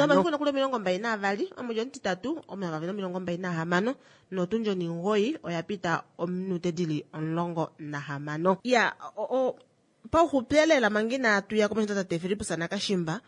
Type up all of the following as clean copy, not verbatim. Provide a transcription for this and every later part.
Oktoba nokuli 22, omwedi omutitatu 2026, notundi 9 oya pita ominute dili 16. Ya, pauxupi elela manga inatu ya komesho tate Fillipus Nakashimba,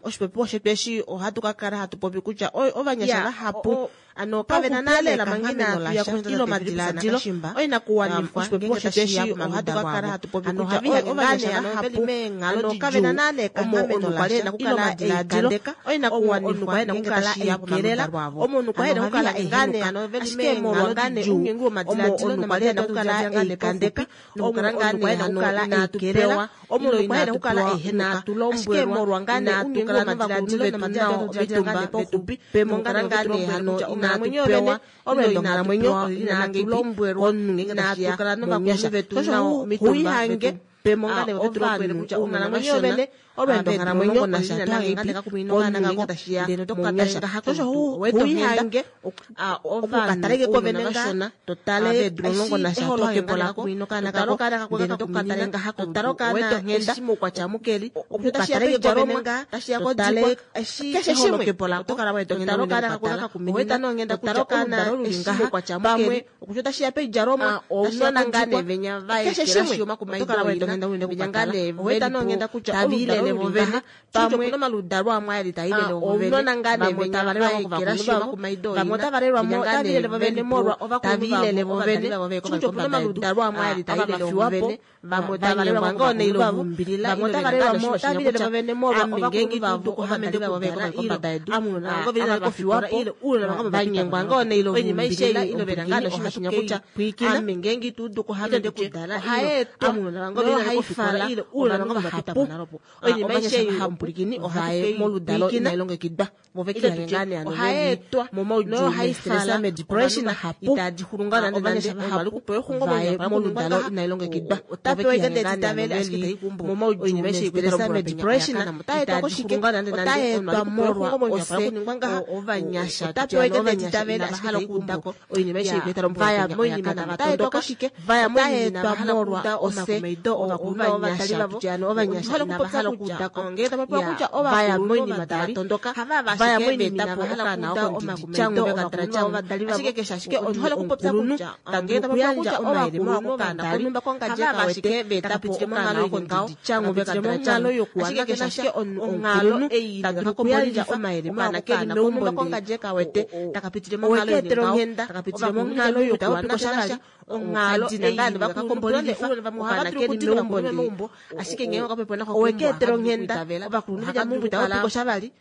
oshipopiwa shetu eshi ohatu ka kala hatu popi kutya ovanyasha vahapu ano kave na nale ekanghameno lasha ile omadilaadilo oinakuwanifwa ngenge tashiya ohatu ka kala hatu popi kutya ovanyasha vahapu ano kave na nale ekanghameno lasha ile omadilaadilo oinakuwanifwa ngenge tashiya pomaludalo avo omunhu kwa ena okukala ngane ano veli meenghalo didjuu omo omunhu kwa ena okukala eikandeka nokukala ngane hano inatu pewa omunhu kwa ena okukala inatu lombwelwa inatu kala novakulunhu vetu nao omitumba vetu pemo ngane hano inatu pewa olweendo nghalamwenyo inatu lombwelwa inatu kala novakulunhu vetu nao omitumba vetu pemo ngane vetu lombwele kutya onghalamwenyo yovene olweendo nghalamwenyo omunhu ngenge tashiya mounyasha osho huihange okukataleke kovene ngaa totale eholokepo lako totale okaana ngaha totale okaana eshi moukwatya mukeli okukataleke kovene ngaa totale keshe shimwe totale okaana kakuminina totale okaana eshi moukwatya mukeli okutya otashiya poidjalomwa ounona ngaa nee venya vaekelashi omakumaido venya ngaa nee velipo taviilele vovene pamwe opuna omaludalo amwe ali tailele ounona ngaa nee venya vaekelashi omakumaido vamwe otavalelwamo otaviilele vovene molwa ovakulunhu vavo ovadali vavo veye kutya opuna omaludalo amwe ali tailele vovene vamwe otavalelwa ngoo neilo vumbilila vamwe otavalelwamo otavilele vovene molwa ovakulunhu vavo ovadali vavo veye kombada yedu avafiwapo vanyengwa ngoo neilo vumbilila ile vena ngaa noshimashinya kutya ame ngeenge ituudu kuhamende kudala ohaetwa nohaifala ovanhu vahapu oinima aishe ei omupulikini ohaye moludalo inailongekidwa ohaetwa momaudjuu mestress medepression itadi xulu ngaa nande nande ovali kupewa exungomwenyo moludalo inailongekidwa otapewa ike ndee titavele ashike taikumbu momaudjuu mestress medepression itadi xulu ngaa nande nande otaetwa molwa ose ovanyasha otapewa ike ndee titavele ashike taikumbu oinima aishe vaya moinima tava tondoka vaya moinima molwa ose ovanyasha ovanyasha inava hala okuudako ngee tapapewa kutya vaya moinima tava tondoka vaya moinima inava hala okuuda omakumaido ovadali vavo ashike keshe ashike omukulunhu tadulu okuyandja omayele mawa kokadali hava ashike veetapo okaana oko ndidi yokuwana keshe ashike omukulunhu tadulu okuyandja omayele mawa kokaana meumbo ndee owekeetela onghenda takapitile monghalo yokuwana sha onghalo ei vakakombolilifa okaana keli meumbo ndee ashike ngee okapepo nako owekeetela onghenda ovakulunhu vedja meumbo itava piko shavali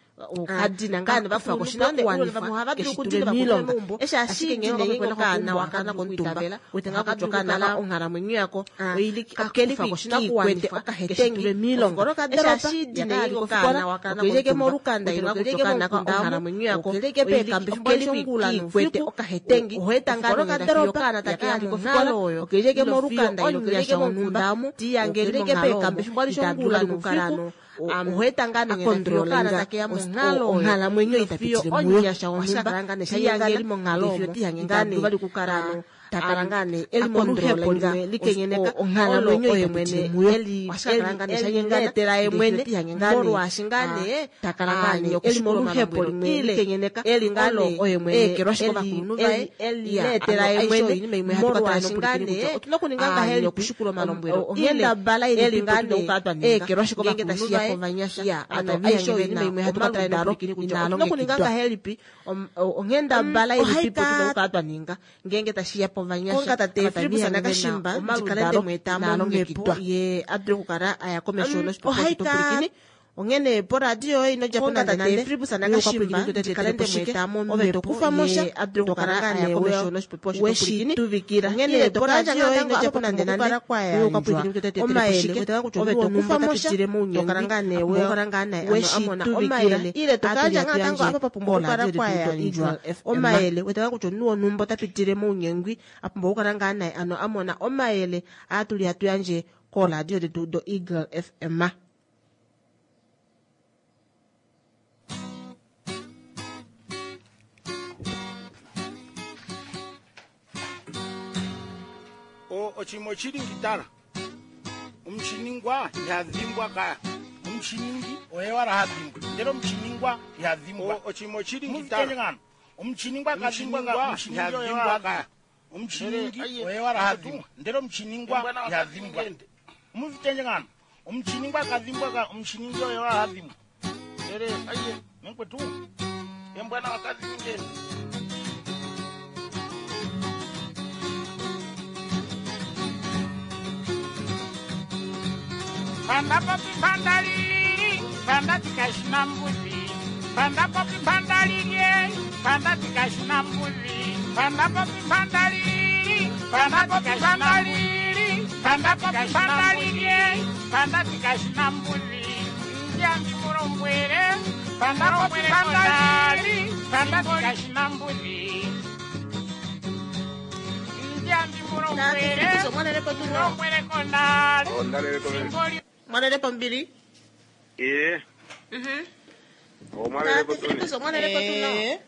kadina ngaa nevakufa koshinakuwanifwa keshitule miilonga eshi ashike ngee okaana wakana komutumba wete ngaa kutya okaana onghalamwenyo yako oili kiikwete okahetengi miilonga eshi ashidine okaana wakana okeleke molukanda okeleke mokunda onghalamwenyo yako okelike okahetengi ohoeta ngaa nongenda okaana takeya monghalo oyo okeleke molukanda okeleke mokunda omu tiyangeleke peekambe fimbo alishe ongula noufiku ohoeta ngaa nongenda okaana takeya monghalo onghalamwenyo itapitile muyo wonhumba tiyangeli monghalo omo itadulu vali okukala takala ngaa nee eli moluhepo limwe likenyeneka onghalamwenyo oye mwene elietela ye mwene molwaashi ngaa nee takala ngaa nee eli moluhepo limwe likenyeneka eli ngaa nee oye mwene eekelwashi kovakulunhu vaye elietela ye mwene molwaashi ngaa nee otuna okuninga ngahelipi okushikula omalombwelo onghendabala ilipi ngaa nee eekelwashi kovakulunhu vaye ano aishe oinima imwe hatu ka tala nopwilikini kutya otuna okuninga ngahelipi onghendabala ilipipo tuna okukala twa ninga ngeenge tashiya povanyasha tate Filippus Nakashimba ndikale nde mu eta momhepo ye a dule okukala aya komesho noshipopiwa shetu onghene poradio yoye ino djapo nande nande Filippus Nakashimba ndikale nde mu eta momhepo ye a dule okukala aya komesho noshipopiwa shetu tuvikila onghene poradio yoye ino djapo nande nande omayele ove to kufa mo sha tokala ngaa nee weshi tuvikila ile tokayandja ngaa tango apa pa pumbwa okukala kwa yandjwa omayele wete ngaa kutya omunhu wonhumba ota pitile mounyengwi a pumbwa okukala ngaa naye ano a mona omayele aa tuli hatu yandje kooradio detu do Eagle FM. O, oshinima oshili ngitala. Omushiningwa iha dhimbwa kaya. Omuchiningi oye wala ha dhimbwa, ndele omuchiningwa iha dhimbwa. Ochimo chili Muvitende ngitara. ngano. Omuchiningwa kadhimbwa Omuchiningwa omuchiningi oye iha wala dhimbwa ha Omuchiningi Ndele, aye, oye wala ha atu. dhimbwa, ndele omuchiningwa Embwana iha wakati dhimbwa. ngende. Muvitende ngano. Omuchiningwa kadhimbwa ka omuchiningi oye wala ha dhimbwa. Ndele, aye, Menkwetu. embwana wakati ngende. Panda popi panda lili, panda tikashina mbuzi. Panda popi panda lili, panda tikashina mbuzi. Panda popi panda lili, panda tikashina lili, panda popi panda lili, panda tikashina mbuzi. Njambi murombwere, panda popi panda lili, panda tikashina mbuzi. Njambi murombwere, murombwere kondali. Simboli Mwalele pombili. Eh. Omwalele kotuni. Mwalele Eh,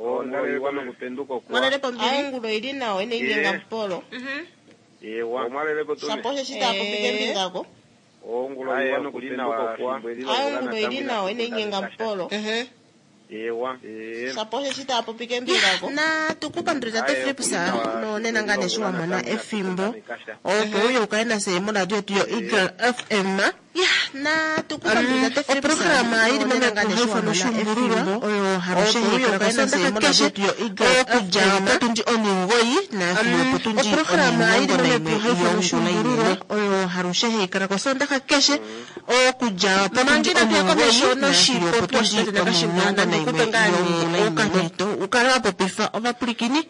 Omwalele kwano kupenduka kwa. Mwalele pombili. aungulo ili nawo ene inyenga Eh. mpolo Ewa. Omwalele kotuni. Saposhe chitapo pike mbingako. Ongulo iwano kupenduka kwa. aungulo ili nawo ene inyenga mpolo Ewa. Eh. saposhe chitapo pike mbingako Na tukupandulila te Aye, Philips okulina nonena nga neshi wa mona efimbo. Opo Opo uye ukaye nase moradio yetu yo Eagle FM. Ya, na tukupandulila te Philips oprograma ili nonena nga neshi wa momekuhaifa mona noshumbululwa efimbo. oyo halushe Opo uye haikala ukaye nase kosondaha moradio keshe yetu yo Eagle okudja FM. potundi omugoyi nafiyo potundi oprograma ili omulongo naimwe momekuhaifa yongula noshumbululwa inene oyo halushe haikala kosondaha keshe okudja potundi Mangina tuya komesho omugoyi nafiyo noshipopiwa potundi shitate nakashimba omulongo nandikupe naimwe ngaa yongula nee inene okamhito ukale wa popifa ovapwilikini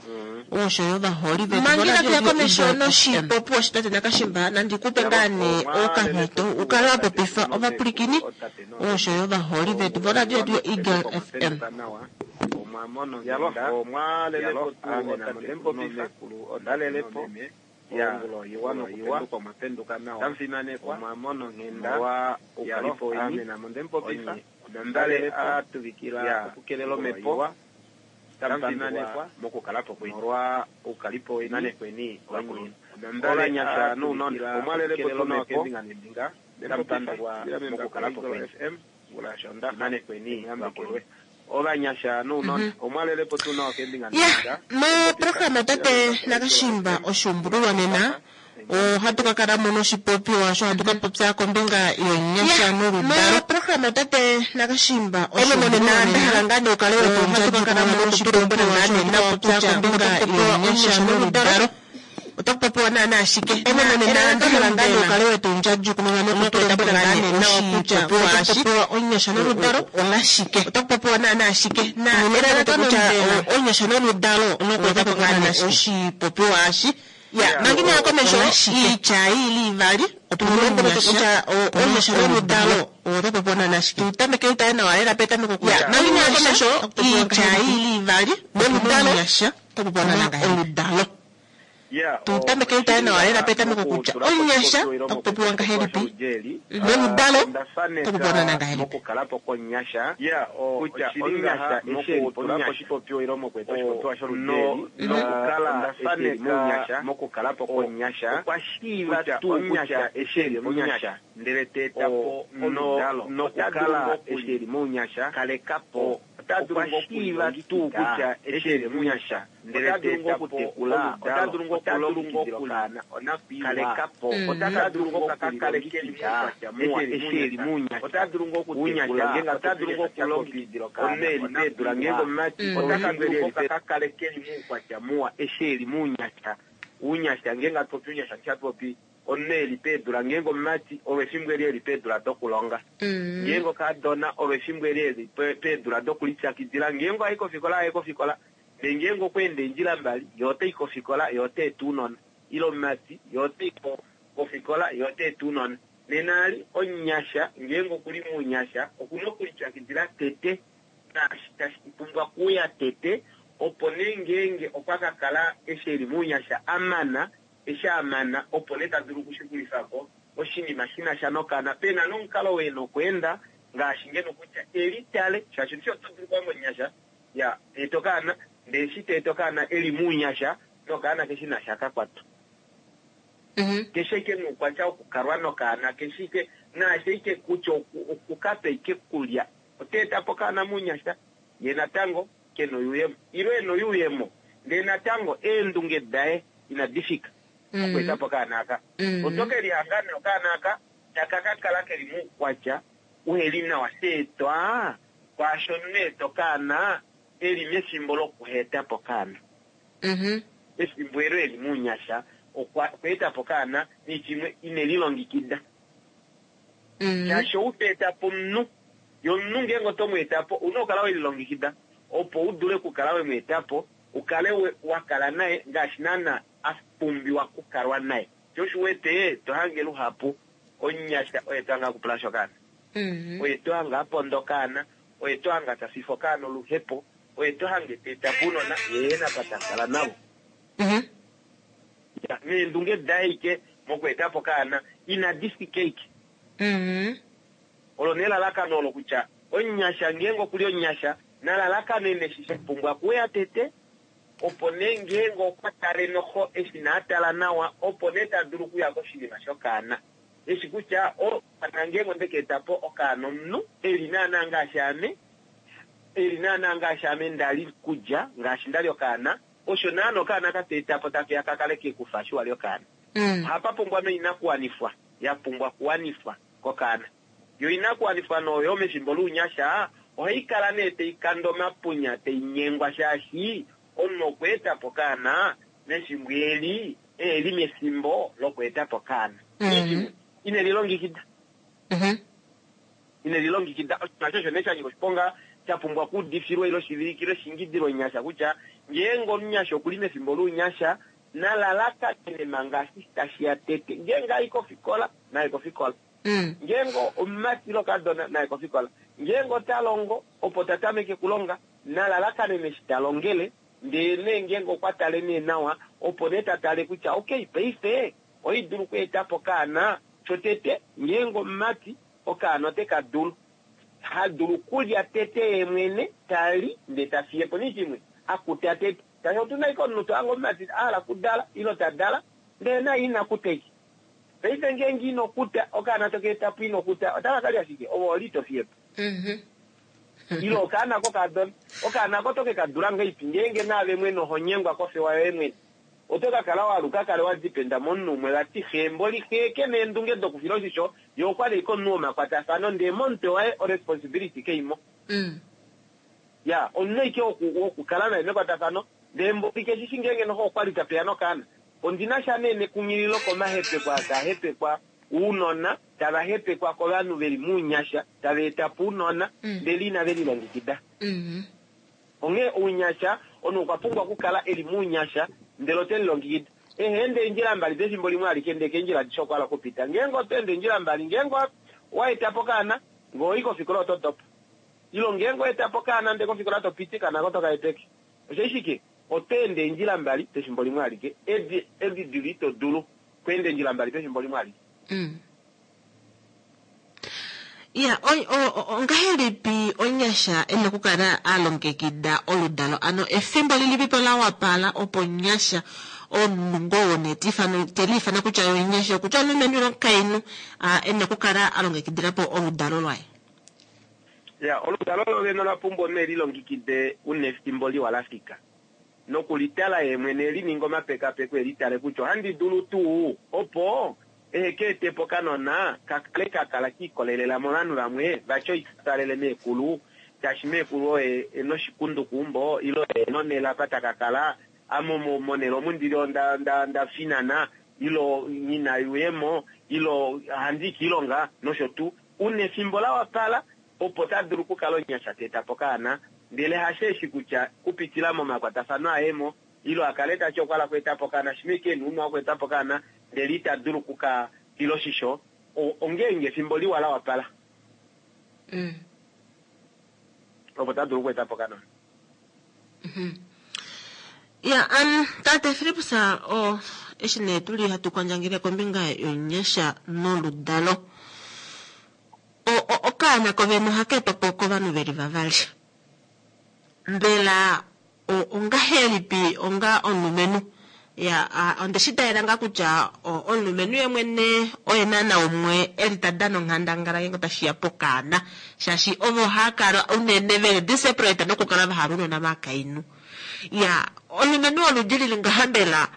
osho yo vaholi vetu mangina voradio tuya yetu komesho Eagle FM. noshipopiwa shitate nakashimba nandikupe ngaa nee okamhito ukale wa popifa ovapwilikini osho yo vaholi vetu voradio yetu yo Eagle FM. Yalo, omwalele kotu otate ondalelepo. Ongulo iwano kupenduka mwapenduka nawa. Tamfimanekwa. Omwamono nghenda. Wa ukalipo weni. Amena mondempopifa. Nondale atuvikila okukelela omepo. Tamfimanekwa mokukalapo kweni. Molwa ukalipo weni. Manekweni vakulunhu. Olanyasha nuunona. Omwalelepo tunawa kembinga nembinga. Tampandulwa mokukalapo kweni. Manekweni vakulunhu. Ovanyasha nuunona. Omwalelepo tunawa kembinga ya nembinga. moprograma tate nakashimba oshumbululwa nena ohatu ka kala mo noshipopiwa sho hatu ka popya kombinga yonyasha noludalo moprograma tate nakashimba ene monena ndahala ngaa nee ukale ohatu ka kala mo noshipopiwa sho hatu ka popya kombinga yonyasha noludalo otaku popiwa naana ashike ene monena ndahala ngaa nee ukale wetu ndjadjukununa nokutulombwela ngaa nee nawa kutya oshipopiwa onyasha noludalo olashike otaku popiwa naana ashike na Unene elalakano kutya kutya onyasha noludalo nokuetapo ngaa nee oshipopiwa ashi Ya, ya mangina ya komesho olashike. iitya ili ivali Otulombwele kutya onyasha noludalo otapopiwa naana ashike tutameke utaye nawa lela petameko kutya Ya, mangina ya komesho iitya iitya ili ivali noludalo onyasha otapopiwa naana oludalo tutameke utaye nawa lela petameko kutya onyasha takupopiwa ngahelipi noludalo takupopiwa takupopiwa ngahelipi mokukalapo konyasha kutya onyasha esheli oshipopiwa ilo mokueta oshipopiwa sholudeli nokukala esheli muunyasha mokukalapo konyasha okwa shiiva tuu kutya esheli munyasha ndele teetapo oludalo nokukala esheli muunyasha kalekapo okwa shiiva tuu kutya esheli munyasha ndele teetapo oludalo ota dulu ngokulongekidila kalekapo ota dulu ngokukalekekidha esheli muunyasha ota dulu ngokutekula ota dulu ngokulongekidila omeli peedula ngeenge omumati ota dulu ngokakakalekeli muukwatya muwa esheli muunyasha uunyasha ngeenge atupopi uunyasha nshatupopi omunhu eli peedula ngeenge omumati olwefimbo eli eli peedula dokulonga ngeenge okadona olwefimbo eli eli peedula dokulipyakidila ngeenge ayi kofikola aye kofikola ndee ngeenge okweenda eendjila mbali ye otai kofikola ye ota eta ounona ile omumati ye otai kofikola ye ota eta ounona nena ali omunyasha ngeenge okuli muunyasha okuna okulipyakidila tete naashi tashi pumbwa kuya tete opo nee ngeenge okwa ka kala eshi eli muunyasha amana eshi amana opo nee ta dulu okushikulifa oshinima shina sha nokana pena nomukalo wena okweenda ngaashi ngeno kutya elitale shaashi ndishi oto dulu kuya monyasha ya teeta okaana ndee eshi teeta okaana eli muunyasha nokaana keshi nasha kakwatwa. Keshe ike noukwatya wokukalwa nokaana, keshe ike naashe ike kutya okukapa ike kulya. Ota eta po okaana mounyasha, ye natango ke na oyuuyemo. Ile e na oyuuyemo, ndee natango eendunge daye inadi fika okweeta po okaana aka. Oto ke lihanga nee okaana aka taka ka kala ke li moukwatya uheli nawa sha etwa kwaasho omunhu a eta okaana e li mefimbo lokuheta po okaana. Efimbo elo e li mounyasha okwa eta po okaana nishimwe ine lilongikida. Shaashi ou ta eta po omunhu, ye omunhu ngeenge oto mu eta po, ou na okukala we lilongekida opo u dule okukala we mu eta po, u kale wa kala naye ngaashi naana a pumbiwa okukalwa naye. Sho osho u wete to hange luhapu omunyasha oye to hange a kupula sha okaana, oye to hange a ponda okaana, oye to hange ta fifa okaana oluhepo, oye to hange ta eta po ounona ye e na apa ta kala navo. Ya, neendunge daye ike mokweeta po okaana inadi fika ike. Olo nee elalakano olo kutya omunyasha ngeenge okuli omunyasha na lalakanene eshi sha pumbwa kuuya tete, opo nee ngeenge okwa tale noxo eshi na tala nawa opo nee ta dulu okuya koshinima shokaana. Eshi kutya okaana ngeenge onde ka eta po okaana omunhu e li naana ngaashi ame, e li naana ngaashi ame nda li kudja ngaashi nda li okaana, osho naana okaana ka ta eta po take ya ka kale ke ku fa eshi wa li okaana. Ohapa pumbwa noinakuwanifwa ya pumbwa okuwanifwa kokaana. Yo oinakuwanifwa nee oyo mefimbo lounyasha ohai kala nee tai kande omapunya tai nyengwa shaashi omunhu okwa eta po okaana mefimbo eli e li mefimbo lokweeta po okaana. Nghee ine lilongekida. Ine lilongekida. Oshinima osho osho nee sha nyika oshiponga sha pumbwa okuudifilwa ile oshivilikilwe shingidilwe omunyasha kutya ngeenge omunyasha okuli mefimbo lounyasha na lalakanene manga eshi tashi ya tete. Ngeenge a i kofikola, naye kofikola. Ngeenge omumati ile okadona, naye kofikola. Ngeenge ota longo, opo ta tameke okulonga, na lalakanene eshi ta longele, ndee nee ngeenge okwa tale nee nawa, opo nee ta tale kutya okay, paife oi dulu okweeta po okaana. Shotete, ngeenge omumati, okaana ote ka dulu. Ha dulu okulya tete ye mwene, ta li, ndee ta fiye po nee shimwe, a kuta tete. Shaashi otu na ashike omunhu to hange omumati a hala okudala, ile ta dala, ndele naye ina kuta ashike. Paife ngeenge ino kuta, okaana to ka eta po ino kuta, otaka ka lya shike? Ove oho li to fiye po. Ile okaana kokadona, okaana ako oto ke ka dula ngahelipi ngeenge naave mwene oho nyengwa kofewa yoye mwene? Oto ka kala wa aluka kale wa dipenda momunhu umwe vati xe mboli xe ke na eendunge dokufila oshisho, ye okwa li ashike omunhu womakwatafano ndee momutwe waye oresponsibility kei mo. Ya, omunhu ashike wokukala naye mekwatafano ndee mboli keshi shi ngeenge noho okwa li ta peya nokaana. Ondi na sha nee nekunghililo komahepeko aa taa hepekwa ounona, tava hepekwa kovanhu ve li mounyasha, tava eta po ounona ndele inave lilongekida. Onghee ounyasha, omunhu okwa pumbwa okukala e li mounyasha ndele ote lilongekida. Eha ende eendjila mbali pefimbo limwe alike ndee keendjila adishe okwa hala okupita. Ngeenge oto ende eendjila mbali, ngeenge owa eta po okaana, ngee owa i kofikola oto dopa. Ile ngeenge owa eta po okaana ndee kofikola to piti, okaana ako oto ka hepeke. Osho ashike oto ende eendjila mbali pefimbo limwe alike. Edi, edi dili ito dulu okweenda eendjila mbali pefimbo limwe alike. Ya, ongahelipi omunyasha e na okukala a longekida oludalo? Ano efimbo lilipi po la wapala opo omunyasha, omunhu ngoo wone te ifana, te liifana kutya ye omunyasha, okutya omulumenhu ile omukainhu, e na okukala a longekidila po oludalo lwaye? Ya, oludalo lo vene ola pumbwa omunhu e lilongekide una efimbo liwa la fika, nokulitala ye mwene e lininge omapekapeko e litale kutya ohandi dulu tuu opo ehe ka ete po okanona ka kale ka kala ka ikolelela movanhu vamwe vati oitwalele meekulu shaashi meekulu oye e na oshikundu keumbo ile oye e na onhele apa taka kala, ame omo monhele omu ndili onda nda nda finana ile nghi na oyuuyemo ile ohandi i kiilonga nosho tuu. Una efimbo la wapala opo ta dulu okukala omunyasha ta eta po okaana ndele hasheeshi kutya kupitila momakwatafano aye mo ile a kale ta ti okwa hala okweeta po okaana shimwe ashike e na ounwa wokweeta po okaana ndele ita dulu oku ka fila oshisho, ongeenge efimbo liwa la wapala opo ta dulu okweeta po okanona. Ya, tate Filippus, o, eshi nee tu li hatu kwandjangele kombinga yonyasha noludalo, o, o, okaana kovene ohaka etwa po kovanhu ve li vavali. Mbela ongahelipi onga omulumenhu Ya, onde shi talela ngaa kutya omulumenhu ye mwene oye naana umwe e li ta dana onghandangala ngeenge otashi ya pokaana, shaashi ovo hava kala unene veli desperate nokukala va hala ounona vakainhu. Ya, omulumenhu woludi lili ngaha mbela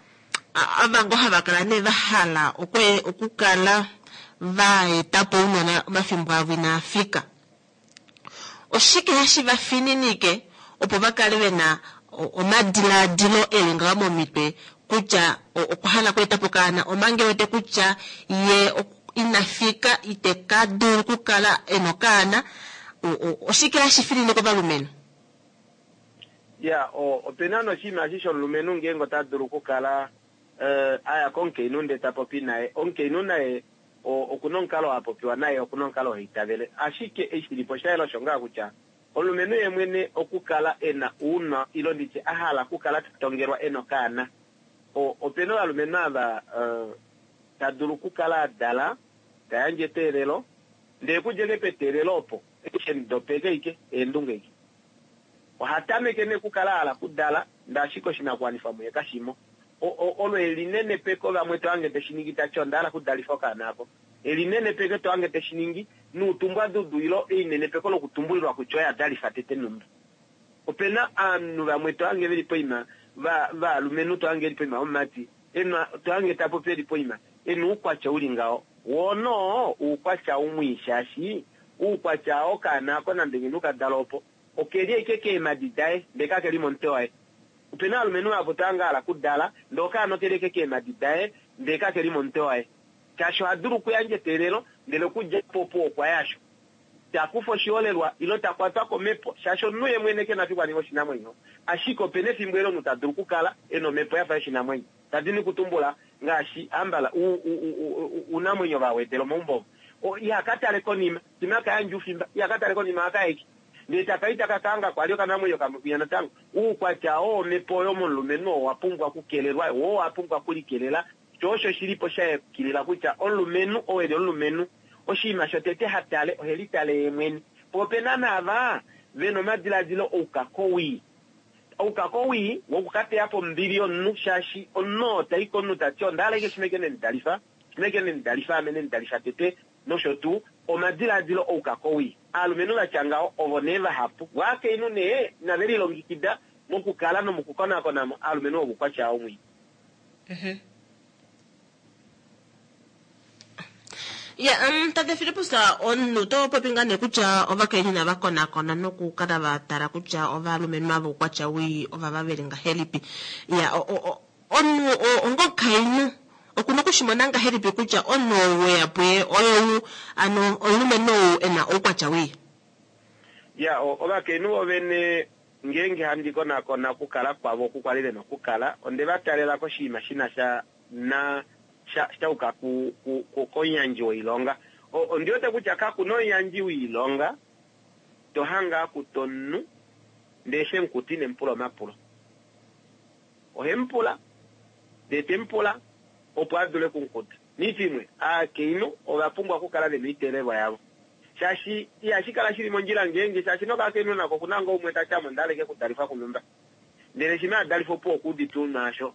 ava ngoo hava kala nee va hala okukala va eta po ounona omafimbo avo inaa fika. Oshike hashi va fininike opo va kale ve na omadilaadilo e li ngaho momitwe kutya okwa hala okweeta po okaana omanga e wete kutya ye ina fika ite ka dulu okukala e na okaana? Oshike hashi fininike ovalumenhu? Ya, ope na noshinima eshi shomulumenhu ngeenge ota dulu okukala a ya komukainhu ndee ta popi naye, omukainhu naye oku na omukalo ha popiwa naye, oku na omukalo ha itavele. Ashike eshi shi li po osha yela osho ngaa kutya omulumenhu ye mwene okukala e na ounwa ile ndi tye a hala okukala ta tongelwa e na okaana. Ope na ovalumenhu ava ta dulu okukala a dala, ta yandje eteelelo, ndee okudja eke peteelelo opo, eshi e mu dopeke ike, eendunge ike. Oha tameke nee okukala a hala okudala, ndee ashike oshinakuwanifwa muye kashi mo. Olo elinenepeko vamwe to hange te shi ningi ta ti onda hala okudalifa okaana ako. Elinenepeko to hange te shi ningi nuutumbwadudu ilo einenepeko lokutumbulilwa kutya oye a dalifa tete nhumba. Ope na ovanhu vamwe to hange ve li poima va valumenhu to hange e li poima yomumati e na to hange ta popi e li poima e na uukwatya u li ngaho. Woo noo uukwatya umwii shaashi uukwatya oo okaana ako nande ngeno ka dala opo oke li ashike keemadi daye ndee kake li momutwe waye. Ope na ovalumenhu vahapu to hange a hala okudala ndee okaana oke li ashike keemadi daye ndee kake li momutwe waye. Shaashi oha dulu okuyandja eteelelo ndele okudja po opuwo okwa ya sho. Ta kufa oshiholelwa ilo ta kwatwa komhepo shaashi omunhu ye mwene ke na fiku a ninge oshinamwenyo. Ashike ope na efimbo elo omunhu ta dulu okukala e na omhepo ya fa yoshinamwenyo. Ta dini okutumbula ngaashi ambala uunamwenyo va wedela omaumbo ovo. Iha ka tale konima, shimha ka yandja oufimba, iha ka tale konima ohaka eke. Ndele taka i taka ka hanga kwali okanamwenyo kamwe kwinya natango. Uukwatya oo womhepo oyo momulumenhu oo owa pumbwa okukelelwa, wo owa pumbwa okulikelela. Sho osho shi li po sha yukilila kutya omulumenhu oo e li omulumenhu, oshinima shotete ha tale ohe litale ye mwene. Po ope na naava ve na omadiladilo oukakowii. Oukakowii woku ka teya po ombili yomunhu, shaashi omunhu oo ta i komunhu ta ti onda hala ashike shimeke ne mu dalifa, shimeke ne mu dalifa, ame ne mu dalifa tete, nosho tuu. Omadiladilo oukakowii. Aalumenhu va tya ngaho ovo nee vahapu. Vo aakainhu nee inave lilongikida mokukala nomukukonakona mo aalumenhu voukwatya oo mwii. Ya, um, tate Filippus, omunhu oto popi ngaa nee kutya ovakainhu inava konakona nokukala va tala kutya ovalumenhu ava oukwatya wii ovava ve li ngahelipi. Ya, omunhu ongomukainhu oku na oku shi mona ngahelipi kutya omunhu ou we ya puye oyou ano omulumenhu ou e na oukwatya wii? Ya, ovakainhu vovene Ngeenge handi konakona okukala kwavo oku kwa li ve na okukala, onde va talela koshinima shi na sha na sha sha yuka ku, ku, ku, komuyandji woilonga. O, ondi wete kutya kaku na omuyandji woilonga to hange a kuta omunhu ndee eshi e mu kuta ine mu pula omapulo. Ohe mu pula, ndee te mu pula opo a dule oku mu kuta. Niitya imwe, aakainhu ova pumbwa okukala ve na oiteelelwa yavo. Shaashi ihashi kala shi li mondjila ngeenge, shaashi nokakainhu nako oku na ngoo umwe ta ti ame onda hala ashike okudalifwa kunhumba. Ndele shimha a dalifwa opuwo okwa udite ounwa asho.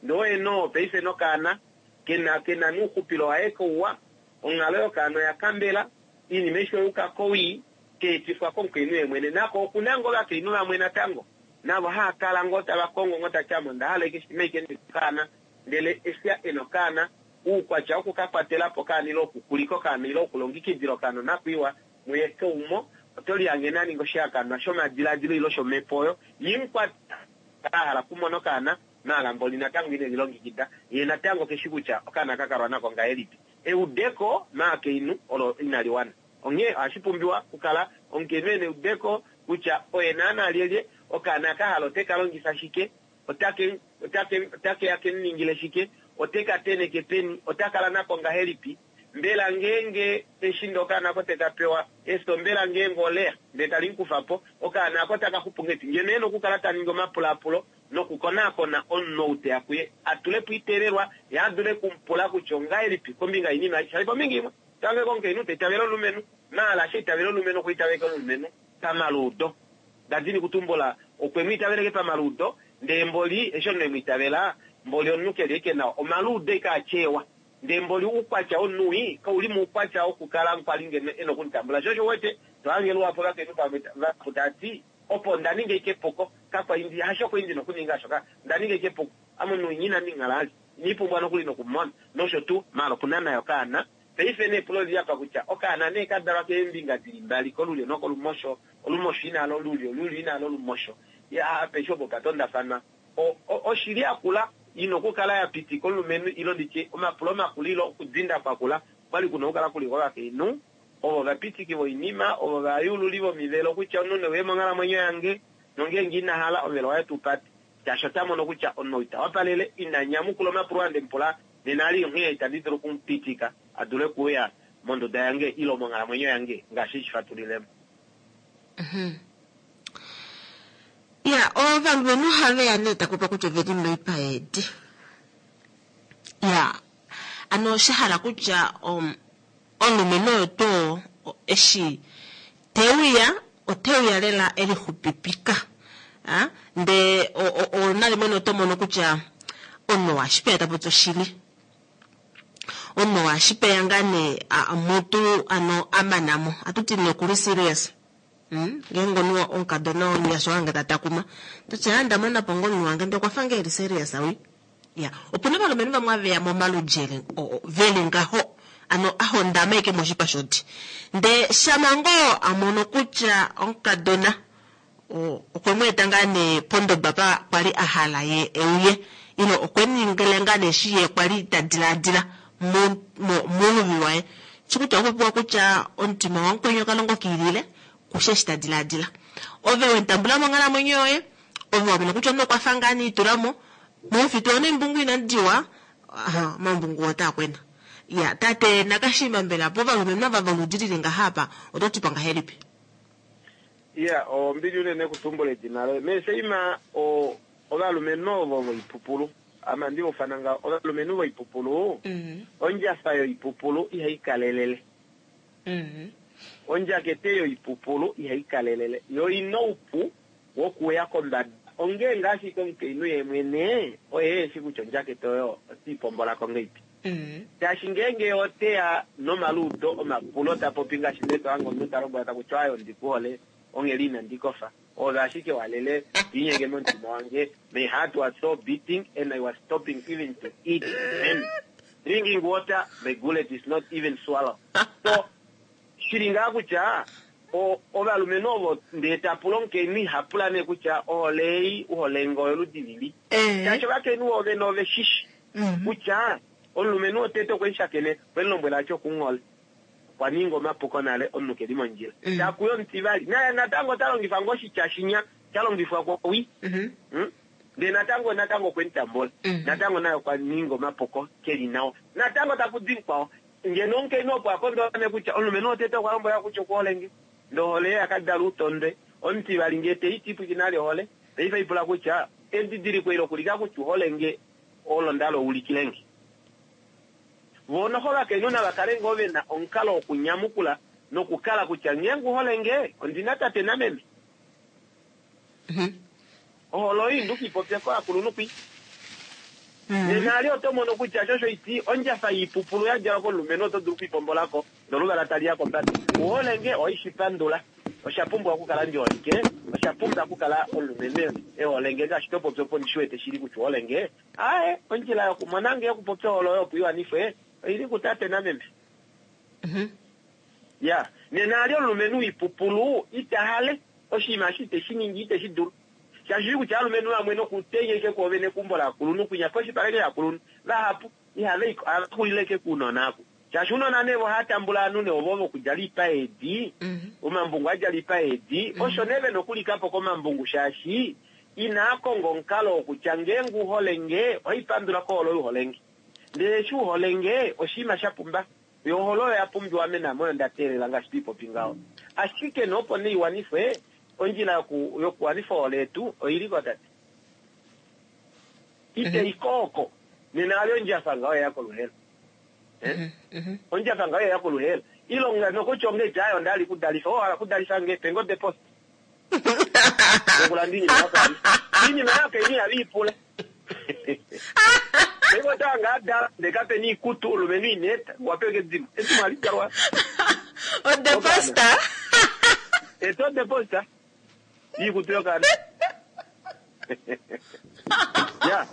Ndee oye noo paife nokaana, ke na, ke na nouxupilo waye kouwa, onghalo yokaana oya kambela, oinima aishe oya yuka kowii, ka etifwa komukainhu ye mwene. Nako oku na ngoo ovakainhu vamwe natango, navo hava kala ngoo tava kongo ngoo ta ti ame onda hala ashike shimha ashike ndi na okaana, ndele eshi e na okaana, Uukwatya woku ka kwatela po okaana ile okukulika okaana ile okulongikidila okaana onakwiiwa muye keumo, oto lihange a ninga oshihakanwa shomadiladilo ile shomhepo oyo ye mu kwata a hala okumona okaana, maala mboli natango ine lilongikida, ye natango ke shi kutya okaana ka kalwa nako ngahelipi. Eudeko maakainhu olo inali wana. Onghee ohashi pumbiwa okukala omukainhu e na eudeko kutya oye naanaa lyelye, okaana ka hala ote ka longifa shike, Otake, otake, otake ya ke mu ningile shike? Ote ka teneke peni? Ota kala nako ngahelipi? Mbela ngeenge eshi ndee okaana ako te ka pewa efyo, mbela ngeenge oleya ndee tali mu kufa po, okaana ako otaka xupu ngahelipi? Ngeno e na okukala ta ningi omapulaapulo nokukonaakona omunhu ou te ya kuye, a tule po oiteelelwa, ye a dule oku mu pula kutya ongahelipi kombinga yoinima ei. Shaashi kombinga imwe, tango komukainhu ta itavele omulumenhu, maala eshi a itavela omulumenhu okwa itavela omulumenhu pamaluudo. Nda dini kutumbula, okwe mu itaveleke pamaluudo, ndee mboli eshi omunhu e mu itavela, Mboli omunhu keli eke nawa, omaluudo eke atyeewa. Ndee mboli oukwatya womunhu wii kauli moukwatya wokukala kwali ngeno ena okumutambula. Sho osho uwete to hange luhapu ovakainhu pamwe vahapu tava ti, Opo onda ninga eke epuko, kakwa li ndi, hasho kwali ndina okuninga osho ka, onda ninga eke epuko. Ame omunhu winya inandi mu hala vali, inandi pumbwa nokuli nokumumona. Nosho tuu. Maala okuna naye okaana. Paife nee epulo olili apa kutya, okaana nee ka dalwa keembinga dili mbali, kolulyo nokolumosho, olumosho ina hala olulyo, olulyo ina hala olumosho. Ya, apeshe opo opa tondafanwa. O, o, oshili yakula ina okukala ya pitika omulumenhu ilo nditye omapulo makula ilo okudinda kwakula okwali kuna okukala kuli kovakainhu ovo ovapitiki voinima, ovo ovayuululi vomivelo kutya omunhu ne uye monghalamwenyo yange nongeenge ina hala omuvelo waye tu pate shaashi ota mono kutya omunhu ou ita wapalele, ina nyamukula omapulo ande mu pula nena ali onghee itandi dulu oku mu pitika a dule okuuya monduda yange ilo monghalamwenyo yange ngaashi eshi fatulilemo. Ya, ovalumenhu ohave ya nee taku pa kutya oveli moipa yeedi. Ya, ano sha hala kutya omulumenhu oyo tuu eshi te uya, ote uya lela e lixupipika. Ndee nalimwe nee oto mono kutya omunhu oo ashipeya ta popi oshili. Omunhu oo ashipeya ngaa nee mutu ano a mana mo. Ohatu ti nee okuli serious. Hmm? Ngeenge omunhu omukadona omunyasha wange ta takuma, toti aa ndamona po ngoo omunhu wange ndee okwa fa ngoo eli serious wi. Ya, opuna ovalumenhu vamwe aveya momaludjele veli ngaho, ano a hondama eke moshipa shodi. Ndee shama ngoo a mono kutya omukadona okwe mu eta ngaa nee pondoba pa kwali a hala ye euye, ile okwe mu ningile ngaa nee eshi ye kwali ta dilaadila mouluvi waye, shi kutya okwa popiwa kutya omutima wamukweni okalongo kiilile kushe eshi ta dilaadila. Ove we mu tambula monghalamwenyo yoye, ove wa mona kutya omunhu okwa fa ngaa nee itula mo, momufitu wa neembungu inadi diwa, aha, omambungu otaa kwena. Ya, tate Nakashima mbela povalumenhu ava voludi lili ngaha apa oto ti po ngahelipi? Iya, ombili unene okutumbula edina loye. Meeseima, o, ovalumenhu ovo voipupulu, ame ohandi va ufana ngaho, ovalumenhu voipupulu, ondjafa yoipupulu ihai kalelele. Ondjakete yoipupulu ihai kalelele. Yo oi na oupu wokuuya kombada. Ongee ngaa ashike omukainhu ye mwene oye e shi kutya ondjakete oyo ote i pombola ko ngahelipi. Shaashi ngeenge ye ote ya nomaluudo omapulo ta popi ngaashi nee to hange omunhu ta lombwela taku ti aaye ondi ku hole onghela inandi kofa, oove ashike wa lele to inyenge momutima wange, my heart was so beating and I was stopping even to eat and drinking water, my gullet is not even swallow. So shili ngaa kutya o, ovalumenhu ovo ndee ta pula omukainhu iha pula nee kutya ohole ei u hole nge oyoludi lili. Shaashi ovakainhu voovene ove shishi kutya omulumenhu wotete okwe mu shakene, okwe mu lombwela a ti oku mu hole. Okwa ninga omapuko nale, omunhu ke li mondjila. Taku ya omutivali, naye natango ota longifa ngoo oshitya shinya sha longifwa kwowi. Ndele natango, natango okwe mu tambula. Natango naye okwa ninga omapuko, ke li nawa. Natango taku di mukwao. Ngeno omukainhu opo a kondola nee kutya omulumenhu wotete okwa lombwela kutya oku hole nge, ndele ohole yaye ya ka dala outondwe. Omutivali ngee te i ti pwikina vali ohole, paife lipula kutya edidiliko eli okulika kutya u hole nge olo nda hala u ulikile nge. Voo noho ovakainhu nava kale ngoo ve na omukalo wokunyamukula nokukala kutya ngeenge u hole nge, ondi na tate nameme. Ohole oyo indu ki popya kovakulunhu kwi. Nena ali oto mono kutya sho osho iti ondjafa yiipupulu ya djalwa komulumenhu oto dulu okuipombola ko noluvala tali ya kombada. U hole nge ohai shi pandula. Osha pumbwa okukala ndi holike. Osha pumbwa okukala omulumenhu e hole nge ngaashi to popi opo ndi shi wete shili kutya u hole nge. Aaye, ondjila yokumona nge yokupopya ohole oyo opo i wanifwe oi li kutate nameme. Ya, nena ali omulumenhu woipupulu ita hale oshinima eshi ite shi ningi, ite shi dulu. Shaashi oshi kutya ovalumenhu vamwe nokutenya ashike kwoove nekumbo laakulunhu kwinya poshipala ashike shaakulunhu, vahapu ihava i ko, ohava xulile ashike kounona aku. Shaashi ounona nee vo ohava tambula ovanhu nee ovo vokudjala oipa yeedi, omambungu a djala oipa yeedi, osho nee ve na okulika po komambungu shaashi inaa konga omukalo wokutya ngeenge u hole nge, ohai pandula kohole oyo u hole nge. Ndele eshi u hole nge, oshinima sha pumba. Yo ohole oyo ya pumbiwa ame naame oyo nda teelela ngaashi to i popi ngaho. Ashike nee opo nee i wanifwe, ondjila yoku, yokuwanifa ohole yetu oi li ko tate. Ite i ko oko. Nena ali ondjafa ngaho ya ya koluhela. Eh? Ondjafa ngaho ya ya koluhela. Ilonga nokutya ongeiti ayo onda hala ikudalifa. Owa hala okudalifa nge? Pe nge odeposit. Yokulanda iinima yako aishe. Iinima yako ini ihava i pula. Paife ota hanga a dala ndee kape na iikutu, omulumenhu ina eta, okwa pewa edimo. Edimo ohali dalwa. Ode posta. Eta ode posta. Iikutu yokaana. Ya.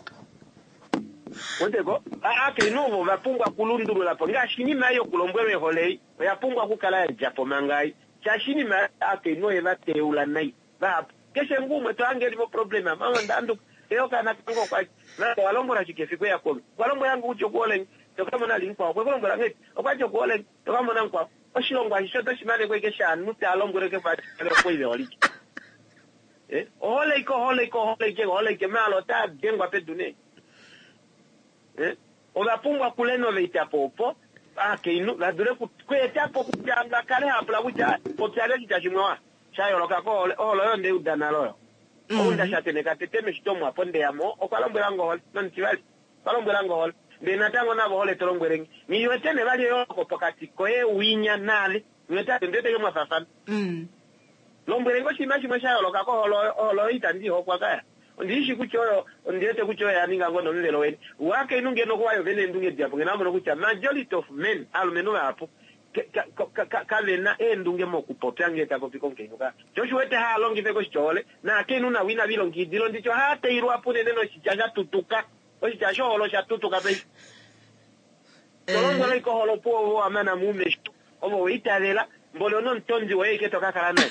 Weteko? Aakainhu ovo ova pumbwa okulundulula po ngaashi inima ei yokulombwelwa ehole ei oya pumbwa okukala ya dja po manga ei. Shaashi inima ei aakainhu oye va teula nai. Vahapu. Keshe nguu umwe to hange eli moproblema, mama onda handuka. Ndee okaana kange okwa li. Mama owa lombwela shike efiku eya kwoove? Okwa lombwela nge kutya oku hole nge. To ka mona li mukwao. Okwe ku lombwela ngahelipi? Okwa ti oku hole nge. To ka mona mukwao. Oshilongo ashishe oto shi maneko ashike shaanhu taa lombwelwe keshe umwe okwe i veholike. Eh, ohole ike, ohole ike, ohole ike, ohole ike, maala otaa dengwa pedu nee. Eh, ova pumbwa okurenovata po opo aakainhu va dule okweeta po kutya va kale hava pula kutya popya nee oshitya shimwe wa sha yooloka kohole. Ohole oyo nde i uda nale oyo. Ou nda shakeneka tete meshito omu apo nde ya mo okwa lombwela nge ohole nomutivali okwa lombwela nge ohole. Ndele natango navo ohole to lombwele nge. Nghi wete nee vali eyooloko pokati koye winya naave. Nghi wete ondi wete mwa faafana. Lombwele nge oshinima shimwe sha yooloka kohole oyo. Ohole oyo itandi i hokwa kaya. Ondi shi kutya oyo, ondi wete kutya oyo ya ninga ngoo nomuvelo weni. Waakainhu ngeno okwa yo ve na eendunge dihapu, ngeno a mono kutya majority of men, aalumenhu vahapu, kave na eendunge mokupopya ngee ta popi komukainhu ka. Sho osho u wete haa longifa eke oshitya ohole, naakainhu navo inava ilongekidila onditya ohaa teilwa po unene noshitya sha tutuka. Oshitya shohole osha tutuka paife. To lombwela ashike ohole opuwo ovo wa mana mo oumesho, ovo wa itavela, mboli onomutondi woye ashike to ka kala naye.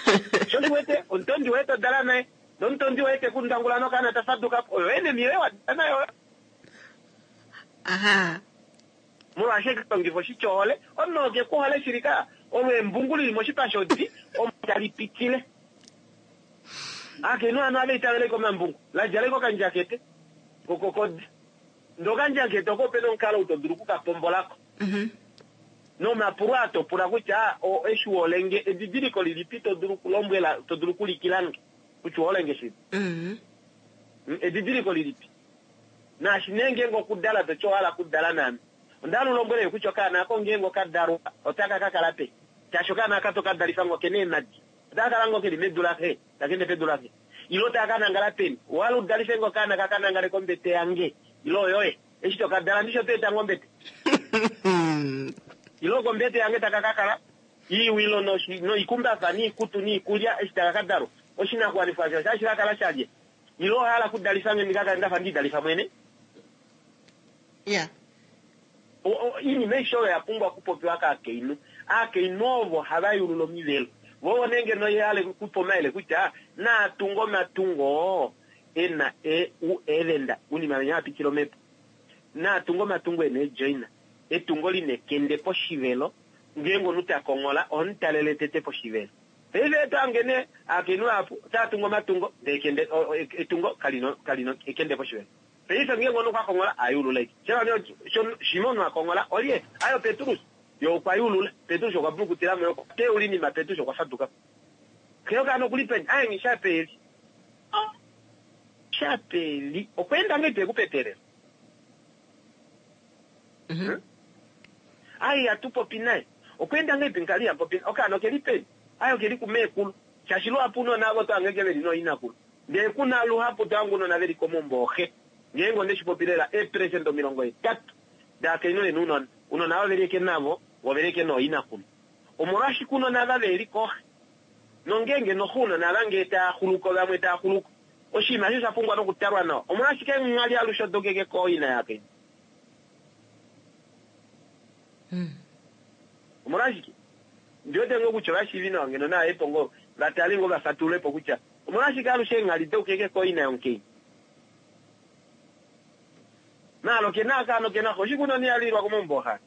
Sho osho u wete omutondi woye to dala naye, nomutondi woye te ku ndangula nokaana ta faduka po, oyo enemy yoye wa dala nayo oyo. Aha. Molwaashi eke longifa oshitya ohole, omunhu oo ke ku hole shili ka, olo embungu li li moshipa shodi, omo tali pitile. Aakainhu hano ohava itavele ashike omambungu, la djala ashike okandjakete kokodi. Ndee okandjakete oko ope na omukalo ou to dulu oku ka pombola ko. Nomapulo aa to pula kutya, o, eshi u hole nge, edidiliko lilipi to dulu okulombwela, to dulu okuulikila nge kutya u hole nge shili? Edidiliko lilipi? Naashi nee ngeenge okudala to ti owa hala okudala naame, onda hala u lombwele nge kutya okaana ako ngeenge oka dalwa otaka ka kala peni? Shaashi okaana aka to ka dalifa ngoo okena eemhadi, otaka kala ngoo keli medu laxe, taka ende pedu laxe? Ile otaka ka nangala peni? Owa hala u dalife nge okaana ka ka nangale kombete yange ile oyoye? Eshi to ka dala ndishi oto eta ngoo ombete? Ile okombete yange taka ka kala? Iiwilo noikumbafa niikutu niikulya eshi taka ka dalwa? Oshinakuwanifwa osho otashi ka kala shalye? Ile owa hala okudalifa nge ndi ka kale nda fa ndi idalifa mwene? Yeah. Oinima aishe oyo oya pumbwa okupopiwa kaakainhu. Aakainhu ovo hava yulula omivelo. Vo ovo nee ngeno ye hale kupa omayele kutya naa tunge omatungo oo e na eevenda, unima venya hava pitile omhepo. Naa tunge omatungo e na eejoina, etungo li na ekende poshivelo, ngeenge omunhu ta konghola oho mu talele tete poshivelo. Paife oto hange nee aakainhu vahapu otava tungu omatungo ndee ekende, etungo kali na, kali na ekende poshivelo. Paife ngeenge omunhu okwa konghola, a yulula ashike. Shava nee shimha omunhu a konghola, olye? Aye oPetrus. Ye okwa yulula. Petrus okwa bulukutila mo, ye okwa teula oinima, Petrus okwa faduka po. Xe yokaana oku li peni? Aye nghi shapeli. Oh, shapeli. Okwa enda ngahelipi e ku petelela? Hmm? Aye ihatu popi naye. Okwa enda ngahelipi ngali iha popi naye? Okaana oke li peni? Aye oke li kumeekulu. Shaashi luhapu ounona avo oto hange ke ve li nooinakulu. Ndee ku na luhapu to hange ounona ve li komaumbo ooxe. Ngeenge onde shi popi lela, eeperesenda 80 daakainhu ove na ounona. Ounona ava ove li eke navo, vo ove li eke nooinakulu. Omolwashike ounona ava ve li kooxe? Nongeenge noxe ounona ava ngee taa xuluko vamwe taa xuluko. Oshinima eshi osha pumbwa nokutalwa nawa. Omolwashike nghali alushe odokeke kooina yaakainhu? Omolwashike? Ndi wete ngoo kutya ovashiivi nawa ngeno nava ye po ngoo va tale ngoo va fatulule po kutya omolwashike alushe eenghali daukeke kooina yomukainhu. Maala oke na akaana oke na xe, oshike unene iha lilwa komaumbo ooxa?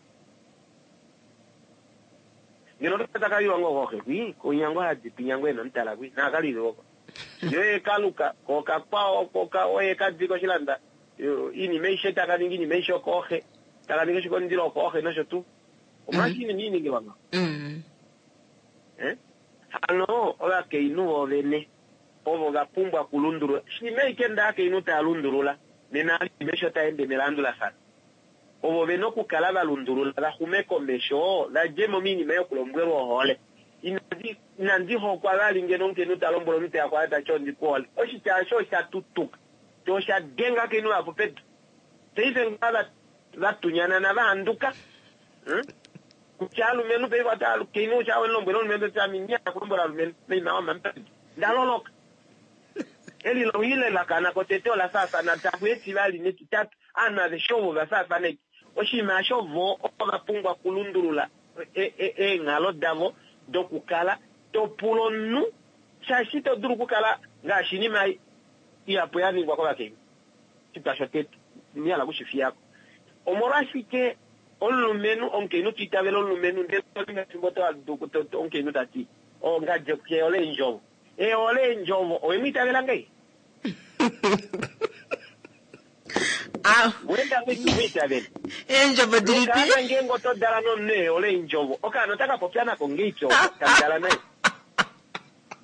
Ngeno ota taka lilwa ngoo kooxe kwi, kwinya ngoo hadi kwinya ngoo e na omutala kwi, naa ka lilwe oko. Yo ye ka luka, ko okakwao ko ka oye ka di koshilanda, iinima aishe taka ningi iinima aishe okooxe, taka ningi oshikomundilo okooxe nosho tuu. Omolwashike iinima ii ningilwa ngaho? Eh? Hano ovakainhu voovene ovo va pumbwa okulundulula. Shimha ashike ndee aakainhu taa lundulula, nena oinima aishe otai ende melandulafano. Ovo ve na okukala va lundulula va xume komesho, va dje mo moinima yokulombwelwa ohole. Inandi, inandi hokwa vali ngeno omukainhu ta lombwele omunhu te ya kwaye ta ti ondi ku hole. Oshitya osho osha tutuka, sho osha denga akainhu vahapu pedu. Paife ngaha vatunyanana vahanduka. Kutya alumenhu paife ota kainhu sha welombwela omulumenhu ta ami nya kulombwela alumenhu meima wamampadi. Ndaloloka. Eli loile lakana kotete ola faafana taku etivali netitatu aanhu aveshe ovo va faafana eki. Oshinima osho vo ova pumbwa okulundulula eenghalo davo dokukala to pula omunhu shaashi ito dulu okukala ngaashi inima ihapu ya ningwa kovakainhu. Oshitwa shotete ina hala okushifiyako. Omolwashike omulumenhu omukainhu to itavele omulumenhu ndele konima yefimbo oto omukainhu ta ti ongadji ke hole eendjovo. E hole eendjovo owe mu itavela ngei? Wenda ngei tu mu itavele? Eendjovo dilipi? Nokaana ngeenge oto dala nomunhu e hole eendjovo, okaana otaka popya nako ngeipi oko tamu dala naye?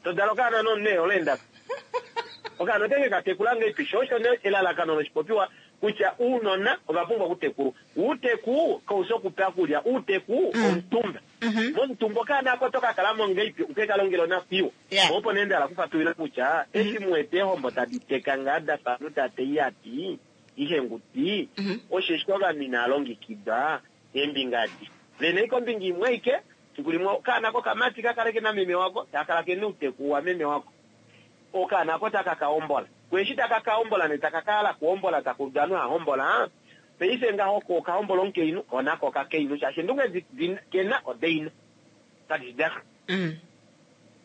To dala okaana nomunhu e hole eendaka. Okaana oteke ka tekula ngeipi? Sho osho nee elalakano loshipopiwa kutya ounona ova pumbwa okutekulwa. Outeku kau fi okupa okulya, outeku omutumba. Momutumba okaana ako oto ka kala mo ngeipi uke ka longele onakwiiwa? Po opo nee nda hala okufatulila kutya eshi mu wete eehombo tadi teka ngaa da fa omunhu ta teya iyati, ihenguti, osheshi ovanhu inaa longekidwa eembinga adi. Ve na ashike ombinga imwe aike, fiku limwe okaana kokamati ka kale ke na meme wako, taka kala ke na outeku wameme wako. Okaana ako taka ka hombola. Ko eshi taka ka hombola nee taka ka hala okuhombola taka udu ovanhu hava hombola, paife ngaho ko oka hombola omukainhu, ko nako okakainhu shaashi eendunge edi di ke na odaina. Kadi shi daxe.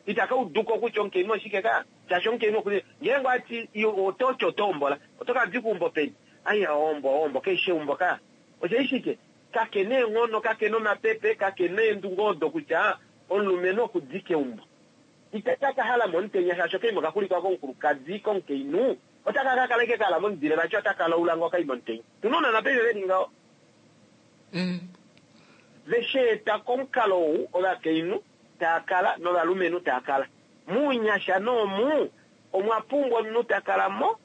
Itaka udu ko kutya omukainhu oshike ka, shaashi omukainhu oku ngeenge owati oto ti oto hombola, oto ka dika eumbo peni? Ai ohombo ohombo kaishi eumbo ka. Osheshi shike? Kake na eenghono, kake na omapepe, kake na eendunge odo kutya omulumenhu oku dika eumbo. Itaka ka hala momutenya shaashi okaima oka xulikwa komukulukadi, komukainhu. Otaka ka kala ashike ka hala momudile vati otaka laula ngoo okaima omutenya. Tuna ounona paife veli ngaho. Ve shi eta komukalo ou ovakainhu taa kala novalumenhu taa kala. Mounyasha noomu omwa pumbwa omunhu ta kala mo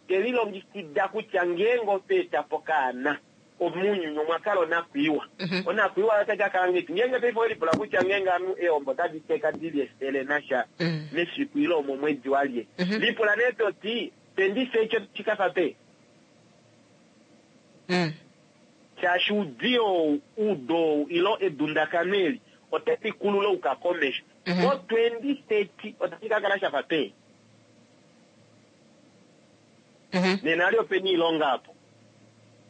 te lilongekida kutya ngeenge otwa eta po okaana, mounyuni omwa kala onakwiiwa. Onakwiiwa oyo otai ka kala ngahelipi? Ngeenge paife owe lipula kutya ngeenge ovanhu eehombo otadi teka di li efele nasha mefiku ile omomwedi walye, lipula nee to ti, Pendife eshi otashi ka fa peni? Shaashi oudiyo ou, oudo ou ile edundakano eli otali kulu la yuka komesho. Mo 2030 otashi ka kala sha fa peni? Nena ali opena iilonga apo.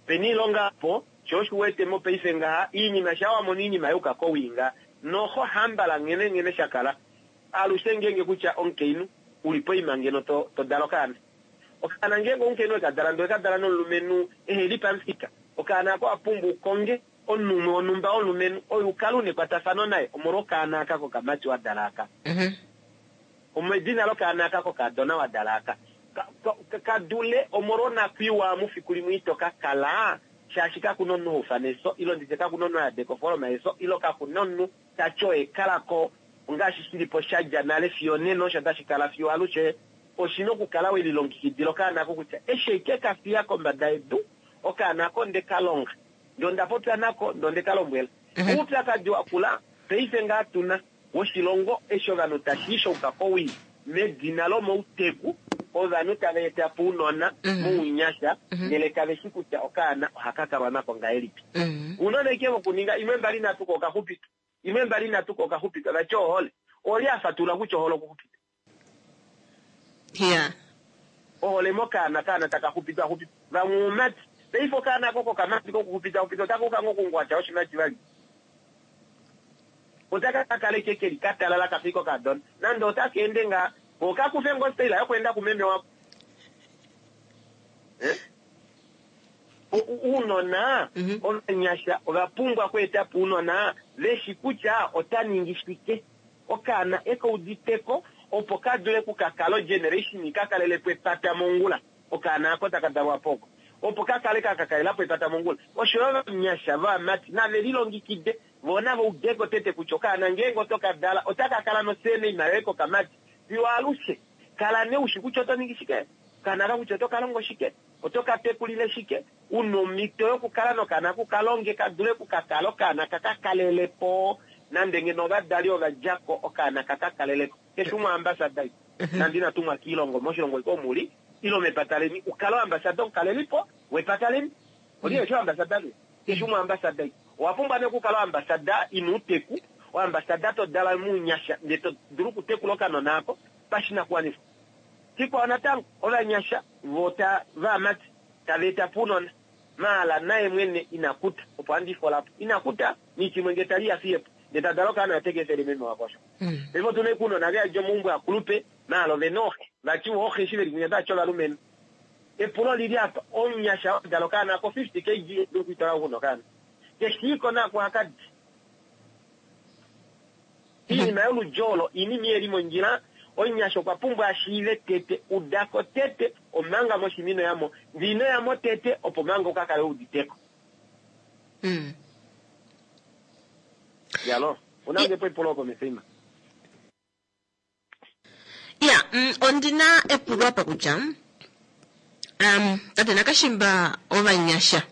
Opena iilonga apo, sho osho u wete mopaife ngaha, iinima shaa wa mono iinima ya yuka kowii ngaha, noho hambala nghene nghene sha kala. Alushe ngeenge kutya omukainhu u li poima ngeno to, to dala okaana. Okaana ngeenge omukainhu eka dala ndele oka dala nomulumenhu ehe li pamufika, okaana ako owa pumbwa u konge omunhu umwe wonhumba womulumenhu oyo u kale u na ekwatafano naye omolwa okaana aka kokamati wa dala aka. Omedina lokaana aka kokadona wa dala aka. Ka, ka, ka dule omolwa onakwiiwa omu fiku limwe ito ka kala shaashi kaku na omunhu ha ufana eso ile nditye kaku na omunhu ha yadeka ofooloma yeso ile kaku na omunhu ta ti oye kala ko ongaashi shi li po sha dja nale fiyo onena osho tashi kala fiyo alushe. Oshi na okukala we lilongekidila okaana ako kutya eshi eke ka fiya kombada yedu, okaana ako onde ka longa, ndee onda popya nako, ndee onde ka lombwela. Oupyakadi wa kula paife ngaa tu na woshilongo eshi ovanhu tashi i shauka kowii medina lomouteku, ovanhu tava eta po ounona mounyasha ndele kave shi kutya okaana ohaka kalwa nako ngahelipi. Ounona ashike vokuninga imwe mbali nhatu ko okaxupitwa, imwe mbali nhatu ko okaxupitwa, vati ohole. Olye a fatulula kutya ohole okuxupitwa? Yeah. Ohole mokaana, okaana taka xupitwa xupitwa. Vamwe oumati. Paife okaana ako kokamati kokuxupitwa xupitwa otaka uka ngoo okungwatya oshimati vali. Otaka ka kala ashike keli ka talala kafa ashike okadona. Nande otaka ende ngaa, ko oka kufe ngoo ostaila yokweenda kumeme wako. Eh? Ounona ovanyasha ova pumbwa okweeta po ounona ve shi kutya ota ningi shike. Okaana e ka udite ko opo ka dule ku ka kala ogeneration ka kalele po epata mongula. Okaana ako taka dalwa po oko opo ka kale ka ka kalela po epata mongula. Osho yo ovanyasha vovamati nave lilongikide vo nava ude ko tete kutya okaana ngeenge oto ka dala otaka kala nosurname yoye kokamati fiyo alushe. Kala nee u shi kutya oto ningi shike, okaana aka kutya oto ka longo shike, oto ka tekulile shike, u na omhito yokukala nokaana ku ka longe ka dule ku ka kala okaana ka ka kalele po nande ngeno ovadali ova dja ko okaana ka ka kalele ko. Keshe umwe oambasada nande ina tumwa kiilongo moshilongo iko omu li ile mepata leni u kale oambasada omukalelipo wepata leni. Oli eshi ambasada ne. Keshe umwe ambasada. Owa pumbwa ne okukala ambasada ina uteku, oambasada to dala muunyasha ndee to dulu okutekula okanona ako pashinakuwanifwa. Shikwao natango, ovanyasha vo ta vaamati tava eta po ounona, maala naye mwene ina kuta, opo handi fola po. Ina kuta, nichimwe ngee tali ya fiye po, ndee ta dala okaana oteke efele meme wako osho. Paife otuna ashike ounona ve yadi omaumbo akulupe, maala ovena ooxe. Vati vo ooxe eshi veli kwinya otava ti ovalumenhu. Epulo olili apa, omunyasha oo a dala okaana ko 50 kg ita dulu okwiitwala ko kuna okaana. Keshiiko naku haka di. Iinima yoludji olo iinima iheli mondjila, omunyasha okwa pumbwa a shiive tete, udako tete omanga moshima ino yamo, ndee ino yamo tete opo manga uka kale wuuditeko. Yalo, una ngepo epulo opo Mefeima? Ya, ondi na epulo apa kutya um, tate Nakashimba ovanyasha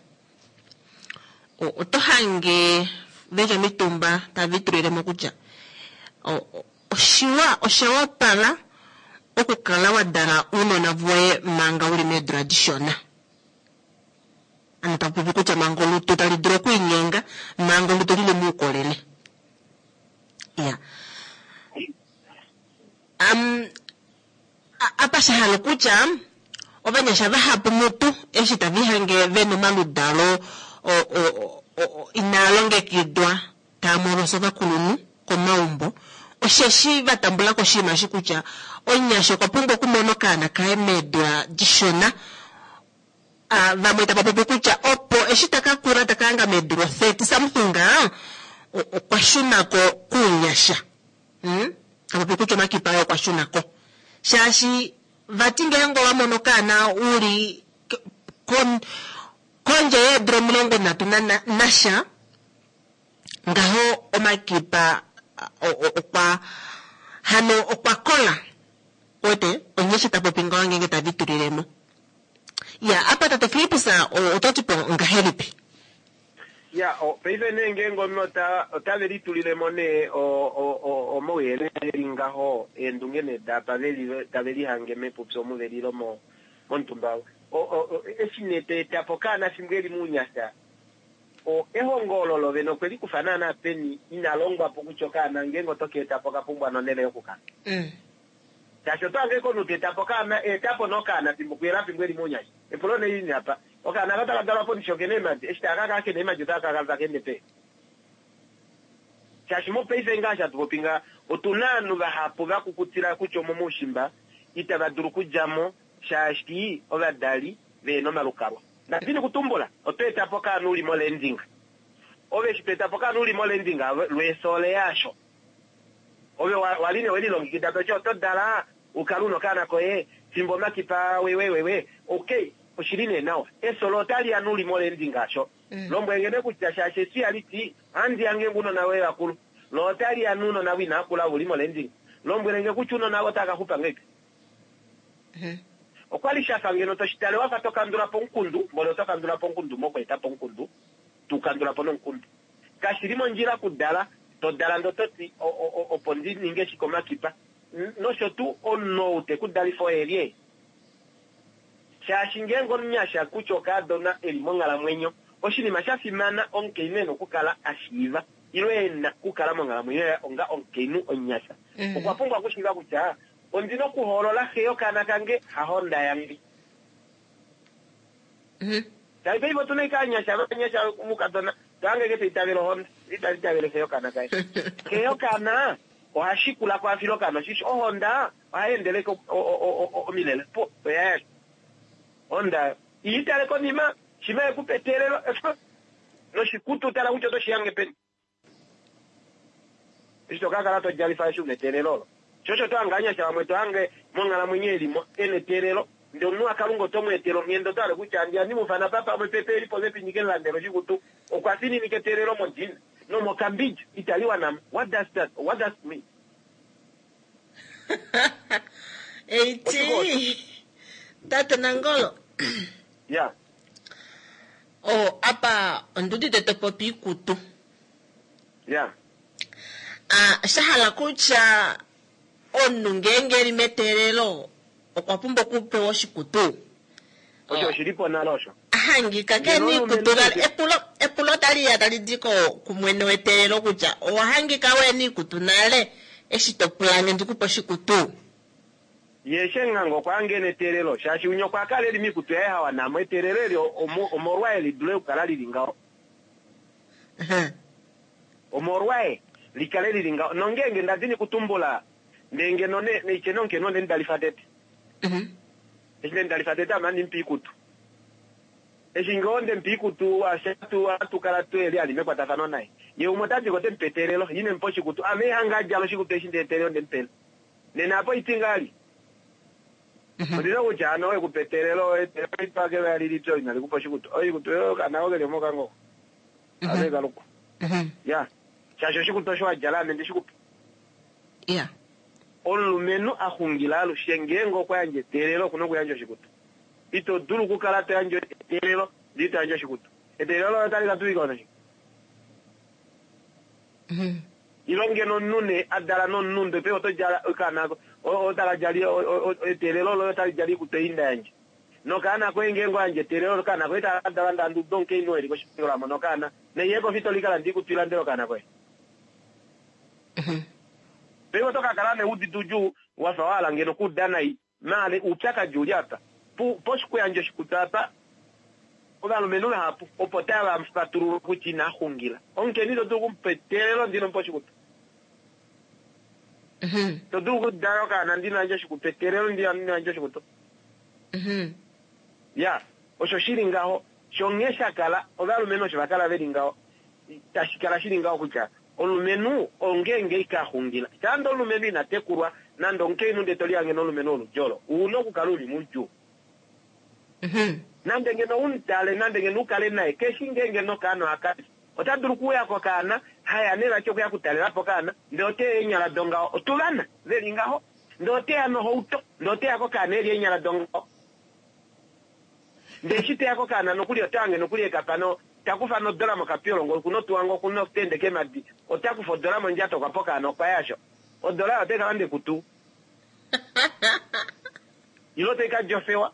oto hange veli omitumba tava itulile mo kutya oshiwa osha wapala okukala wa dala ounona voye manga uli meedula dishona. Ano taku popi kutya manga olutu tali dulu okwiinyenga, manga olutu lili muukolele. Ya. Um, apa sha hala okutya ovanyasha vahapu mutu eshi tava ihange ve na omaludalo inaa longekidwa taa molosa ovakulunhu komaumbo osheshi va tambula ko oshinima eshi kutya omunyasha okwa pumbwa okumona okaana kaye meedula dishona. Vamwe tava popi kutya opo eshi ta ka kula ta ka hanga meedula 30 something okwa shuna ko kounyasha. Ta popi kutya omakipa aye okwa shuna ko. Shaashi vati ngeenge owa mono okaana u li kondje yeedula 30 nasha, ngaho omakipa okwa hano okwa kola. Wete, onye eshi ta popi ngaho ngeenge tave litulile mo. Ya, apa tate Filippus oto ti po ngahelipi? Ya, paife nee ngeenge omunhu ota, otave litulile mo nee o, o, o, omauyelele e li ngaho, eendunge nee daapa ve li, tave lihange mepupyu omu ve li ile mo, momutumba. O, o, o, eshi nee to eta po okaana fimbo e li mounyasha, o, ehongo olo lo vene okwe li kufa naanaa peni, ina longwa po kutya okaana ngeenge oto ka eta po oka pumbwa nonhele yokukala. Shaashi oto hange komunhu ta eta po okaana, eta po nee okaana fimbo kuyela fimbo e li mounyasha. Epulo nee lini apa? Okaana aka otaka dalwa po ndishi okena eemhadi? Eshi taka ka kala kena eemhadi otaka ka kala taka ende peni? Shaashi mopaife ngaha eshi hatu popi ngaha, otu na ovanhu vahapu va kukutila kutya omomoushimba itava dulu okudja mo shaashi ovadali vehena omalukalwa. Ndadini kutumbula, oto eta po okaana u li molanding. Ove eshi to eta po okaana u li molanding, lweesoole yaasho. Ove wa, wa li nee we lilongekida to ti oto dala u kale u na okaana koye fimbo omakipa wewewewe. Ok, oshi li nee nawa. Efyo lo otali ya nuli molendi ngaasho. Lombwele nge nee kutya shaashi efyo ihali ti, Ohandi ya ngeenge ounona voye va kulu. Lo otali ya nounona vo inava kula ove u li molendinga. Lombwele nge kutya ounona avo otava ka xupa ngahelipi. Okwa li sha fa ngeno to shi tale wa fa to kandula po omukundu, mboli oto kandula po omukundu mokweeta po omukundu, to u kandula po nomukundu. Kashi li mondjila okudala, to dala ndee oto ti, o, o, o, opo ndi ninge shike omakipa, nosho tuu, omunhu ou te ku dalifa oye lye? Shaashi ngeenge omunyasha kutya okaadona e li monghalamwenyo, oshinima sha fimana omukainhu e na okukala a shiiva, ile e na okukala monghalamwenyo yaye onga omukainhu omunyasha, okwa pumbwa okushiiva kutya, Ondi na okuhoolola xe yokaana kange, hahonda yange. Shaashi paife otu na ashike ovanyasha vanyasha mukadona to hange ashike ta itavele ohonda, ita itavele xe yokaana kaye. Xe yokaana oha shikula ko a file okaana oshisho. Ohonda ohai endele ashike omilele opuwo oya ya ashike. Ohonda iha itale konima, shimha e ku pa eteelelo noshikutu tala kutya oto shi hange peni. Eshi to ka kala to djalifa eshi u na eteelelo olo. Sho osho to hange ovanyasha vamwe to hange monghalamwenyo e li mo e na eteelelo, ndele omunhu waKalunga oto mu etele onghenda, oto hale kutya handi mu ufana pa pamwe pe pe li popepi ndi ke mu landele oshikutu. Okwa fininika eteelelo modina nomokambidja itali wana mo. What does that, what does it mean? Eiti, Tate Nangolo. Ya. Oh, apa ondi udite to popi iikutu. Ya. Ah, sha hala kutya omunhu ngeenge e li meteelelo okwa pumbwa okupewa oshikutu. Osho oshi li po nale osho. hangika ke niikutu vali epulo epulo tali ya tali di ko kumwene weteelelo kutya owa hangika we niikutu nale eshi to pulange ndikupe oshikutu. Ye Shenganga okwa hanga ena eteelelo shaashi winya okwa kala eli miikutu yaye hawanamo eteelelo eli omolwaye li dule okukala lili ngaho. Omolwaye li kale lili ngaho. Nongeenge nda dini kutumbula ndee ngeno ne, neitye nomukainhu onde mu dalifa tete. Eshi nde mu dalifa tete ame ohandi mu pe oikutu. Eshi ngoo nde mu pa oikutu ashe ohatu kala twe li ali mekwatafano naye. Ye umwe ota ti ko ote mu pe eteelelo, ye ine mu pa oshikutu. Ame ihanga a djala oshikutu eshi ndee eteelelo nde mu pele. Nena apa oiti ngaa li. Ondi na kutya hano owe ku pa eteelelo, eteelelo itwake vali lipye olo inali ku pa oshikutu. Oikutu yoye okaana ko keli omo kangoko. Ame kalukwa. Ya. Shaashi oshikutu osho wa djala ame ndi shi ku pa. Ya. Omulumenhu a xungila alushe ngeenge okwa yandja eteelelo oku na okuyandja oshikutu. Ito dulu okukala to yandje eteelelo ndele ito yandje oshikutu. Eteelelo loye otali ka tuwika onoshike? Ile ngeno omunhu nee a dala nomunhu ndele paife oto djala okaana otaka djala eteelelo loye otali djala oikutu ei nda yandja. Nokaana koye ngeenge owa yandja eteelelo okaana koye taka ka dala ndee handi udu omukainhu oo e li koshipangelo a mona okaana naiye kofi ito likala ndee ikutu i landele okaana koye. Paife oto ka kala nee udite oudjuu wa fa wa hala ngeno okuuda nai. Maale oupyakadi uli apa. Pu, poshikuyandja oshikutu apa, ovalumenhu vahapu opo tava fatululwa kutya ina xungila. Omukainhu ito dulu oku mu pa eteelelo ndee ino mu pa oshikutu. Ito dulu okudala okaana ndee ino yandja oshikutu, eteelelo ndee ino yandja oshikutu. Ya, osho shi li ngaho. Sho nghee sha kala, ovalumenhu osho va kala ve li ngaho. Tashi kala shi li ngaho kutya omulumenhu ongeenge ika xungila. Shande omulumenhu ina tekulwa nande omukainhu ndee to lihange nomulumenhu woludi olo, u na okukala u li moudjuu. Nande ngeno u mu tale, nande ngeno u kale naye, keshi ngeenge nokaana oha kali. Ota dulu okuuya kokaana, haya nee vati okuya okutalela po okaana, ndee ote ya eenyala dongaho. Otuvana ve li ngaho. Ndee ote ya nohauto, ndee ote ya kokaana e li eenyala dongaho. Ndee eshi te ya kokaana nokuli ota hange nokuli ekapano ta kufa nodola mokapyolongo okuna otuwa ngo okuna okutende keemadi ota kufa odola mondjato okwa pa okaana okwa ya sho odola oyo otai ka landa ekutu ile otai ka djofewa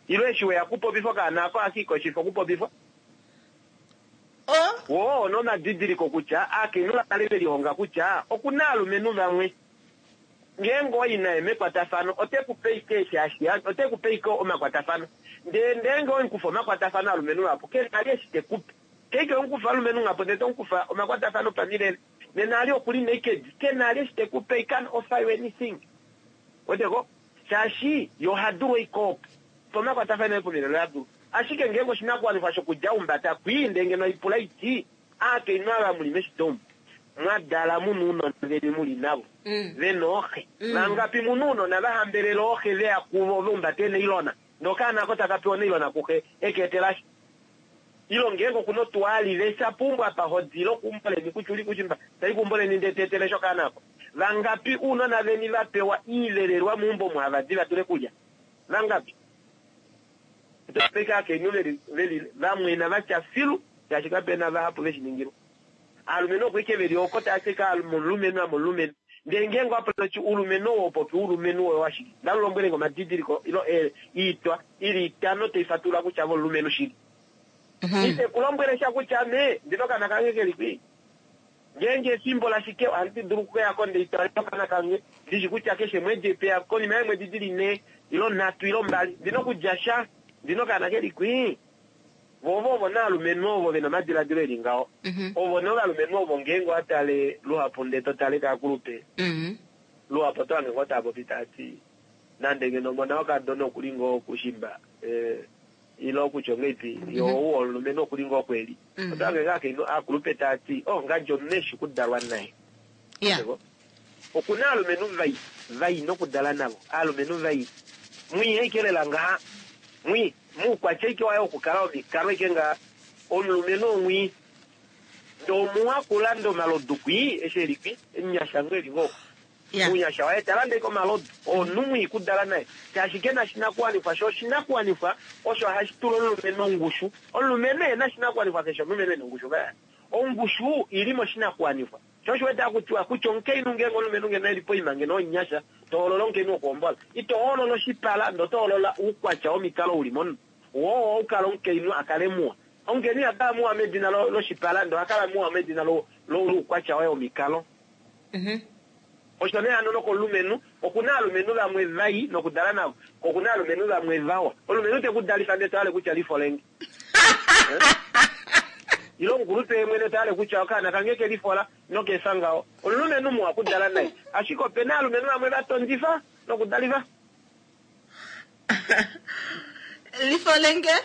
ile eshi weya okupopifa okaana ako ohaka i koshifa okupopifwa. Woo ono omadidiliko kutya aakainhu va kale ve lihonga kutya okuna aalumenhu vamwe Ngeenge owa i naye mekwatafano, ote ku pe ashike eshi hashi yandjwa, ote ku pe ashike omakwatafano. Ndele ngeenge owe mu kufa omakwatafano alumenhu vahapu, ke na li eshi te ku pe. Ngeenge owe mu kufa alumenhu ngapo ndele to mu kufa omakwatafano opamilele, nena ali oku li naked, ke na li eshi te ku pe, he can't offer you anything. Uwete ko? Shaashi ye oha dulu ashike opo. Pa omakwatafano aye pomilele oha dulu. Ashike ngeenge oshinakuwanifwa shokudja humbata kwii, ndele ngeno haipula iti, Aakainhu ava mu li meshito omu, mwa dala mu na ounona veni mu li navo, ve na ooxe. Vangapi mu na ounona va hambelela ooxe ve ya kuvo va humbata eenailona, ndee okaana ako taka pewa onailona kuxe e ka etelasha? Ile ngeenge oku na otuwa a livesha puumbo apa ho di ile okuumbo leni kutya u li kushimba, ta i kuumbo leni ndee ta etelesha okaana ako? Vangapi uunona veni va pewa iivelelwa meumbo omu hava di va dule kulya? Vangapi? Otashi dulika aakainhu ve li vamwena va tya filu, shaashi kape na vahapu ve shi ningilwa. Aalumenhu oko ike ve li oko tava ti ame omulumenhu, ame omulumenhu. Ndele ngeenge owa pula toti uulumenhu owo popi uulumenhu woye owashike? Nda lombwele nge omadidiliko ile oitwa i li itano tai fatulula kutya ove omulumenhu shili. Ite ku lombwele sha kutya ame ndi na okaana kange ke li kwii. Ngeenge efimbo lashike ohandi dulu okuya ko ndee twale okaana kange, ndi shi kutya keshe mwedi epeya konima yeemwedi di li nhee ile nhatu ile mbali ndi na okulya sha, ndi na okaana ke li kwii. Vo ovo ovo nee aalumenhu ovo ve na omadiladilo e li ngaho. Ovo nee ovalumenhu ovo ngeenge owa tale luhapu ndee to tale kaakulupe, luhapu oto hange ngoo tava popi tava ti nande ngeno omona wokadona oku li ngoo kushimba, Ile kutya ongeipi yo ou omulumenhu oku li ngoo kweli. Oto hange ngaa akainhu aakulupe taa ti, Oh, ngandi omunhu eshi kudalwa naye. Yeah. Oku na aalumenhu vai, vai nokudala navo. Aalumenhu vai. Mwii aike lela ngaha. Mwii. Muukwatya aike waye wokukala womikalo aike ngaha. Omulumenhu omwii. Ndee omuwa kulanda omalodu kwii, eshi e li kwii, omunyasha ngoo e li ngoo oko. Yeah. Ounyasha waye ta lande komalodu oo omunhu mwii kudala naye shaashi ke na oshinakuwanifwa sho oshinakuwanifwa osho hashi tula omulumenhu ongushu. Omulumenhu e na oshinakuwanifwa keshe omulumenhu e na ongushu vaya. Ongushu i li moshinakuwanifwa. Sho osho wete haku tiwa kutya omukainhu ngeenge omulumenhu ngeno e li poima ngeno omunyasha to hoolola omukainhu wokuhombola. Ito hoolola oshipala ndee oto hoolola oukwatya womikalo u li momunhu. Woo oukala omukainhu a kale muwa. Omukainhu iha kala muwa medina loshipala, ndele oha kala muwa medina loukwatya waye womikalo. Osho nee hano nokomulumenhu, oku na aalumenhu vamwe vai nokudala navo, ko oku na aalumenhu vamwe vawa. Omulumenhu te ku dalifa ndele to hale kutya lifolenge. Ile omukulupe ye mwene ta hale kutya okaana kange ke lifola noka efa ngaho. Omulumenhu muwa okudala naye. Ashike ope na aalumenhu vamwe va tondifa nokudalifa. Lifolenge?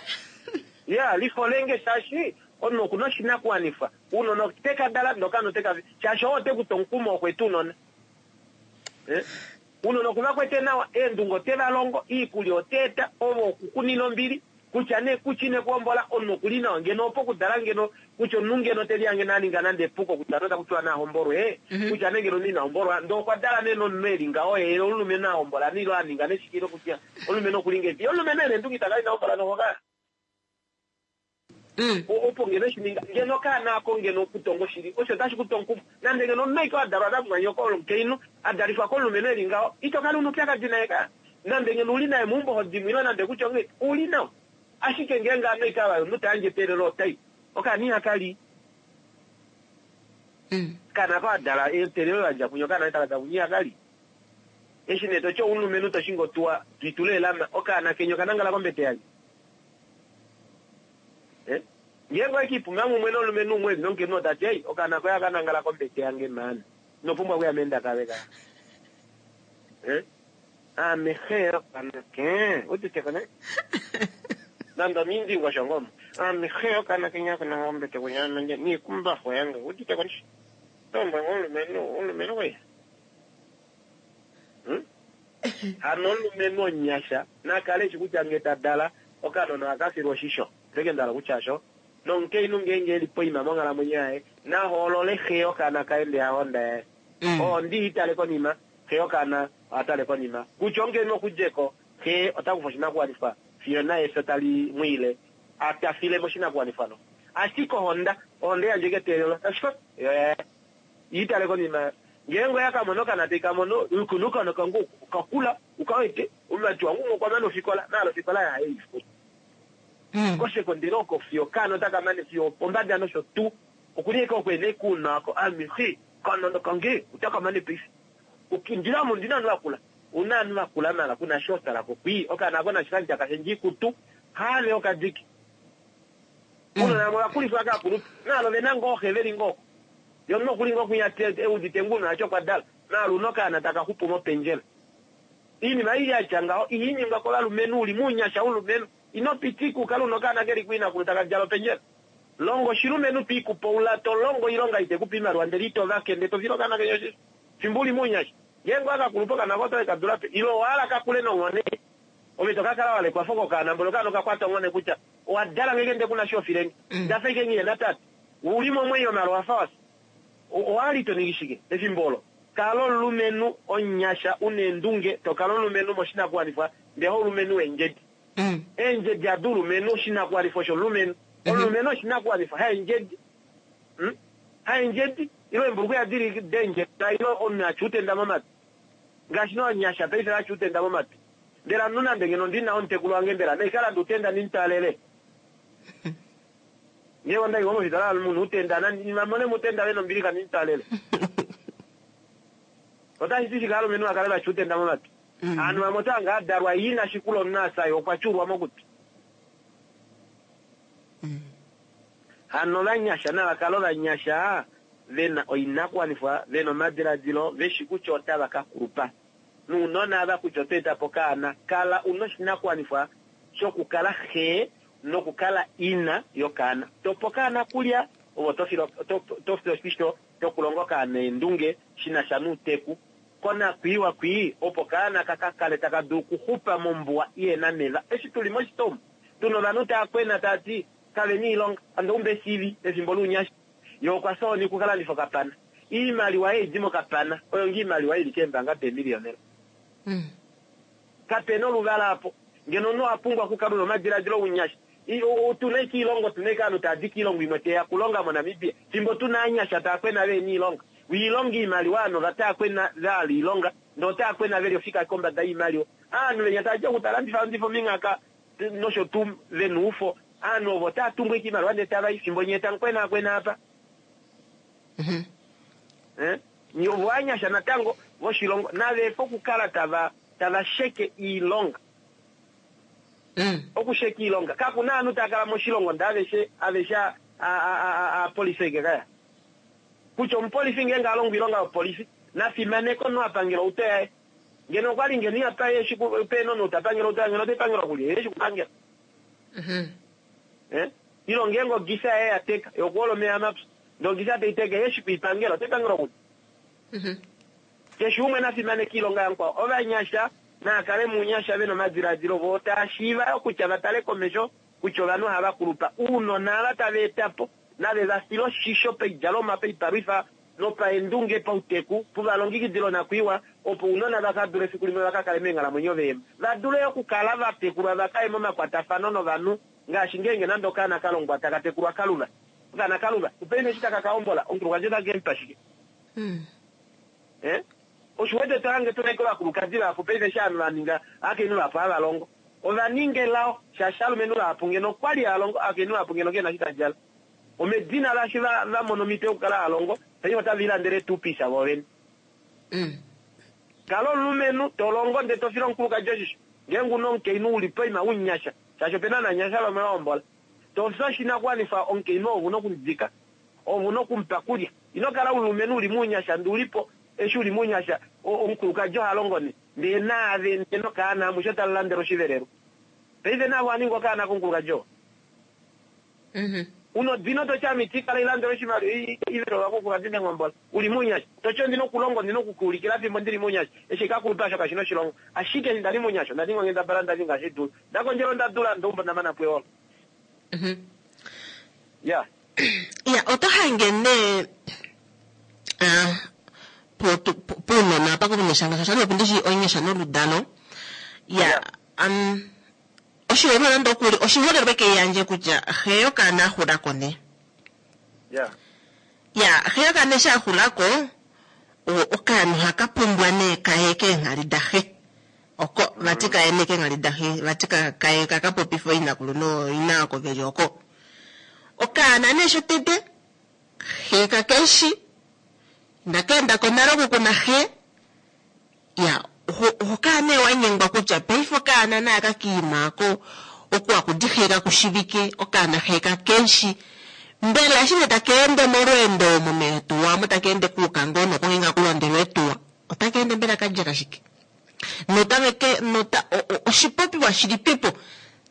Ya, lifolenge shaashi omunhu oku na oshinakuwanifwa. Ounona ote ka dala ndee okaana ote ka shaashi oo ote ku tu omukumo wokweeta ounona. Eh? Ounona oku va kwete nawa, eendunge ote va longo, iikulya ote eta, ove oku ku nina ombili, kutya nee kutya ine ku hombola, omunhu oku li nawa. Ngeno opo okudala ngeno kutya omunhu ngeno te lihange nee a ninga nande epuko kutya nee otaku tiwa na hombolwe, kutya nee ngeno omunhu ina hombolwa, ndee okwa dala nee nomunhu e li ngaho ye omulumenhu a hombola nee ile a ninga nee shike ile kutya omulumenhu oku li ngahelipi. Ye omulumenhu e na eendunge ita kala ina hombola noho ka. Opo ngeno eshi ninga, ngeno okaana ako ngeno okutonga oshili, osho otashi ku tu omukumo. Nande ngeno omunhu aike oo a dalwa namumwanyoko omukainhu, a dalifwa komulumenhu e li ngaho, ito kala u na oupyakadi naye ka. Nande ngeno u li naye meumbo ho di mo ile nande kutya onghee, u li nawa. Ashike ngeenge ame aike ava omunhu ta yandje eteelelo otai, okaana ihaka li. Okaana ako a dala eteelelo la dja kunye, okaana taka dala kunye ihaka li. Eshi nee to ti oumulumenhu to shingi otuwa, to itula eelama, okaana keni okanangala kombete yalye? Eh? Ngeenge owe kiipuma mumwe nomulumenhu umwe eli nomukainhu ota ti, Ei, okaana koye aka nangala kombete yange maan. Ino pumbwa okuya meenda kave ka. Eh? Aame xe yokaana ke. Udite ko ne? Nande omiindingosho ngoo omo. Aame xe yokaana kenya aka nangala kombete kunya ame niikumbafu yange. Udite ko ndishi? Tombwe ngoo omulumenhu, omulumenhu koye. Hmm? Hano omulumenhu omunyasha na kale eshi kutya nge ta dala okanona ohaka filwa oshisho. Ndeke nda hala okutya osho. Nomukainhu ngeenge e li poima monghalamwenyo yaye, na hoolole xe yokaana kaye ndee hahonda yaye. Ohonda iha tale konima, xe yokaana oha tale konima. Kutya omukainhu oku dje ko, xe ota kufa oshinakuwanifwa fiyo naye efyo tali mu ile a ta file moshinakuwanifwa no. Ashike ohonda, ohonda yandje ike eteelelo, tashi fa yo yaye. I tale konima ngeenge oya ka mona okaana tai ka mono, Oku na okaana kange oku, oka kula, oka wete, omumati wange umwe okwa mana ofikola, maala ofikola yaye ei futa. Kosekondele oko fiyo okaana otaka mane fiyo opombada nosho tuu. Oku li ashike oko e na ashike ounona wako, ame xe, okanona kange otaka mane paife. Ondi na ondi na ovanhu vakula. Ou na ovanhu vakula maala ku na sho tala ko kwii. Okaana ako nashi kandja kashe ndje ikutu, haave okadiki. Ounona vamwe ova kulifwa kaakulupe, maala ove na ngoo xe ve li ngoo oko. Ye omunhu oku li ngoo kwinya e udite ngoo ounona vati okwa dala, maala una okaana taka xupu mopendjela. Oinima ei ya tya ngaho ihai ningwa kovalumenhu, u li mounyasha womulumenhu. Ino pitika u kale una okaana ke li kuinakulu taka djala opendjela. Longa oshilumenhu to i kupoula, to longo oilonga ite ku pe oimaliwa ndele ito vake ndele to file okaana keni oshisho fimbo u li mounyasha. Ngeenge owa ka kulupa okaana koye oto ke ka dula pe? Ile owa hala ka kule nonghone? Ove to ka kala wa lekwa fo kokaana mboli okaana oka kwata onghone kutya owa dala nge ndee ku na sho filenge. Nda fa ike nghi na tate. U li momwenyo maala owa fa wa fya. Owa li to ningi shike efimbo olo? Kala omulumenhu omunyasha u na eendunge, to kala omulumenhu moshinakuwanifwa ndee haulumenhu weendjedi. Eendjedi hadi ulumenhu, oshinakuwanifwa oshomulumenhu. Omulumenhu oshinakuwanifwa, haendjedi. Haendjedi, ile eembulukweya di li deendjedi, ile omunhu a tya utenda momatwi. Ngaashi nee ovanyasha paife va tya utenda momatwi. Mbela omunhu nande ngeno ndi na omutekulu wange mbela nai ka lande utenda ndi mu twaalele? Ngeenge onda i ngoo mofitola mu na utenda, nandi va mone mo utenda ve na ombilixa ndi mu twaalele. Otashi ti shike ovalumenhu va kale va tya utenda momatwi? Ovanhu vamwe ota hanga a dalwa ye ina shikula omunhu a fya ye okwa tyuulwa mokutwi. Hano ovanyasha nava kale ovanyasha ve na oinakuwanifwa, ve na omadiladilo, ve shi kutya otava ka kulupa. Nounona ava kutya oto eta po okaana, kala u na oshinakuwanifwa shokukala xe nokukala ina yokaana. To pe okaana okulya, ove oto file oshisho shokulonga okaana eendunge shi na sha nouteku. Konakwiiwa kwii, opo okaana ka ka kale taka dulu okuxupa mombuwa ihe na meva. Eshi tu li moshito omu, tu na ovanhu tava kwena tava ti kave na iilonga, ando umbe esiivi pefimbo lounyasha. Ye okwa fya ohoni oku ka landifa okapana. Iimaliwa ei di mokapana oyo ngoo iimaliwa i li keembanga deemiliyonela. Kape na oluvala apo. Ngeno omunhu owa pumbwa okukala u na omadiladilo ounyasha. Otu na ashike oilonga, otu na ashike ovanhu tava di koilongo imwe tave ya okulonga moNamibia, fimbo tu na ovanyasha tava kwena vehe na oilonga. Oilonga oimaliwa ovanhu otava kwena va hala oilonga, ndee otava kwena ve li ofika kombada yoimaliwa. Ovanhu venya tava di oku ta landifa landifa ominghaka. nosho tuu vena oufo ovanhu ovo otava tumbwa ashike oimaliwa ndee tava i fimbo nyee tamu kwenaakwena apa. Eh? Nye ovo ovanyasha natango voshilongo nava efe okukala tava tava sheke iilonga. Okusheka iilonga kaku na ovanhu tava kala moshilongo ndee aveshe aveshe a a a aapolifi ashike kaya. Kutya omupolifi ngeenge a longo oilonga yopolifi na fimaneke omunhu a pangela outo yaye. Ngeno okwali ngeno ihapa ye eshi pena omunhu ta pangele outo yaye ngeno otai pangelwa kulye ye eshi kupangela. Eh? Ile ngeenge ogisa yaye ya teka yokuhola omeya mapyu ndee ogisa tai teka ye eshi kuipangela otai pangelwa kulye. Keshe umwe na fimaneke iilonga yamukwao. Ovanyasha naa kale muunyasha vena omadilaadilo voo taa shiiva yo kutya va tale komesho kutya ovanhu ohava kulupa. Uunona ava tava eta po nave va file oshisho paidjalomwa, paipalwifa nopaendunge, pauteku, pu va longekidile onakwiiwa opo ounona va ka dule efiku limwe va ka kale meenghalamwenyo veema. Va dule yo okukala va tekulwa va ka ye momakwatafano novanhu ngaashi ngeenge nande okaana ka longwa taka tekulwa kaluva. Okaana kaluva, paife eshi taka ka hombola, omukulukadi ota ke mu pa shike? Eh? Osho u wete to hange tu na ashike ovakulukadi vahapu paife eshi ovanhu va ninga, ovakainhu vahapu hava longo. Ova ninga elao shaashi alumenhu vahapu ngeno okwa li hava longo, ovakainhu vahapu ngeno kena eshi ta djala. Omedina laashi va va mona omhito yokukala hava longo, paife otave lilandele eetuupisa voovene. Kala omulumenhu to longo ndele to file omukulukadi oshisho. Ngeenge u na omukainhu u li poima umunyasha, shaashi opena ovanyasha vamwe va hombola, to fi oshinakuwanifwa omukainhu ove u na okumudika. Ove u na oku mu pa kulya. Ino kala omulumenhu u li mounyasha ndee u li po eshi u li mounyasha omukulukadi oha longo nee ndee naave ndee nokaana amushe otamu landelwa oshivelelwa. Paife naave owa ninga okaana komukulukadi oo. U na odino to ti ame iti kala ilandelwa oshimaliwa ivelelwa komukulukadi ndenghombola. U li mounyasha to ti ondi na okulonga ondi na oku ka ulikila fimbo ndi li mounyasha. Eshi ka kulupa osho kashi na oshilonga. Ashike eshi nda li mounyasha onda ninga onghendabala nda ninga ngaashi dulu. Nda kondjela onda dula ndeumbo nda mana po eholo. Ya. Ya, oto hange nee ah, puunona apa komunyasha ngaashi oshali opo ndishi onyasha noludalo. Ya, Ya. um, oshiholelwa nande okuli oshiholelwa ke yandje kutya xe yokaana a xula ko nee. Ya. Ya, xe yokaana eshi a xula ko, okaana ohaka pumbwa nee kaye keenghali daxe. Oko, vati kaye nee keenghali daxe, vati kaye kaka popife ooinakulu nooina oko veli oko. Okaana nee shotete, xe kakeshi, inaka enda ko nale oku kuna xe, ya oho kala nee wa nyengwa kutya paife okaana naa ka kiima ko oku akudi xe kakushivike, okaana xe kakeshi. Mbela eshi nee taka ende molweendo omo meetuwa omo taka ende kuuka ngoo nokunge nga kulondelwa eetuwa, otaka ende mbela kadjala shike? Notave ke nota oshipopiwa shilipipo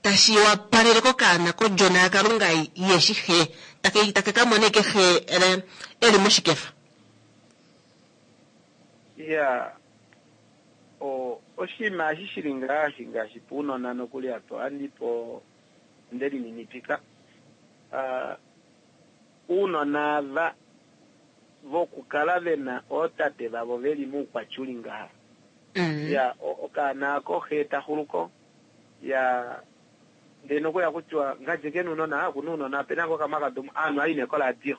tashi wapalele kokaana kodjona yaKalunga yeshi xe take take ka mone eke xe e li moshikefa? Iya, o, oshinima eshi shi li ngaashi, ngaashi puunona nokuli apa ohandi po nde lininipika. Uh, uunona ava vokukala ve na ootate vavo ve li moukwatya u li ngaha. Ya, okaana ako xe ta xulu ko. Ya, ndee nokuli ohaku tiwa ngadje ke na ounona, oku na ounona, ope na ngoo kamwe haka dumu, ovanhu ohava i nee koradio.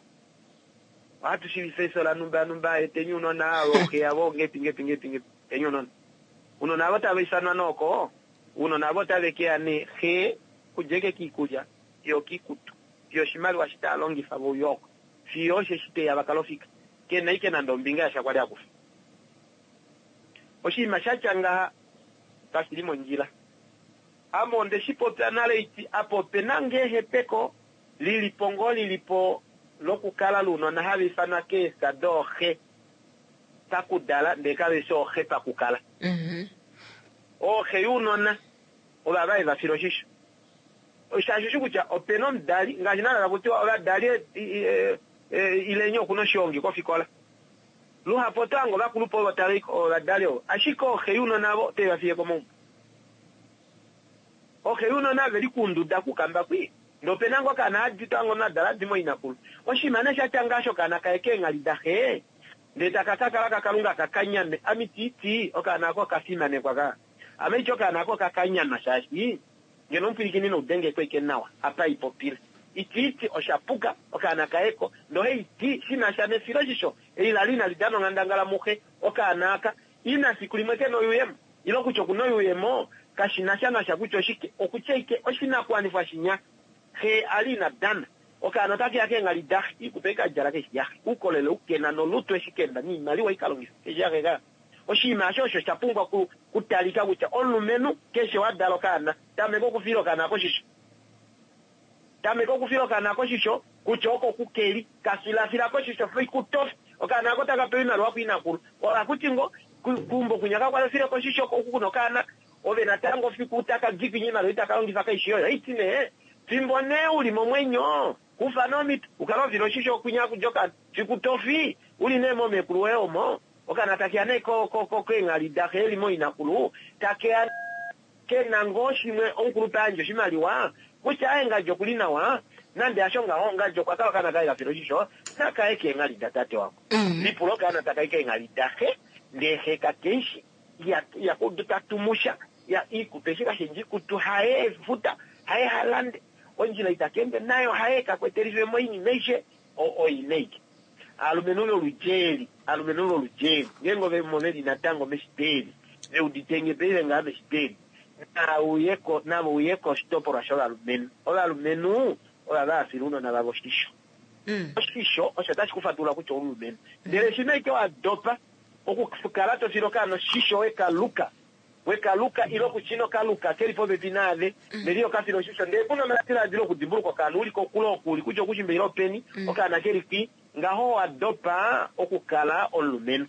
Ohatu shiivifa efyo lanumba numba, eteni ounona, ooxe yavo ngepi ngepi ngepi ngepi, eteni ounona. Ounona avo tava ifanwa nee oko, ounona avo otave ke ya nee xe kudja eke kiikulya fiyo okiikutu, fiyo oshimaliwa eshi tava longifa veuya oko. Fiyo osheshi te ya va kala ofika, ke na ike nande ombinga yasha kwa li a kufa. Oshinima sha tya ngaha kashi li mondjila. Ame onde shi popya nale iti, apa ope na ngee ehepeko li li po ngoo li li po lokukala lounona hava ifanwa keefya dooxe pakudala ndee kave shi ooxe pakukala. Ooxe younona ovava heva file oshisho. Shaashi oshi kutya ope na omudali, ngaashi naana taku tiwa ovadali ileni oku na oshihongi kofikola. Luhapu oto hange ovakulupe ovo tava i ovadali ovo, ashike ooxe younona avo otave va fiye komaumbo. Ooxe younona ve li kuunduda kukamba kwii, ndee ope na ngoo okaana hadi to hange omunhu a dala a dima ooinakulu. Oshinima nee sha tya ngaha shokaana kaye keenghali daxe, ndee taka ka kala kaKalunga ka kanyame, ame iti ti okaana ako oka fimanekwa ka. Ame iti okaana ako oka kanyama shaashi Ngeno omupwilikini nou denge ko ike nawa apa i popile. Iti ti osha puka, okaana kaye ko, ndele ohai ti shi na sha nefiloshisho eli la li inali dana onghandangala muxe, okaana aka, ina fiku limwe ke na oyuuyemo, ile kutya oku na oyuuyemo, Kashi na sha nasha kutya oshike, okutya ike oshinakuwanifwa shinya xe a li ina dana. Okaana otake ya keenghali daxe, iikutu ei ka djala keshi yaxe, uukolele u ke na nolutu eshi ke na niimaliwa ei ka longifa keshi yaxe kaa. Oshinima asho osho sha pumbwa ku talika kutya omulumenhu keshe wa dala okaana, tameka okufila okaana ako oshisho. Tameka okufila okaana ako oshisho kutya oko ku keli, ka filafila ko oshisho fiku tofi. Okaana ako taka pewa iimaliwa kuinakulu. Ohakuti ngo, keumbo kwinya kakwali ho file ko oshisho oku kuna okaana, ove natango fiku taka di kwinya iimaliwa itaka longifa kaishi yoye. Ohaiti nee, fimbo nee uli momwenyo, kufa nee omhito u kale ho file oshisho kwinya haku di okaana. Fiku tofi, uli nee moomekulu woye omo, okaana takeya nee keenghali daxe eli mooinakulu, takeya ke na ngoo shimwe omukulupe a yandje oshimaliwa kutya aye ngadji okuli nawa, nande hasho ngaho ngadji okwa kala okaana kaye ka fila oshisho nakaye keenghali datate wako. Lipula okaana takai keenghali daxe ndee xe kakeishi ihaku udu ta tumu sha, ya iikutu eshi kashendja iikutu haye efuta, haye ha lande, ondjila itaka ende nayo haye ka kwetelife mo oinima aishe oinaike. Aalumenhu loludji eli, aalumenhu loludji eli, ngeenge ove mo veli natango meshito eli, ve udite nge paife ngaha meshito eli, nave uye ko, nave uye koshitopolwa shovalumenhu. Ovalumenhu ova va fila ounona vavo oshisho. Oshisho osho tashi ku fatulula kutya oumulumenhu. Ndele shimha ike wa dopa okukala to file okaana oshisho we ka luka, we ka luka ile kutya ino ka luka ke li popepi naave, ndele iho ka file oshisho, ndele ku na omadiladilo okudimbuluka okaana u li kokule oku uli kutya okushimba ile openi, okaana ke li kwi, ngaho owa dopa okukala omulumenhu.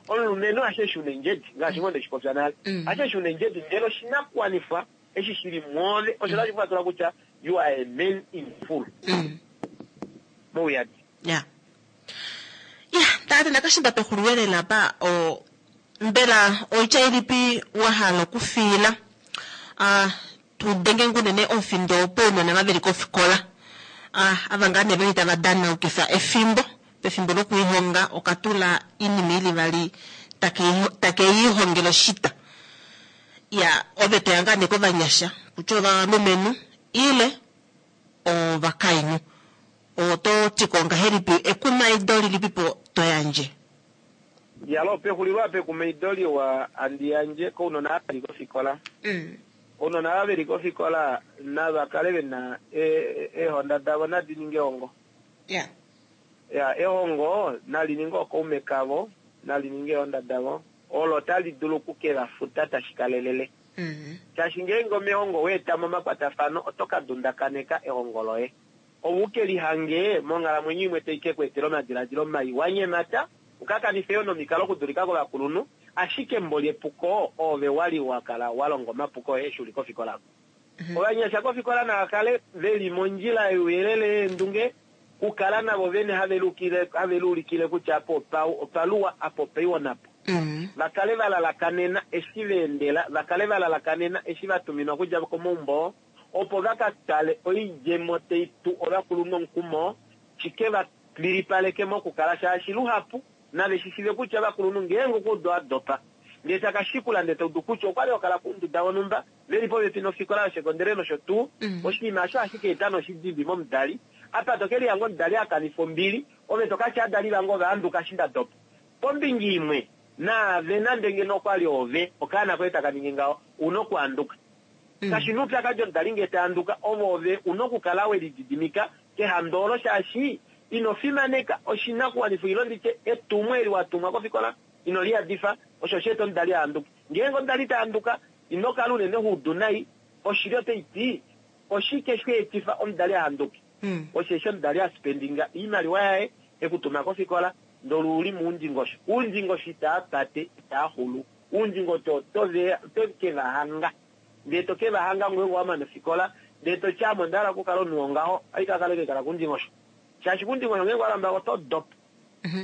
Omulumenhu hasho eshi una endjedi, ngaashi ngoo nde shi popya nale, hasho eshi una endjedi, ndele oshinakuwanifwa eshi shi li mwoove osho tashi ku fatula kutya you are a man in full. Mouyadi. Ya. Ya, tate nakashinda pexulilo apa o mbela oitya ilipi wa hala okufiila ah, tu denge ngunene omufindo pounona va veli kofikola ah, ava ngaa nee veli tava danaukifa efimbo pefimbo lokulihonga okatula inima ili vali take i oshita ya ove toya ngaa nee kovanyasha kutya ovalumenhu ile ovakainhu oto ti ko ngahelipi ekumaido lilipipo to yandje? Yalo pexulilo apa ekumaido liwa handi yandje kounona ava veli kofikola. Ounona ava veli kofikola nava kale vena eehonda davo nadi ninge ehongo. Ya, ehongo nali ninge okaume kavo, nali ninge eehonda davo, olo tali dulu oku ke va futa tashi kalelele. Shaashi ngeenge omehongo wa eta mo omakwatafano, oto ka dundakaneka ehongo loye. Ove u ke lihange monghalamwenyo imwe tai ke ku etela omadiladilo mai, wa nyemata, u ka kanife yo nomikalo okudulika kovakulunhu, ashike mboli epuko oove wa li wa kala wa longa omapuko oye eshi u li kofikola oko. Ovanyasha kofikola nava kale ve li mondjila youyelele yeendunge, kukala navo vene have liulikile kutya apa opaluwa, apa opaiwa napo. Va kale va lalakanena eshi va endela, va kale va lalakanena eshi va tuminwa okudja komaumbo, opo va ka tale oidjemo tai tu ovakulunhu omukumo, shi ke va lilipaleke mokukala shaashi luhapu nave shi shive kutya ovakulunhu ngeenge okwa udu a dopa ndee taka shikula ndee ta udu kutya okwa li okala kounduda vonhumba veli popepi nofikola yosekondele nosho tuu, oshinima osho ohashi ka eta noshidimbi momudali. Apa to ke lihanga omudali a kanifa ombili, ove to ka tya adali vange ova handuka eshi nda dopa. Kombinga imwe, naave nande ngeno okwa li ove okaana koye taka ningi ngaho, u na okuhanduka. Kashi na oupyakadi omudali ngee ta handuka, ove ove u na okukala we lididimika kehando olo shaashi ino fimaneka oshinakuwanifwa ile nditye etumwo eli wa tumwa kofikola ino li yadifa, osho osha eta omudali a handuke. Ngeenge omudali ta handuka, ino kala unene ho udu nai, oshili otai ti oshike sha etifa omudali a handuke? Osheshi omudali a spendinga oimaliwa yaye e ku tuma kofikola ndele u li moundingosho. Oundingosho itaa pate, itaa xulu. Oundingosho oto ke va hanga. Ndee to ke va hanga ngeenge wa mana ofikola, ndee to ti ame onda hala okukala omunhu wongaho, ohai ka kala ike kala koundingosho. Shaashi koundingosho ngeenge wa lamba oto dopa.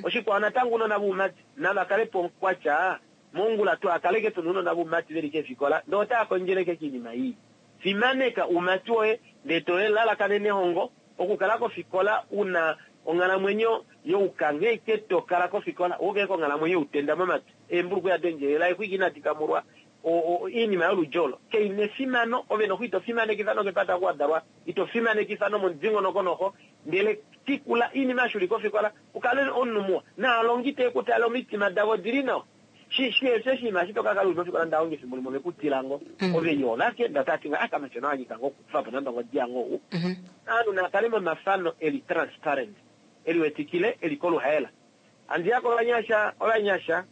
Oshikwao natango ounona voumati nava kale po kwatya mongula twaa kale ike tuna ounona voumati veli keefikola ndee otava kondjele ike kiinima ii. Fimaneka oumati woye ndee to lalakanene ehongo, okukala kofikola una onghalamwenyo youkanghe ike to kala kofikola woke konghalamwenyo youtenda momatwi, eembulukweya dendjelela, eexwiki inadi kamulwa, oinima yoludji olo kai na efimano, ove noxo ito fimanekifa nokepata oku wa dalwa, ito fimanekifa nomomudingonoko noxo, ndele tikula oinima eshi uli kofikola, u kale omunhu muwa, naalongi tee ku tale omitima davo odili nawa. Shi shi eshi oshinima eshi to ka kala u li mofikola ndahonga efimbo limwe ove ku tila ngo. Ove yo ovake ndee otava ti nga ah kamatyona wa nyika ngo okukufa po nande ongodi yange ou. Aanhu naa kale momafano e li transparent, e liwetikile, e li koluhaela. Handi ya kovanyasha, ovanyasha,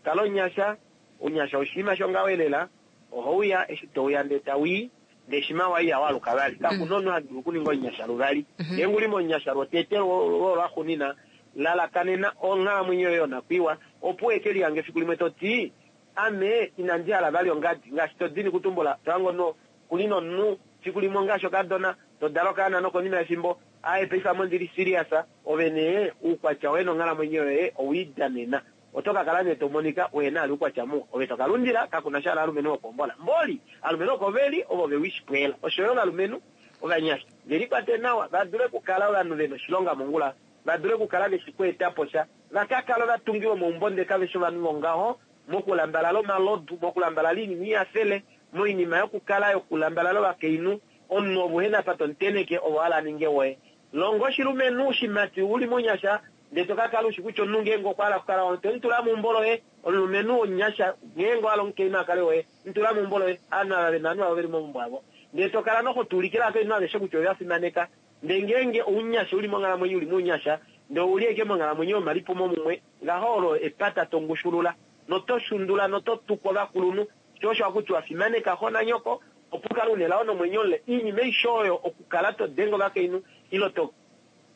kala omunyasha, ounyasha oshinima shongaho elela, ohau ya eshi to uya ndee tau i, ndee shima wa i ihau aluka vali. Kaku na omunhu ha dulu okuninga omunyasha luvali. Ngeenge u li momunyasha lwotete lwo lwaxunina, lalakanena onghalamwenyo yoye yonakwiiwa, opo u eke lihange efiku limwe to ti, Ame inandi hala vali ongadi. Ngaashi to dini kutumbula, to hange omunhu ku li nomunhu fiku limwe ongaashi okadona, to dala okaana nokonima yefimbo, aaye paife ame ondi li serious, ove nee uukwatya woye nonghalamwenyo yoye owe i danena. Oto ka kala nee to monika uhe na vali uukwatya muwa. Ove to ka lundila, kaku na sha aalumenhu vokuhombola. Mboli, aalumenhu oko ve li, ovo ve wishipweela. Osho yo ovalumenhu ovanyasha, ve likwate nawa, va dule okukala ovanhu ve na oshilonga mongula, va dule okukala ve shi kweeta po sha, va ka kale ovatungi vomaumbo ndele kave shi ovanhu vongaho, mokulambalala omalodu, mokulambalala oinima ihafele, moinima yokukala yokulambalala ovakainhu, omunhu ove uhe na apa to mu tenheke, ove wa hala a ninge woye. Longa oshilumenhu oshimati u li mounyasha, ndele to ka kala u shi kutya omunhu ngeenge okwa hala okukala woye, to mu tula meumbo loye. Omulumenhu womunyasha ngeenge wa hala omukainhu a kale woye, mu tula meumbo loye. Ovanhu ava ve na ovanhu vavo ve li momaumbo avo. Ndele to kala noho tu ulikile ovakainhu aveshe kutya ove va fimaneka. Ndele ngeenge ounyasha u li monghalamwenyo u li mounyasha, ndele ou li ashike monghalamwenyo yomalipumomumwe, ngaho olo epata to ngushulula, noto shundula noto tuku ovakulunhu. Sho osho haku tiwa fimaneka xo nanyoko, opo u kale u na elao nomwenyo mule. Oinima aishe oyo okukala to denge ovakainhu, ile to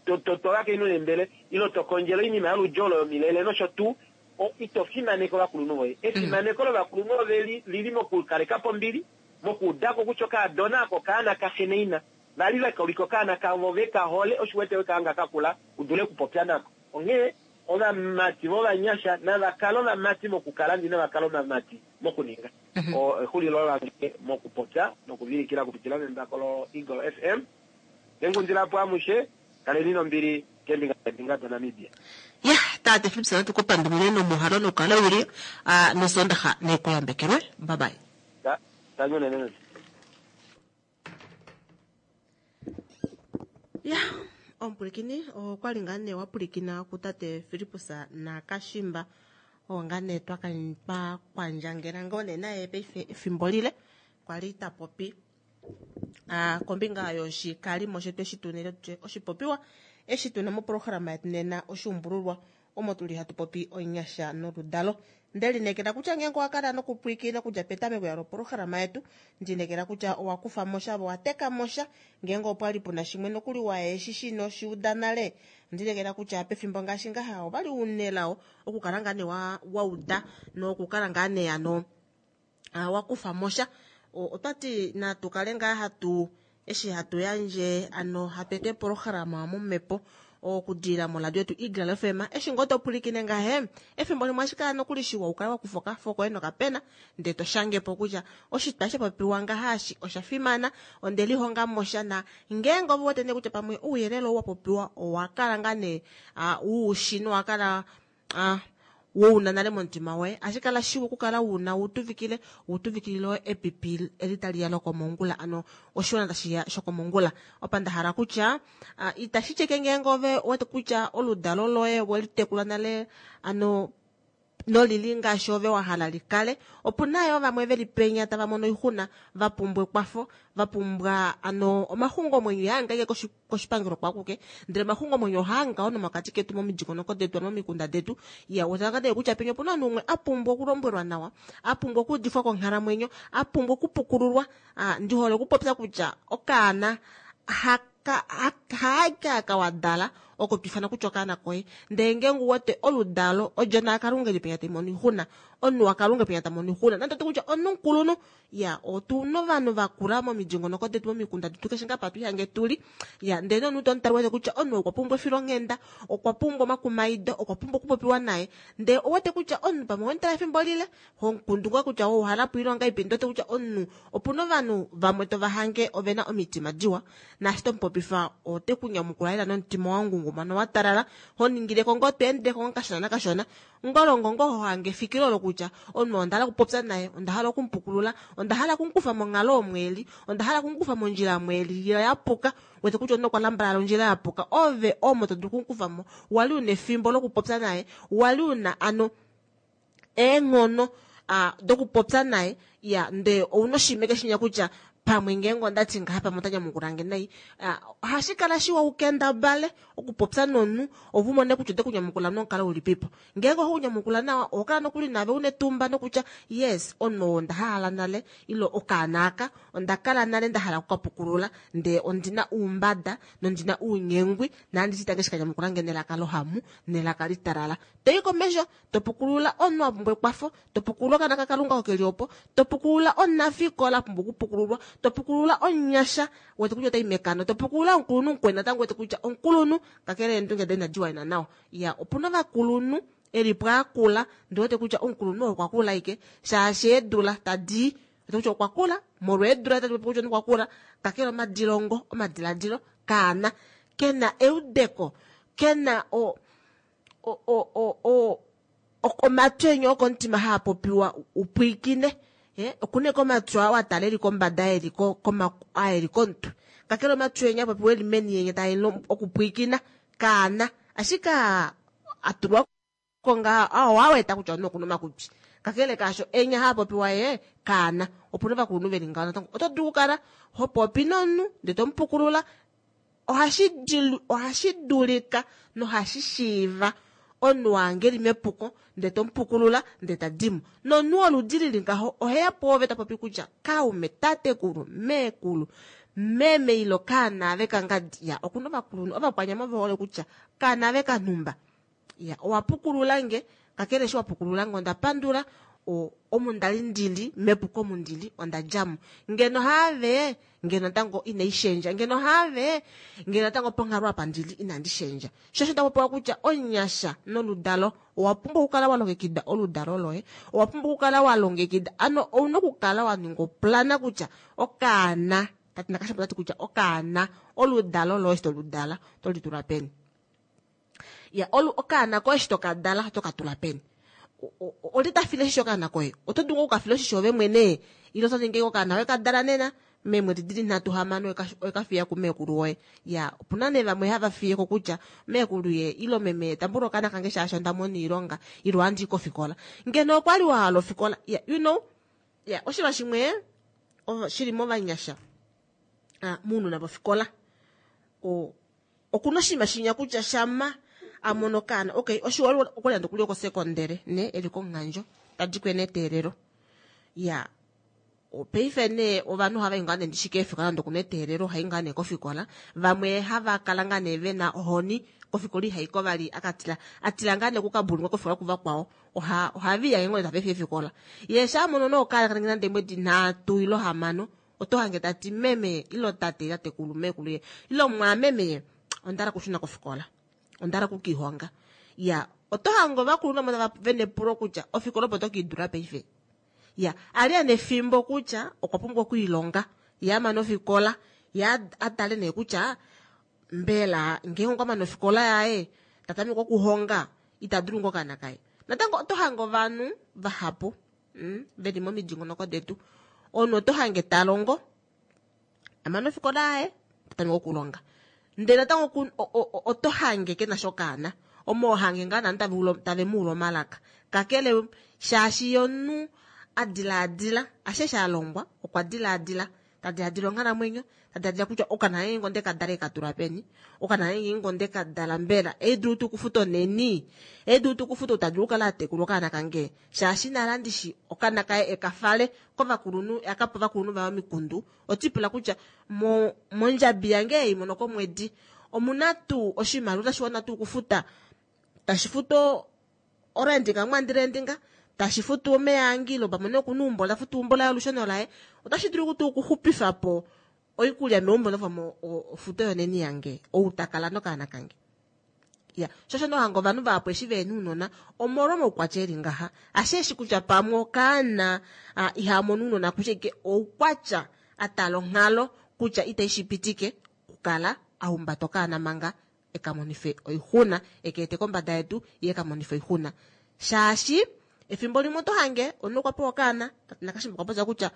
to to ovakainhu neembele, ile to kondjele oinima yoludi olo yomilele nosho tuu, o, ito fimaneke ovakulunhu voye. Efimaneko lovakulunhu ove li, li li mokukaleka po ombili, mokuuda ko kutya okaadona ako okaana kaxe naina. Va li va ka ulika okaana kavo ve ka hole, osho u wete we ka hanga ka kula u dule okupopya nako. Onghee ovamati vovanyasha nava kale ovamati mokukala ndee inava kala ovamati mokuninga. Exulilo lange mokupopya nokuvilikila okupitila membako loEagle FM. Nengundila po amushe, kaleni nombili keembinga neembinga daNamibia. Yah, tate Philipson natu ku pandulile nomuhalo nokukala uli nosondaxa nekuyambekelwe. Bye bye. Ta, tangi unene meme. Ya, omupwilikini okwa li ngaa nee wa pwilikina kutate Filippus Nakashimba oo ngaa nee twa twa kwandjangela ngoo nee naye paife efimbo lile kwa li ta popi ah, kombinga yoshikalimo shetu eshi tu nele tutye oshipopiwa eshi tuna moprograma yetu nena oshuumbululwa omo tuli hatu popi onyasha noludalo. Nde lineekela kutya ngeenge owa kala nokupwilikina okudja petameko ya lopolohalama yetu, ndi inekela kutya owa kufa mo sha ove owa teka mo sha. Ngeenge opwa li pu na shimwe nokuli wa eshi shi ino shi uda nale, ondi inekela kutya pefimbo ngaashi ngaha ova li u nelao okukala ngaa nee wa, wa uda nokukala ngaa nee ano wa kufa mo sha. Otwa ti natu kale ngaa hatu eshi hatu yandje ano hatu eta epolohalama momhepo okudilila moradio yetu Eagle FM. Eshi ngoo to pwilikine ngahe, efimbo limwe ohashi kala nokuli shiwa u kale wa kufa okafo koye nokapena ndele to shange po kutya oshitwa sha popiwa ngaha eshi osha fimana, onde lihonga mo sha na ngeenge ove wete nee kutya pamwe ouyelele ou wa popiwa owa kala ngaa nee u shi nowa kala Ah, wo una nale momutima woye. Ashi kala shiwa okukala una wu tuvikile, wu tuvikilile epipi eli tali ya lokomongula, ano oshiwana tashi ya shokomongula. Opa nda hala kutya, ah, itashi tyeke ngeenge ove wete kutya oludalo loye we li tekula nale, ano nolili ngaashi ove wa hala li kale. Opu na yo vamwe ve li penya tava mono oixuna, va pumbwa ekwafo, va pumbwa ano omaxungomwenyo. Ihaa ngenge koshipangelo kwakuke, ndele omaxungomwenyo ohaa ngaho nomokati ketu momidingonoko detu, ano momikunda detu. Ya wetanga nee kutya penya opuna omunhu umwe a pumbwa okulombwelwa nawa, a pumbwa okuudifwa konghalamwenyo, a pumbwa okupukululwa. Ah, ndi hole okupopya kutya okaana haka haaka aka wa dala oko to ifana kutya okaana koye, ndele ngeenge u wete oludalo odjona yaKalunga ili penya tai mono oixuna, omunhu waKalunga penya ta mono oixuna, nande oto kutya omunhu mukulunhu Ya, otu na ovanhu va kula momidingonoko detu, momikunda detu, keshe ngaa pa tu ihange tu li. Ya, ndele nee omunhu to mu tala wete kutya omunhu okwa pumbwa efilonghenda, okwa pumbwa omakumaido, okwa pumbwa okupopiwa naye. Ndele owete kutya omunhu pamwe owe mu tala efimbo lile, ho mu kundu ngaa kutya owa hala po oilonga ipe, ndele owete kutya omunhu, opu na ovanhu vamwe to va hange ove na omitima diwa, naashi to mu popifa ote ku nyamukula lela nomutima wa ngungumana wa talala, ho ningile ko ngoo to endele ko ngoo kashona nakashona. Ngolongo ngoo ho hange efikilo olo kutya omunhu oo onda hala okupopya naye, onda hala oku mu pukulula, onda hala oku mu kufa monghalo omo e li, onda hala oku mu kufa mondjila omo e li ya puka, wete kutya omunhu okwa lambalala ondjila ya puka, ove omo to dulu oku mu kufa mo. Wa li u na efimbo lokupopya naye, wa li u na ano. eenghono dokupopya naye ya ndee ouna oshimeke shinya kutya pamwe ngeenge ondati ngaha pamwe ota nyamukula nge nai. Ohashi kala shiwa ukendabale okupopya nomunhu ove umone kutya ote kunyamukula nomukalo ulipipo. Ngeenge ohe kunyamukula nawa oho kala nokuli naave una etumba nokutya yes omunhu oo onda hala nale ile okaana aka onda kala nale nda hala okukapukulula ndee ondina oumbada nondina ounyengwi nandi shitange shikanyamukula nge nelaka lohamu nelaka litalala. Toi komesho topukulula omunhu a pumbwa ekwafo, topukulula okaana kaKalunga oko keli opo, topukulula omunafikola a pumbwa okupukululwa, topukulula omunyasha wete kutya otai mekano, topukulula omukulunhu mukweni natango wete kutya omukulunhu kakele eendunge daye inadi wana nawa. Ya opuna ovakulunhu eli po akula ndi wete kutya omukulunhu oo okwa kula ashike shaashi eedula tadi wete kutya okwa kula molwa eedula tadi popi kutya okwa kula kakele omadilongo omadiladilo kaana kena eudeko kena o omatwi enye okomutima haa popiwa upwiikine okuna eke omatwi aa watala eli kombada eli aa eli komutwe kakele omatwi enye apopiwa eli meni yenye taa okupwiikina kaana ashike atulwa ko ngaha aa owaweta kutya omunhu okuna omakutwi kakele kaasho enya haa popiwa ye kaana. Opuna ovakulunhu veli ngaho natango oto dulu okukala ho popi nomunhu ndee tomupukulula ohashi dulika nohashi shiiva omunhu wange eli mepuko ndee tomupukulula ndee ta dimo. Nomunhu woludi lili ngaho oheya pwoove ta popi kutya kaume, tatekulu, meekulu, meme ilo kaana ave kangadi. Ya okuna ovakulunhu ovakwanyama ove hole kutya kaana ave kanhumba. Ya owa pukulula nge kakele eshi wa pukulula nge onda pandula omu ndali ndili mepuko omu ndili onda djamo. Ngeno haave ngeno natango inai shendja ngeno haave ngeno natango ponghalo apa ndili inandi shendja. Sho osho tapopiwa kutya omunyasha noludalo owa pumbwa okukala wa longekida oludalo loye, owa pumbwa okukala wa longekida ano ouna okukala wa ninga oplana kutya okaana tati nakashapo tati kutya okaana oludalo loye eshi toludala oto litula peni. Ya olu okaana koye eshi tokadala oto ka tula peni. Olye ta file oshisho okaana koye? Oto dulu oku ka fila oshisho ove mwene ile oto ningi okaana we ka dala nena meemwedi dili nhatu hamano owe ka fiya kumeekulu woye. Ya opuna nee vamwe hava fiye ko kutya meekulu ye ilo meme tambula okaana kange shaashi onda mona oilonga ilo ohandi i kofikola. Ngeno okwa li wa hala ofikola ya you know ya oshinima shimwe shili movanyasha mounona vofikola okuna oshinima shinya kutya shama a mono okaana okay oshiwa okwali nande okuli okosekondele ne eli komuhandjo tadi kwene eteelelo ya paife nee ovanhu ohava i ngaa nee ndishi keefikola nande okuna eteelelo ohai ngaa nee kofikola vamwe hava kala ngaa nee vena ohoni kofikola ihaiko vali akatila atila ngaa nee okukabulungwa kofikola kuvakwao oha ohaviya ngee tava efi efikola yee sha mono nee okaana kaningi nande eemwedi 3 ilo 6 oto hange tati meme ilo tate tatekulu meekulu ye ilo mwaameme ye onda hala okushuna kofikola onda hala okukiihonga ya oto hange ovakulunhu vamwe tava vena epulo kutya ofikola opo to kiidula paife ya ali ena efimbo kutya okwa pumbwa okwiilonga ye amane ofikola ye a tale nee kutya mbela ngeenge okwa mane ofikola yaye ta tameke okuhonga ita dulu ngoo okaana kaye natango oto hange ovanhu vahapu veli momidingonoko detu omunhu oto hange ta longo amane ofikola yaye ta tameke okulonga ndele natango oto hange ke na sha okaana omo hange ngaa nanu tave muula omalaka kakele shaashi ye omunhu a dilaadila ashe eshi a longwa okwa dilaadila ta diladila onghalamwenyo ta diladila kutya okaana ngeenge onde ka dala eka tula peni okaana ngeenge onde ka dala mbela eedulu tuu okufuta oneni eedulu tuu okufuta ou ta dulu okukala a tekula okaana kange shaashi nale andishi okaana kaye eka fale kovakulunhu aka pe ovakulunhu vaye omikundu otipula kutya mo mondjabi yange ei mono komwedi omuna tuu oshimaliwa tashi wana tuu okufuta tashi futu orendinga mwandirendinga tashi futu omeya ange ile pamwe nokuna eumbo la futu eumbo laye olusheno laye otashi dulu tuu okuxupifa po oikulya meumbo nopamwe ofuto yoneni yange ou ta kala nokaana kange ya sho osho nohanga ovanhu vahapu eshi vehena ounona omolwa omaukwatya eli ngaha ashe eshi kutya pamwe okaana iha mono ounona kutya ike oukwatya a tala onghalo kutya itai shi pitike okukala a humbata okaana manga eka monife oixuna eka ete kombada yedu ye eka monife oixuna shaashi efimbo limwe oto hange omunhu okwa pewa okaana nakashimba okwa popya kutya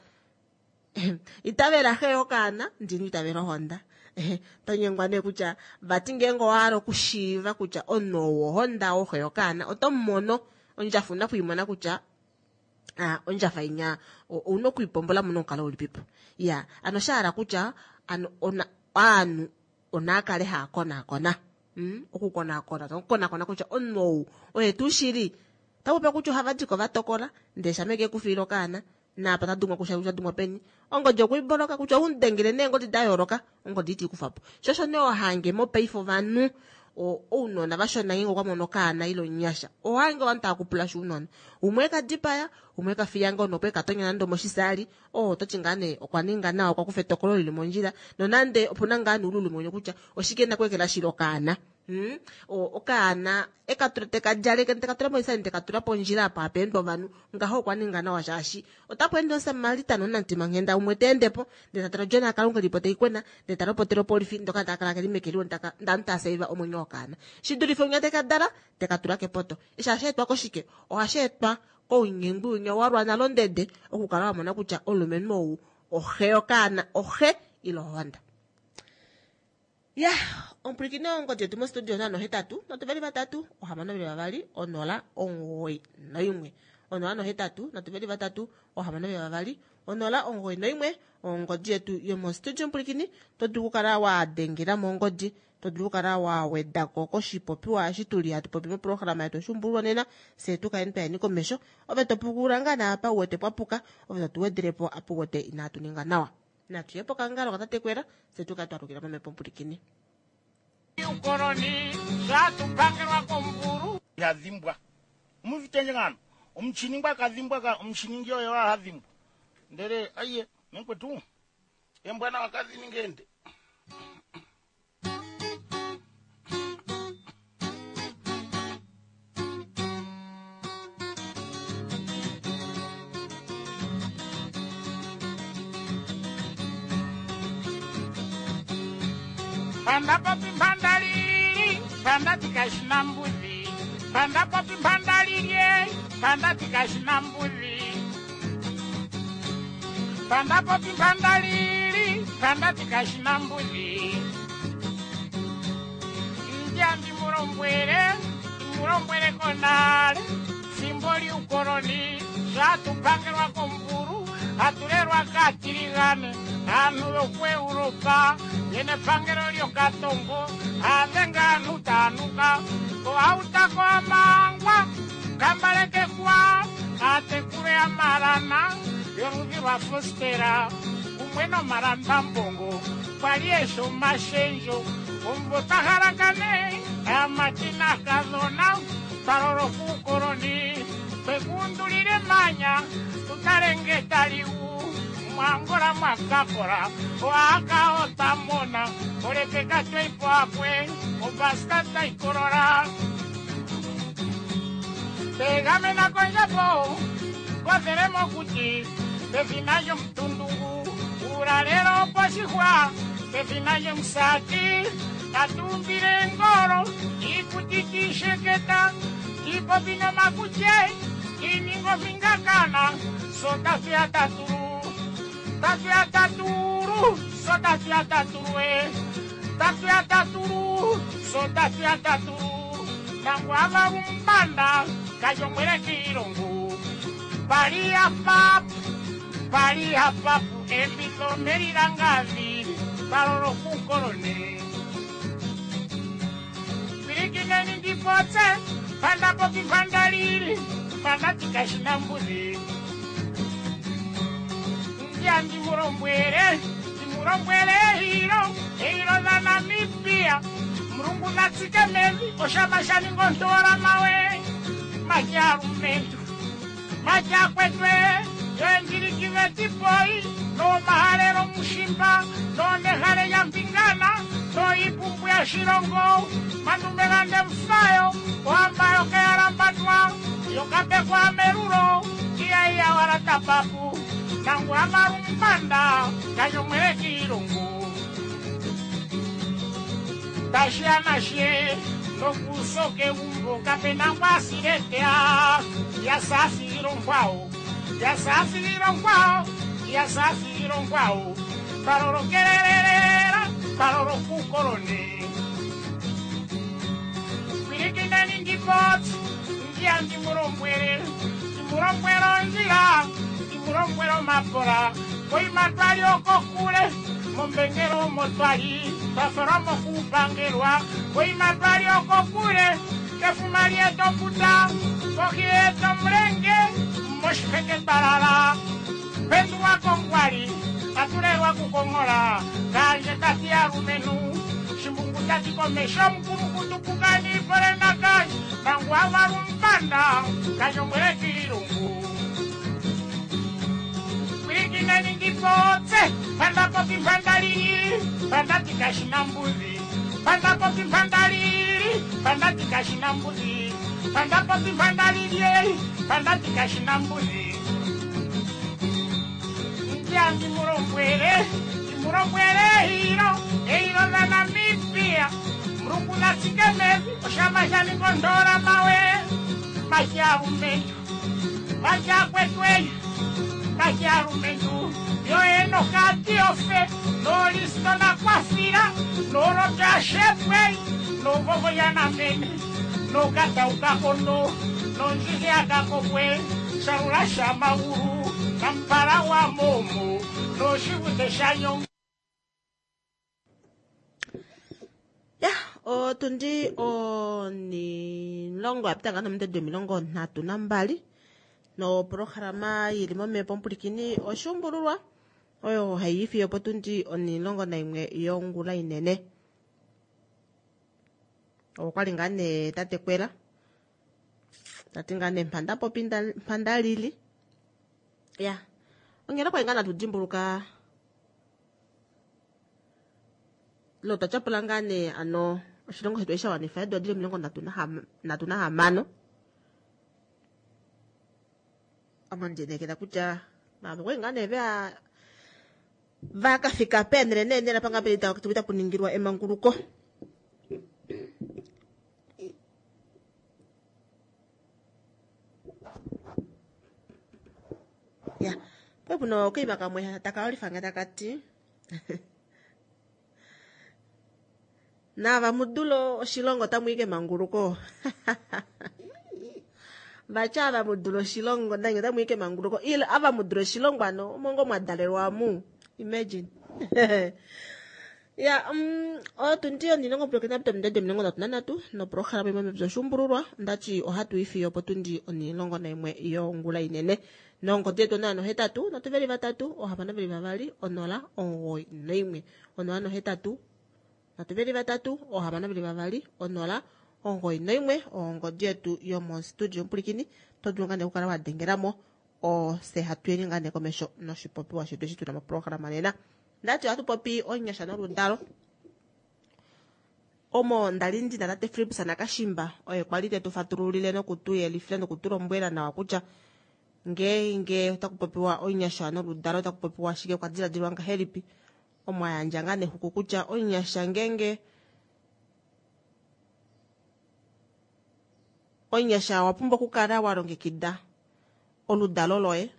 itavela xe yokaana ndini itavela ohonda to nyengwa nee kutya vati ngeenge owa hala okushiiva kutya omunhu ou ohonda woxe yokaana oto mu mono ondjafu una kuimona kutya. Ah, ondjafa inya ouna okuipombola mo nomukalo ulipipo ya ano sha hala kutya ano ona aanhu onaa kale haa konaakona mm? okukonaakona tokukonakona kutya omunhu ou oye tuu shili takupe kutya ohava diko va tokola ndee shameke ekufiila okaana naapa ta dumwa kutya kutya dumwa peni ongodi okuiboloka kutya oumudengele neengodi da yooloka ongodi iti kufa po sho osho nee ohange mopaife ovanhu ounona vashona ngeenge okwa mono okaana ile omunyasha ohange ovanhu tava kupula shi ounona umwe eka dipaya umwe eka fiya ngoo nopo eka tonya nande omoshisaali oo oto ti ngaa nee okwa ninga nawa okwa kufa etokolo lili mondjila nonande opuna ngaa nee oululumenye kutya oshike na kuekela shili okaana Hmm? Okaana eka tula teka djaleke teka tula moisani teka tula pondjila apa hapa endwa ovanhu ngaho okwa ninga nawa shaashi otapu ende omusamaritan omunamutimanghenda umwe ta ende po ndele ta tala odjona yaKalunga ilipo tai kwena ndele ta lopotele opolifi ndoka taka kala keli meke liwa ndanhu taa saiva omwenyo wokaana shi dulife unya teka dala teka tula kepoto. Eshi ohashi etwa koshike? Ohashi etwa kounyengwi winya wa lwa nalo ndede okukala wa mona kutya omulumenhu ou oxe yokaana oxe ile ohonda. Ya, omupwilikini ongodi yetu mostudio 083 3 622 091. 083 3 622 091 ongodi yetu yomostudio omupwilikini to dulu okukala wa dengela mo ongodi to dulu okukala wa weda ko koshipopiwa eshi tuli hatu popi moprograma yetu oshuumbululwa nena fye tu kaleni twayeni komesho ove to pukulula ngaa naapa u wete pwa puka ove to tu wedele po apa u wete inaatu ninga nawa. Natu ye pokangalo katatekwela fye tu kale twa lukila momhepo omupulikini. Uukoloni sho hatu pangelwa kombulu. Iha dhimbwa. Omuvitendje ngano. Omuchini ngwa ka dhimbwa ka omuchiningi oye wa ha dhimbwa. Ndele aiye mekwetu. Embwanawa kadhi ninge ende. Panda popi mpanda lili, panda tikashina mbudhi. Panda popi mpanda lilye, panda tikashina mbudhi. Panda popi mpanda lili, panda tikashina mbudhi. Ndya ndimulombwele, ndimulombwele konale. Fimbo lyuukoloni, sho hatu pangelwa kombulu, hatu lelwa kaatiligane, aantu yokuEuropa, yena epangelo lyokatongo, aadhenga aantu taa nuka, koautako amangwa, kambalekekwa, aatekulu yamalana yoludhi lwafostera kumwe nomalambambongo kwali eshi omashendjo omumvo twa halakane aamati naakadhona twa loloka uukoloni twekuundulile emanya tu tale nge tali gu mwaangola mwakakola oaka otwa mona olepeka tweipo akwe obaska taikolola tegamena kondjapo kothele mokuti pethina lyomutundungu uulalelo poshihwa pethina lyomusati tatu umbile engolo iikuti tiisheketa tiipopi nomakutye tiininga ompingakana so tatu ya tatulu tatu ya tatulu so tatu ya tatulu e tatu ya tatulu so tatu ya tatulu nangu avalumbanda kajomwele kiilongo pali ya papu pali ya papu embitho melilangavi palolo kukolone pilikineni ndipotse panda popi panda lili panda tikashina mbudhi ndya ndimulombwele ndimulombwele ehilo ehilo dha Namibia mulungu natsike mevi oshama sha ninga ontola mawe majalumentu majakwetwe yoendjilikivetipoi nomahalelo mushimba nonehale lya mpingana noipumbu ya shilongo mandume gande mufayo ohamba yokeyalambatwa yokapekwa melulo iyaiya wala tapapu nangu amalumbanda kanyomwele kiilongo tashiya nashe nokusoka egumbo kapena ngwasiletea yasasilongwao yasasilongwao yasasilongwao palolokelelelela palolokukolone pilikineni ndipoti ndiya ndimulombwele Ndimulombwele ondjila, ndimulombwele omapola, koima twali okokule, mombengelo omo twali, twafalwa mokupangelwa, koima twali okokule, kefuma lyetoputa, kohi yetomulenge, moshiheke twalala. Pendulwa kongwali, atulelwa kukong'ola, kandje tati alumenhu, shimbungu tati komesho mukulukutu pukani pole nakandje, mangu avalumpanda, kanyombwele kiilungu. Pwilikineni ndipotse, pandapopi mpandalili, pandati kashina mbuzi, pandapopi mpandalili, pandati kashina mbuzi, pandapopi mpandalili, pandati kashina mbuzi. Ndya ndimulombwele, ndimulombwele eilo, eilo la Namibia, mulungu natsike mevi, oshama shaningondola mawe, mashalumentu, mashakwetweyi, mashalumentu, yoenokatiofe, nolisto nakwafila, nolotyashepwei, novovoyanamene, nokataukakondo, nondjihiyakakokwe, shalula shamaulu, nampala wa momo, noshivute shanyongo. Ya, otundi onilongo ya pita ngaa nominute 32 noprograma yili momhepo omupulikini oshuumbululwa oyo hayi ifiyo potundi 11 yongula inene. Okwali ngaa nee tate Kwela tati ngaa nee mpanda popi mpanda lili. Ya, ongele kwali ngaa natu dimbuluka lo twa tyapula ngaa nee ano oshilongo shetu eshi sha wanifa eedula dili 36. Omo ndinekela kutya vamwe kwali ngaa nee vea vakafika peenele neenele apa ngaa peli tapu ningilwa emanguluko. Ya, pwe puno okaima kamwe taka olifa nge taka ti nava mudulo oshilongo otamu i kemanguluko. Vacha ava mudula oshilongo nange otamu i kemanguluko, ile ava mudula oshilongo ano omongo mwa dalelwa amu. Imagine. Ya, otundi onilongo pulakena pita ominute 33 noprograma imwe mepya oshuumbululwa ondati ohatu i fiyo potundi 11 yongula inene. Nongodi yetu 083 323 622 091 083 323 622 091 ongodi yetu yomostudio omupulikini to dulu ngaa nee okukala wa dengelamo ose hatu yeni ngaa nee komesho noshipopiwa shetu eshi tuna moprograma nena. Ndati ohatu popi onyasha noludalo. Omo ndali ndina tate Philips Nakashimba oye kwali tetu fatululile nokutu yelifila nokutu lombwela nawa kutya ngeenge otaku popiwa onyasha noludalo otaku popiwa shike, kwa diladilwa ngahelipi. Omo ayandja ngaa nexuku kutya onyasha ngeenge onyasha owa pumbwa okukala wa longekida oludalo loye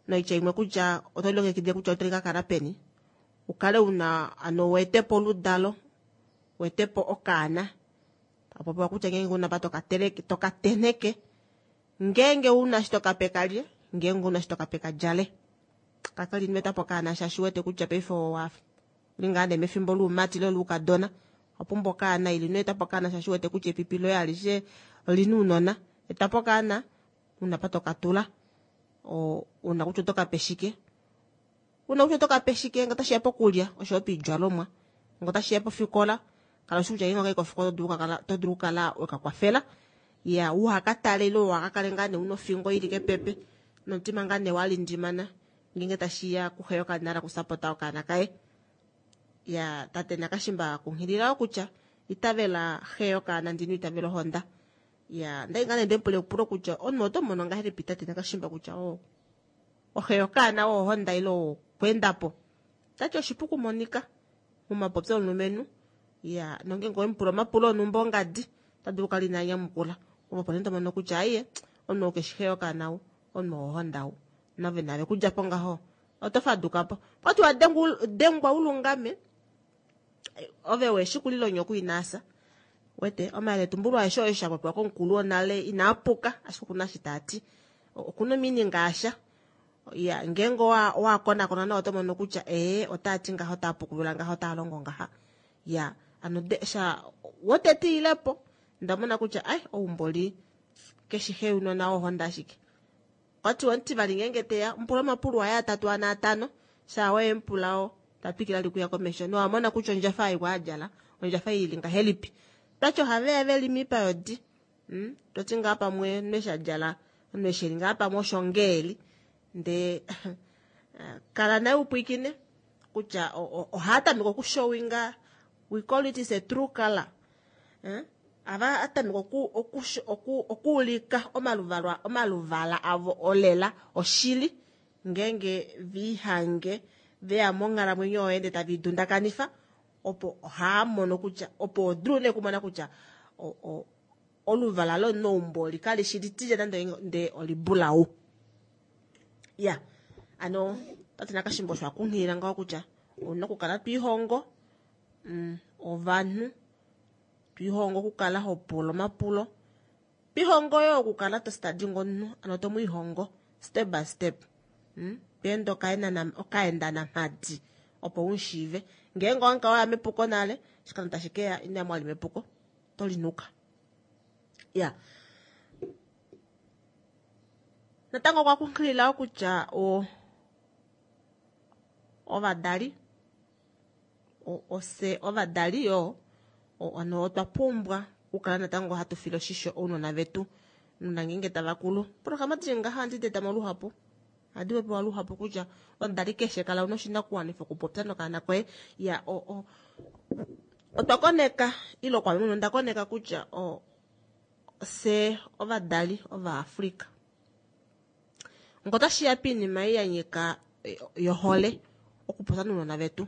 noitya imwe kutya oto longekidile kutya otali ka kala peni, ukale una ano wetepo oludalo, wetepo okaana. Tapopiwa kutya ngeenge una pa toka tokatenheke, ngeenge una shi tokape kalye, ngeenge una shi tokape kadjale. Kaka li nweta po okaana shaashi wete kutya paife owa li ngaa nee mefimbo luumati ile luukadona, owa pumbwa okaana ili nweta po okaana shaashi wete kutya epipi loye alishe olina uunona. Eta po okaana una pa tokatula, una kutya oto kape shike, una kutya oto kape shike ngee otashiya pokulya oshoyo poidjalomwa, ngee otashiya pofikola kala ushi kutya ngeenge okayi kofikola oto dulu okukala weka kwafela. Ya, uhakatale ile uhakakale ngaa nee una ofingo ili kepepe nomutima ngaa nee walindimana ngeenge tashiya kuxe yokanala kusapota okaana kaye. Ya, tate Nakashimba kunghilila kutya itavela xe yokaana ndino itavela ohonda. Ya, ndai ngaa nee ndemupula epulo kutya omunhu oto mono ngahelipi tate Nakashimba kutya oxe yokaana ohonda ile okwendapo. Tati oshipu kumonika momapopyo omulumenhu. Ya, nongeenge owemupula omapulo onhumba ongadi, ota dulu okukala ina nyamukula. Opo nee to mono kutya aiye, omunhu ou keshi xe yokaana ou, omunhu wohonda ou. Nove nave kudja po ngaho, oto faduka po. Kwati wa dengwa ulungame, ove weshi kulila onyoko inaasa. Wete, omayeletumbulo aeshe oyo sha popiwa komukulu wonale inaa puka, ashike okuna shi taa ti. Okuna omeaning asha. Ya, ngeenge owa owa konakona nawa oto mono kutya ee otaa ti ngaha otaa pukulula ngaha otaa longo ngaha. Ya, ano de, sha wotete ilepo nda mona kutya ai oumboli keshi xe younona wohonda ashike. Okwati omutivali ngeenge teya mupula omapulo aye atatu ane atano shaa weye mupula o ta twikila li kuya komesho nowa mona kutya ondjafa ei kwa adjala ondjafa ei ili ngahelipi. Tati ohaveya veli miipa yodi mm? Toti ngaa pamwe omunhu eshi adjala omunhu eshi eli ngaa pamwe osho ngeeli ndee kala naye upwiikine kutya ohaa tameke okushowinga we call it is a true color eh? Ava atameka oku, oku, oku, okuulika omaluvalwa omaluvala avo olela oshili ngeenge vihange veya monghalamwenyo yoye ndee tave idundakanifa opo ohaa mono kutya opo odulu nee kumona kutya o, o, oluvala lomunhu oli kali shi litilya nande ndee olibulau. Ya ano tate Nakashimbo osho akunghilila ngaho kutya ouna okukala twiihongo mm, ovanhu Twihongo okukala ho pula omapulo. Twihongo yo okukala to studying omunhu, ano to mu ihongo step by step. Mm? Tweende okaenda namhadi opo u mu shiive. Ngeenge owa kala waya mepuko nale, oshikando tashi ke ya ino ya mwali mepuko, oto linuka. Ya. Natango okwa kunghilila kutya o ovadali Ofye ovadali yo ano otwa pumbwa okukala natango hatu file oshisho ounona vetu nuna ngeenge tava kulu. Programa di ngaha ohandi di eta mo luhapu. Ohadi popiwa luhapu kutya omudali keshe kala una oshinakuwanifwa okupopya nokaana koye. Ya o, o, otwa koneka ile kwa mwene onda koneka kutya o, fye ovadali Ovaafrika Ngo otashi ya piinima ei ya nyika yohole okupopya nounona vetu,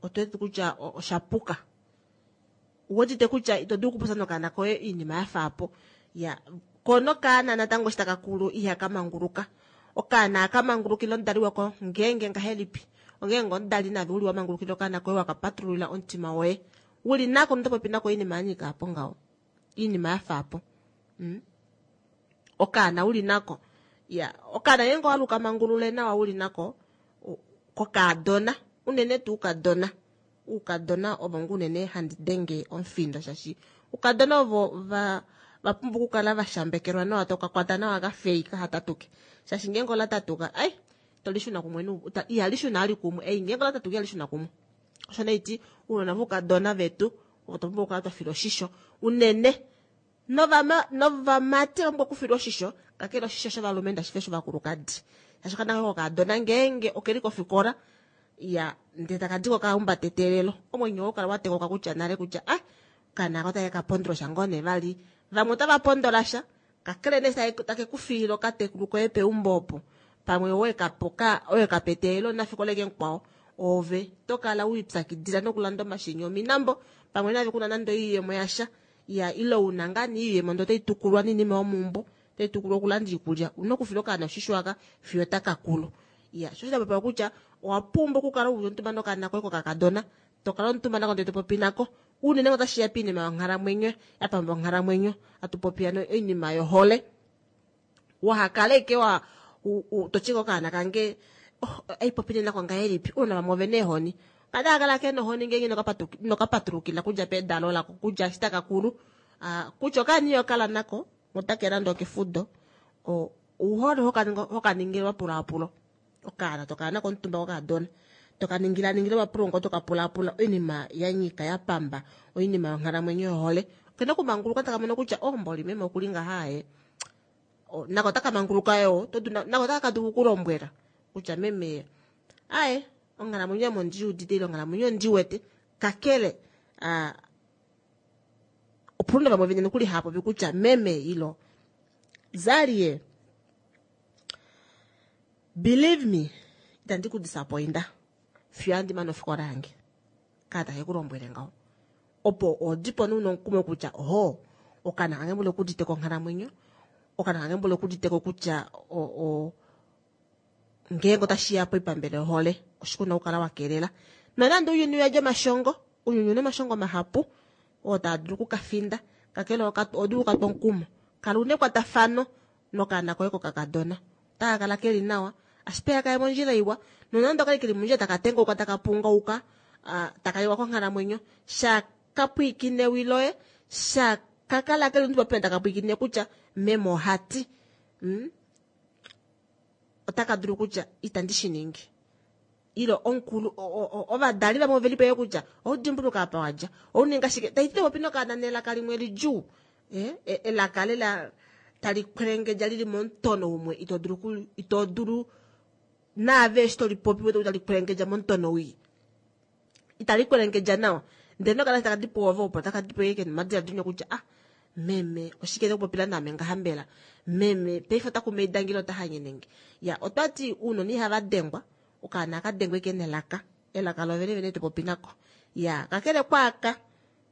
otu wete kutya osha puka. Uwetite kutya ito dulu okupopya nokaana koye iinima ya fa apo. Ya, ko nokaana natango eshi taka kulu ihaka manguluka. Okaana ohaka mangulukile omudali wako ngeenge ngahelipi? Ongeenge omudali nave uli wa mangulukila okaana koye waka patululila omutima woye. Uli nako noto popi nako oinima ya nyika apo ngaho. Iinima ya fa apo. Mm. Okaana uli nako. Ya, okaana ngeenge owaluka mangulule nawa uli nako kokaadona, unene tuu ukadona. Uukadona ovo ngoo unene handi denge omufindo shaashi ukadona ovo va va pumbwa okukala va shambekelwa nawa toka kwata nawa ka fei kaha tatuke. Shaashi ngeenge ola tatuka, ai, to li shuna kumwe nu, ihali shuna ali kumwe. Ei ngeenge ola tatuka ihali shuna kumwe. Osho nee iti uunona voukadona vetu otwa pumbwa okukala twa fila oshisho unene Novama, novamati ova pumbwa okufilwa oshisho, kakele oshisho shovalumenhu tashi fi oshovakulukadi. Shaashi okaana koye kokaadona ngeenge oke li kofikola, ya ndele taka di ko ka humbata eteelelo, omwenyo woye kala wa tekoka kutya nale kutya ah, okaana aka otake ka pondola sha ngoo nee vali. Vamwe otava pondola sha, kakele nee take ku fiile okatekulu koye peumbo opo, pamwe owe ka pa owe ka pa eteelelo omunafikola eke mukwao, ove to kala we ipyakidila nokulanda omashini ominambo, pamwe nave kuna nande oiyemo yasha. Ya, ile una ngaa nee iiyemo ndee otai tukulwa noinima yomeumbo, otai tukulwa okulanda iikulya, una okufila okaana oshisho aka fiyo taka kulu. Ya, sho osho popiwa kutya owa pumbwa okukala uli omutumba nokaana koye kokakadona, to kala omutumba nako ndee to popi nako, unene ngee otashi ya piinima yonghalamwenyo, ya pamba onghalamwenyo, hatu popi ano oinima yohole. Waha kala ashike wa to ti okaana kange oh, ai popile nako ngahelipi, ounona vamwe ove na eehoni. Kada kala ke nohoni ngeenge inoka patulukila kudja pedalo lako kudja eshi taka kulu. Ah, kutya okaana iho kala nako otake landa okefudo ouhole hoka ningile omapulaapulo okaana tokala nako omutumba kokadona toka ningila ningila omapulo ngo toka pulaapula oinima ya nyika ya pamba oinima yonghalamwenyo yohole okena okumanguluka taka mono kutya oh mboli meme okuli ngaha ye nako otaka manguluka yo nako otaka ka dulu okulombwela kutya meme aye onghalamwenyo ame ondi udite ile onghalamwenyo ondi wete kakele a opuna vamwe vene nokuli hava popi kutya meme ilo zalie believe me itandi ku disappointa fiyo andi mane ofikola yange kaa take ku lombwele ngaho opo odipo nee una omukumo kutya oho okaana kange mboli okudite konghalamwenyo okaana kange mboli okudite ko kutya o, o Ngeenge otashi ya poipambele yohole, oshike u na okukala wa kelela? Nonande ounyuni uyadi omashongo, ounyuni una omashongo mahapu oo taa dulu oku ka finda. Kakele oho dulu oku ka twa omukumo. Kala una ekwatafano. Nokaana koye kokakadona otaka kala keli nawa, ashike kaye mondjila iwa. Nonande okali keli mondjila taka tengauka, taka pungauka, taka liwa konghalamwenyo, sha ka pwiikine ewi loye, sha ka kala keli omuntu taka pwiikine kutya meme ohati, otaka dulu kutya itandi shi ningi. Ile omukulu, ovadali vamwe oveli po kutya oudimbuluka apa wadja, ouninga shike, taiti popi nokaana nelaka limwe lidjuu, elaka lela tali kwelengedja lili momutono umwe, ito dulu naave eshi toli popi wete tali kwelengedja momutono wii, itali kwelengedja nawa. Ndele nokana taka di po ove opo taka di po yeke nomadiladilo kutya ah meme oshike tokupopila naame ngaha mbela, meme paife ota kumaidangile ota hanyenenge. Ya otwati uunona ihava dengwa, okaana ka dengwe ke nelaka, elaka lovene vene topopi nako. Ya kakele kwaaka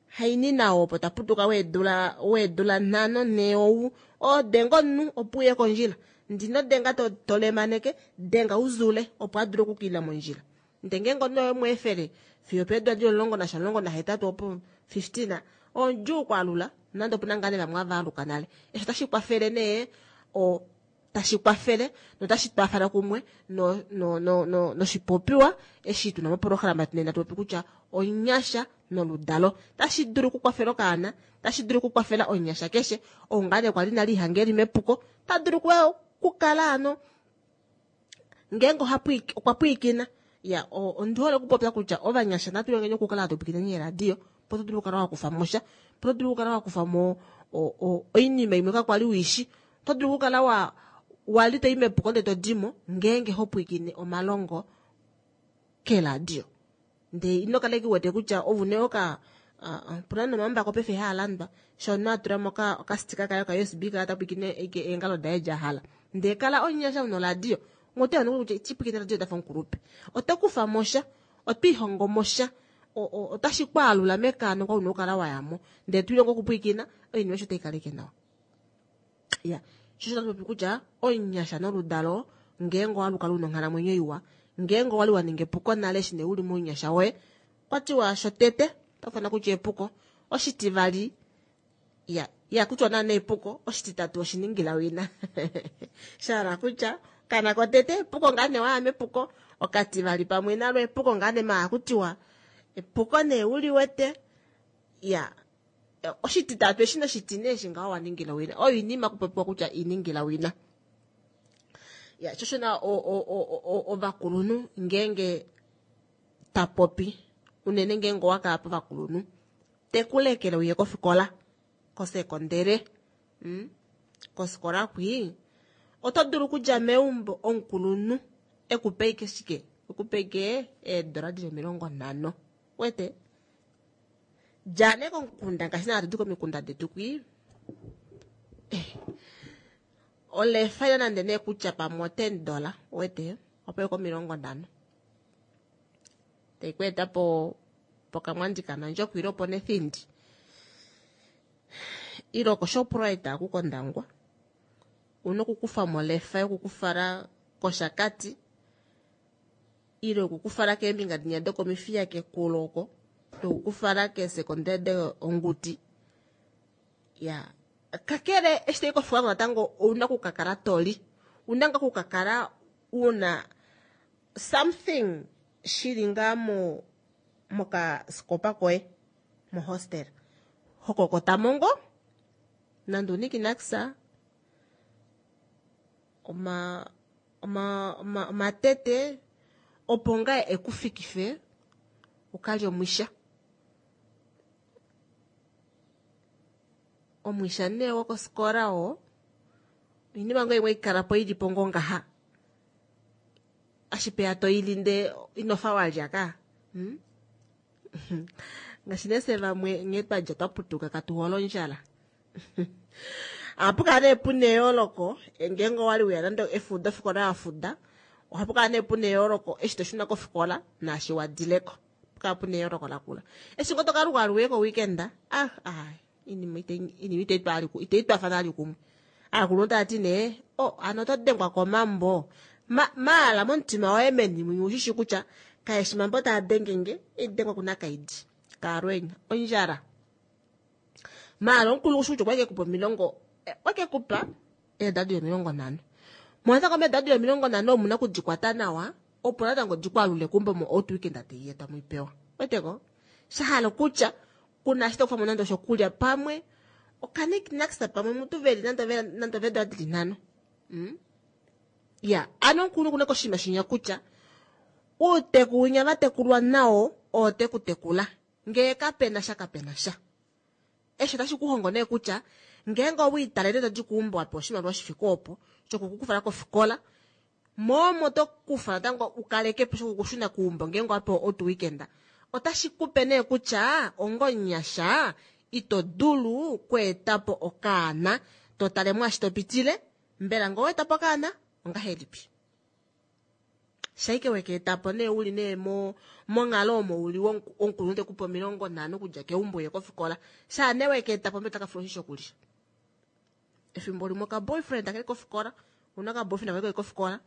haini nawo opo taputuka weedula 5 4 ou odenga omunhu opo uye kondjila, ndino denga tolemaneke, denga uzule opo adule okukila mondjila. Ndele ngeenge omunhu oye mweefele fiyo peedula di 10 nasha 18 opo 15 odjuu kwaalula, nande opuna ngaa nee vamwe ava aluka nale. Eshi otashi kwafele nee, tashi kwafele notashi twafala kumwe noshipopiwa eshi tuna moprograma tunena tupopi kutya onyasha noludalo. Tashi dulu okukwafela okaana, tashi dulu okukwafela onyasha keshe oungane kwali nali ihangeli mepuko, ta dulu okukala ano ngeenge okwa pwiikina. Ya ondi hole okupopya kutya ovanyasha natu longeni okukala hatu pwiikine neeradio, opo to dulu okukala wa kufa mo sha, opo to dulu okukala wa kufa mo oinima imwe kakwali uishi, oto dulu okukala wali to i mepuko ndele to dimo ngeenge ho pwiikine omalongo keradio. Ndele ino kala ki wete kutya ovune oka opuna nomambako paife haa landwa, sho omunhu a tula mo okastika kaye oka USB kala ta pwiikine eengalo daye dja hala. Ndele kala onyasha una oradio, ngote ono kutya iti pwiikine oradio tafa omukulupe. Oto kufa mo sha, oto ihongo mo sha, otashi kwaalula mekaano kwa una okukala wa ya mo. Ndele to ilongo okupwiikina, oinima osho tai kaleke nawa. Ya, sho tatu popi kutya onyasha noludalo ngeenge owaluka luna onghalamwenyo iwa, ngeenge owali wa ninga epuko nale eshi nee uli mounyasha woye, kwa tiwa shotete otakufana kutya epuko, oshitivali ya kutya naana epuko, oshititatu oshiningila wina. Shahala kutya kana kotete epuko ngaa nee waya mepuko, okativali pamwe nalo epuko ngaa nee maa kutiwa epuko nee uli wete. Ya oshititatu eshi noshitine eshi ngaho wa ningila wina, oyo inima kupopiwa kutya iningila wina. Ya shoshona ovakulunhu ngeenge tapopi unene ngeenge owakala povakulunhu, tekulekele uye kofikola kosekondere, kosikola kwii oto dulu okudja meumbo omukulunhu ekupe ike shike, ekupe ike eedola dili 50, wete dja nee komukunda ngaashi naa hatu di komikunda detu kwii, olefa ila nande nee kutya pamwe $10, wete opo yoko 50 tai ku eta po pokamwandi kanandjokwe ile opo nethindi ile okoshoprite aku kOndangwa, una okukufa molefa yokukufala kOshakati ile okukufala keembinga dinya dokomifiya kekulo oko, nokukufala keesekondere Onguti. Ya kakele eshi tai kofikola natango ouna okukakala toli, una nga okukakala una something shili ngaa mokasikopa koye mohostel hokokota mongo nande unikinakisa omatete opo ngaa ekufikife ukalye omwisha. Omwisha nee wokosikola oo oinima ngoo imwe ikala po ilipo ngoo ngaha, ashipeya toili nde inofa walya ka. Ngaashi nee fye vamwe nghee twadja twaputuka katuhole ondjala. Ohapu kala nee puna eyooloko ngeenge owali weya nande efudo ofikola yafuda, ohapu kala nee puna eyooloko eshi toshuna kofikola naashi wadileko, ohapu kala puna eyooloko lakula. Eshi ngoo tokaluka aluye ko-weekend, inima itei twafana ali kumwe. Aakulunhu tava ti nee, hano oto dengwa komambo. Maala momutima woye meni mwinya ushishi kutya kaeshi mambo taa dengenge, idengwa kuna kaidi kaalwenya ondjala. Maala omukulu ushi kutya okwake kupa 30, okwake kupa Eedula dili 50. Mo natango meedula dili 50 omuna okudikwata nawa opo natango dikwaalule keumbo mo out weekend taiya tamu ipewa. Weteko? Shahala okutya kuna eshi tokufamo nande oshokulya pamwe okaniknaks pamwe mutu veli nande oveedula dili 5. Ya, ano omukulunhu okuna koshinima shinya kutya uuteku winya vatekulwa nawo oo te ku tekula. Ngee kapena sha kapena sha. Eshi otashi ku hongo nee kutya ngeenge owiitalele to di keumbo wa pewa oshimaliwa shifike opo shoku ku kufala kofikola, mo omo to kufa natango u kaleke po shoku kushuna keumbo ngeenge owa pewa out weekend, otashi kupe nee kutya onga omunyasha ito dulu kweeta po okaana to tale mwaashi to pitile, mbela ngee owa eta po okaana ongahelipi? Shaike weka eta po nee uli nee mo monghalo omo uli womukulunhu te kupe 50 okudja keumbo uye kofikola. Shaa nee weka eta po mbela otaka fula oshisho okulya. Efimbo limwe oka boyfriend akeli kofikola, una oka boyfriend akeli kofikola,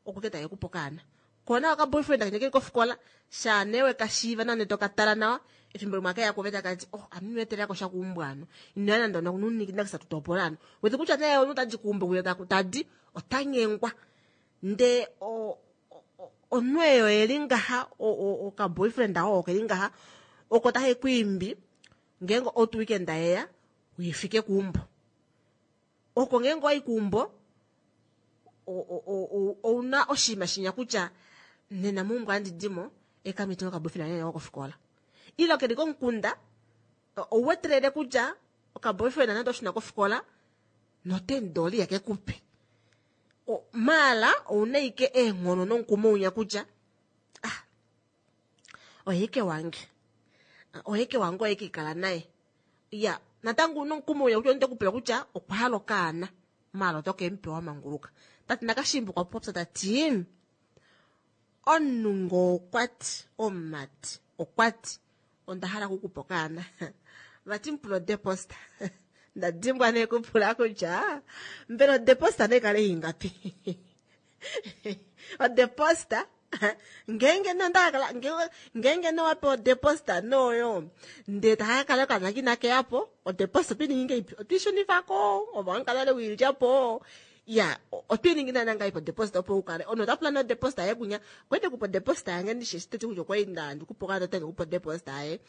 oko ke take kupe okaana. Kona oka boyfriend akeli kofikola, shaa nee weka shiiva nawa ndele toka tala nawa, efimbo limwe akeya kuove taka ti, oh, ame ino etelako sha keumbo ano. Ino ya nande onakisa tutopola ano. Wete kutya nee omunhu tadi keumbo kuye tadi, ota nyengwa. Ndee omunhu eyo eli ngaha, oka boyfriend oo okeli ngaha, oko take ku imbi ngeenge out weekend yeya, uifike keumbo. Oko ngeenge owayi keumbo, ouna oshinima shinya kutya nena meumbo ohandi dimo, ekamiti oka boyfriend kange kofikola. Ile keli komukunda, ouwetelele kutya oka boyfriend nande oshuna kofikola, notendoli yakekupe. Maala ouna ike eenghono nomukumo unya kutya ah, oyeke wange. Oyeke wange oyeke ikala naye. Ya, natango una omukumo unya kutya onde kupula kutya okwa hala okaana. Maala oto ke mupewa manguluka. Tati nakashimbu okwa popya tati omunhu ngo okwati, omumati okwati onda hala okukupa okaana. Vati mupula odeposta. Ndadimbwa nee kupula kutya mbela odeposta nee kale ingapi. Odeposta ngeenge nondakala ngeenge nowape odeposta noyo ndee takakala okaana kina keyapo odeposta otwiiningi ngeipi otwiishunifako ove wamukala le wiilyapo ya otwiiningi naana ngaipi odeposta opo ukale omunhu ota pula nee odeposta yaye kunya kwete kupa odeposta yange ndishi eshi teti kutya okwali nda ndikupa okaana otange kupa odeposta yaye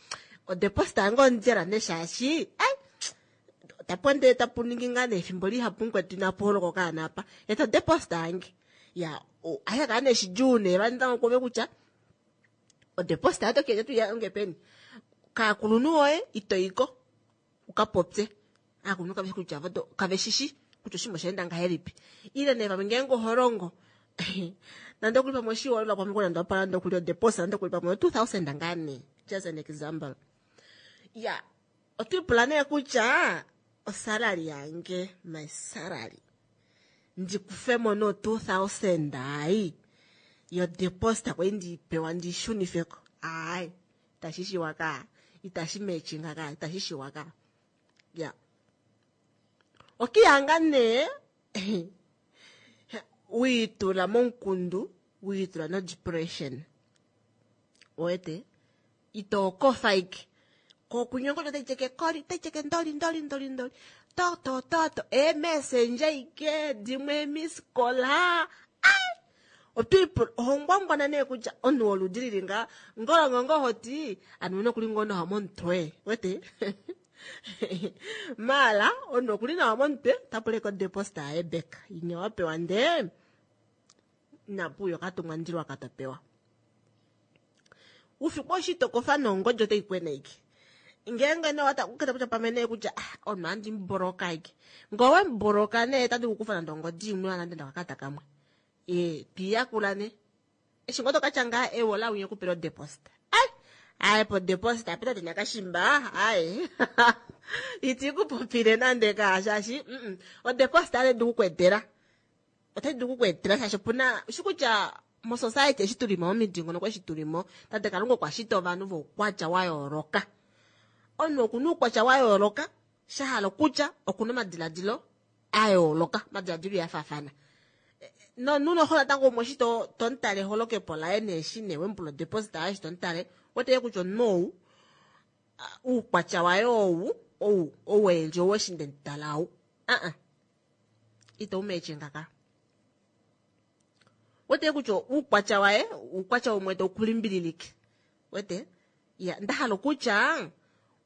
odeposta yange ondjela nee shaashi ai tapo ndee tapu ningi ngaa nee efimbo lihapu mukwetu inapu holoka okaana apa eta odeposta yange ya aye kala nee shidjuu nee vani kuove kutya odeposta yato keja tuya peni kaakulunhu woye itoiko ukapopye aakulunhu kaveshi kutya kaveshishi kutya oshinima oshaenda ngahelipi ile nee pamwe ngeenge oholongo nande okuli pamwe oshihoolelwa pamwe nande wapala nande okuli odeposta nande okuli pamwe 2000 ngaa nee just an example ya otwiipula nee kutya osalary yange my salary ndikufemo no 2000 ai yodeposta kwai ndiipewa ndishunifeko ai itashi shiwa ka itashi matchinga ka itashi shiwa ka ya okiyanga nee wiitula momukundu wiitula no depression wete ito kofa ike kokunyongo tai cheke koli tai cheke ndoli ndoli ndoli ndoli to to to to eemessenja ike dimwe miskola otwiipula ohongwangwana nee kutya omunhu woludi lili nga ngolongongo hoti anu nokuli ngoo nawa momutwe wete maala omunhu okuli nawa momutwe tapula eko deposta yaye beka inya wapewa ndee inapuuya okatumwa ndilwa katopewa ufiku oshitokofa nongodi otai kwena ike ngeenge nee wata kutya pamwe nee kutya omunhu andi muboloka ike ngee owemuboloka nee tadi kukufa nande ongodi imwe nande ndakakata kamwe twiyakula ne eshi ngoo tokatya ngaa ewo lawinya okupela odeposta ai ai podeposta ape tate nakashimba ai iti kupopile nande kaa shaashi odeposta otai dulu kukwetela otai dulu kukwetela shaashi opuna shi kutya mosociety eshi tulimo momidingonoko eshi tulimo tate Kalunga okwa shita ovanhu voukwatya wa yooloka omunhu okuna oukwatya wa yooloka sha hala okutya okuna omadiladilo a yooloka omadiladilo iyafaafana nomunhu noho natango umwe eshi tomutale eholokepo laye neeshi nee wemupula odeposit yaye eshi tomutale weteye kutya omunhu ou uukwatya waye ou ou oweendje ou eshi ndemutala ou aa. Ito umeche ngaka. Wete kutya uukwatya waye, uukwatya umwe tau kulimbililike. Wete? Ya, ndahala okutya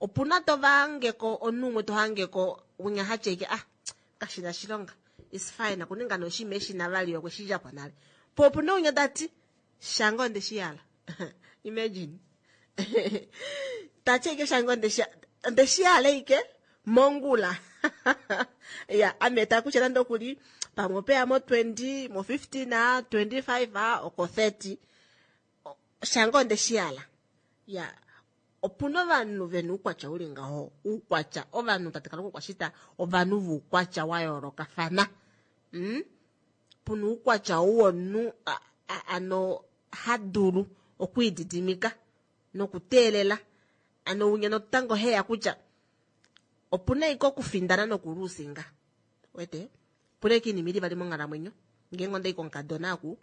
opuna to vangeko omunhu umwe to hangeko winya hatye ike ah kashina shilonga. It's fine okuninga noshima eshi navali okwe shi djapo nale. Po opuna winya tati shange onde shi hala. Imagine. Tatye ike shange onde shi hala ike mongula. Ya, ame ta kutya nande okuli pamwe opeya mo 20, mo 15 a, 25 a, oko 30. Shange onde shi hala. Ya, opuna ovanhu vena oukwatya uli ngaho. Oukwatya, ovanhu tate Kalunga okwa shita ovanhu voukwatya wa yoolokafana. Puna oukwatya ou womunhu ano ha dulu okwiididimika nokuteelela. Ano winya notango heya kutya opuna ike okufindana nokuluusinga. Wete? Opuna ike iinima ili vali monghalamwenyo. Ngeenge ondai komukadona aku,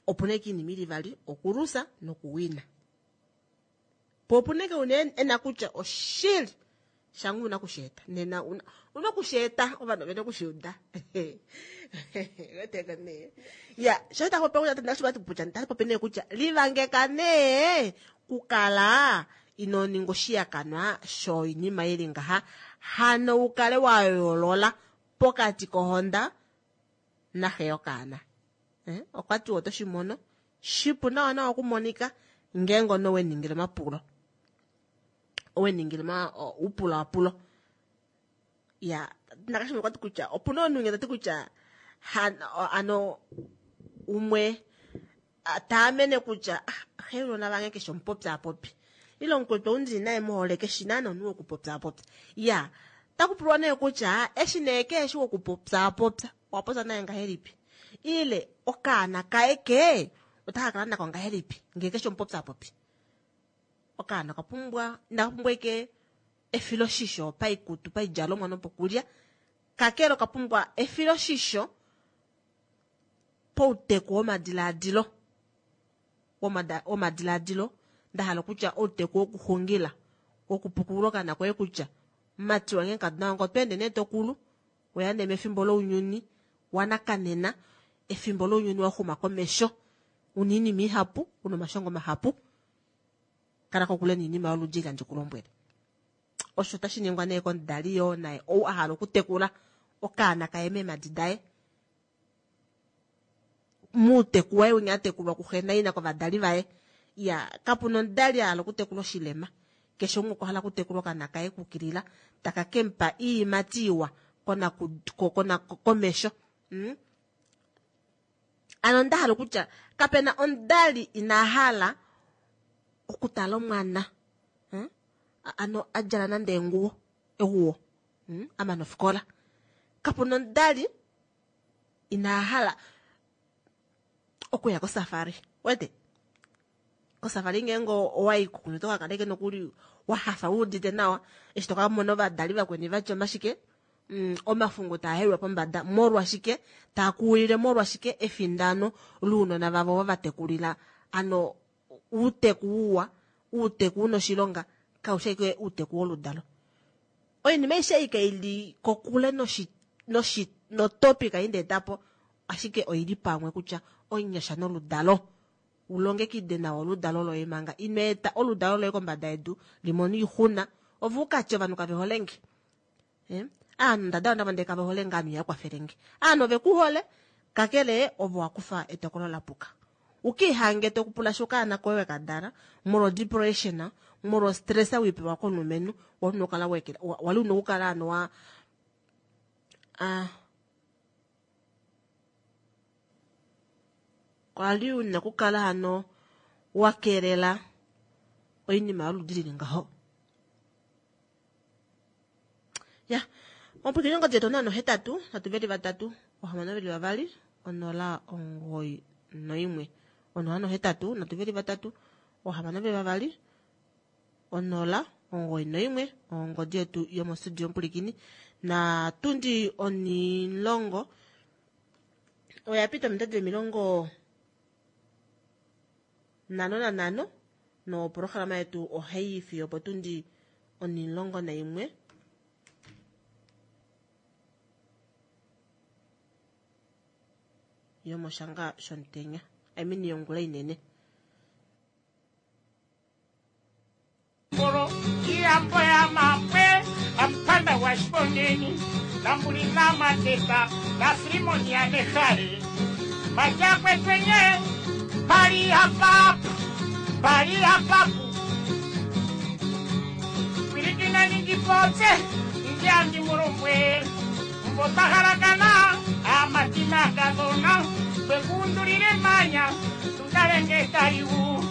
opuna ike iinima ili vali okulusa nokuwina. Po opuna ike una ena kutya oshili shangu una kusheeta. Nena una kusheeta ovanhu ovena okushiuda. Wete nee. Ya, sho ta popi kutya ta popi nee kutya livangeka nee kukala ino ninga oshiyakanwa shoinima ili ngaha. Hano ukale wa yoolola pokati kohonda naxe yokaana. Okwa ti oto shi mono shipu nawa nawa okumonika ngeenge ono we ningile omapulo. Owe ningile upulaapulo. Ya, nakashimwe okwa ti kutya opuna omunhu ta ti kutya ano umwe taamene kutya xe unona vange keshe omupopyaapopi. Ile omukwetu ou ndili naye muhole keshi naana omunhu wokupopyaapopya. Ya, takupulwa nee kutya eshi nee keheshi wokupopyaapopya, owapopya naye ngahelipi? Ile okaana kaye ke otaka kala nako ngahelipi ngee keshi omupopyaapopi? Okaana okapumbwa, inaka pumbwa ike efiloshisho paikutu, paidjalomwa nopokulya. Kakele okapumbwa efiloshisho pouteku womadilaadilo. Womadilaadilo, ndahala kutya outeku wokuxungila, wokupukulula okaana koye kutya mati wange kaduna wange oto ende nee tokulu, weya nee mefimbo lounyuni wanakanena, efimbo lounyuni wa xuma komesho, una oinima ihapu, una omashongo mahapu, kala kokule noinima yoludi eli handi ku lombwele. Osho tashi ningwa nee komudali yoo naye ou a hala okutekula okaana kaye meemadi daye. Muuteku waye winya a tekulwa kuxe naina kovadali vaye. Ya, kapuna omudali a hala okutekula oshilema. Keshe umwe okwa hala okutekula okaana kaye kukilila, taka kemupa iiyimati iwa komesho. Ano onda hala okutya kapena omudali ina hala okutala omwana. Ano a djala nande enguwo, eguwo. A mana ofikola. Kapuna omudali ina hala okuya kosafari. Wete? Kosafari ngeenge owayi kokule oto ka kala ike nokuli wa hafa wu udite nawa eshi to ka mona ovadali vakweni vatya omashike omafungu taa helwa pombada molwashike taa kuwilile molwashike efindano lounona vavo va vatekulila ano uuteku uwa uuteku una oshilonga kaushi ashike uuteku woludalo. Oinima aishe ei kaili kokule notopic ei nda etapo ashike oili pamwe kutya onyasha noludalo. Ulongekide nawa oludalo loye manga ino eta oludalo loye kombada yedu limone oixuna ove ukatye ovanhu kave holenge. Aanhu ndada ndava ndee kave holenge aanhu ihava kwafelenge. Aanhu ove ku hole kakele ove wa kufa etokolo la puka. Ukiihange tokupula sho okaana koye wekadala molwa depression molwa stress wiipewa komulumenhu wali una okukala wekela wali una okukala ano wa kwali una okukala hano wa kelela oinima yoludi lili ngaho. Ya, omupwilikini ongodi yetu 083 323 622 091. 083 323 622 091 ongodi yetu yomostudio omupwilikini. Na tundi onilongo oya pita ominute 55 no programa yetu ohai fiyo potundi 11. yomoshanga shomutenya, I mean yongula inene. Ngolo iyambo ya mapwe ampanda wa shiponeni nambuli na mateta na filimoni ya nehale majakwe twenye pali hapapu pali hapapu pilikina ningipotse njandi mulombwe mbotahalakana amatima kadhona twekundulile manya tutalenge taliwu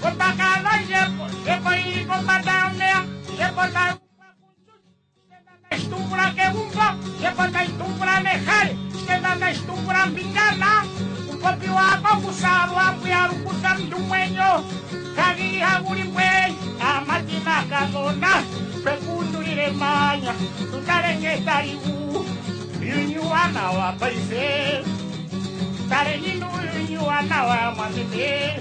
kotakala njepo njepo ili kombanda yomeya njepo taitumbula kegumbo njepo taitumbula nehale shitenda taitumbula mpingana upopi wako kusalwa mbuyalukusa mndu mwenyo kagili haguli mbwe amatima kadhona twekundulile manya tutalenge taliwu yunyuwana wa paife tale nyinu yunyuwana wa mwamete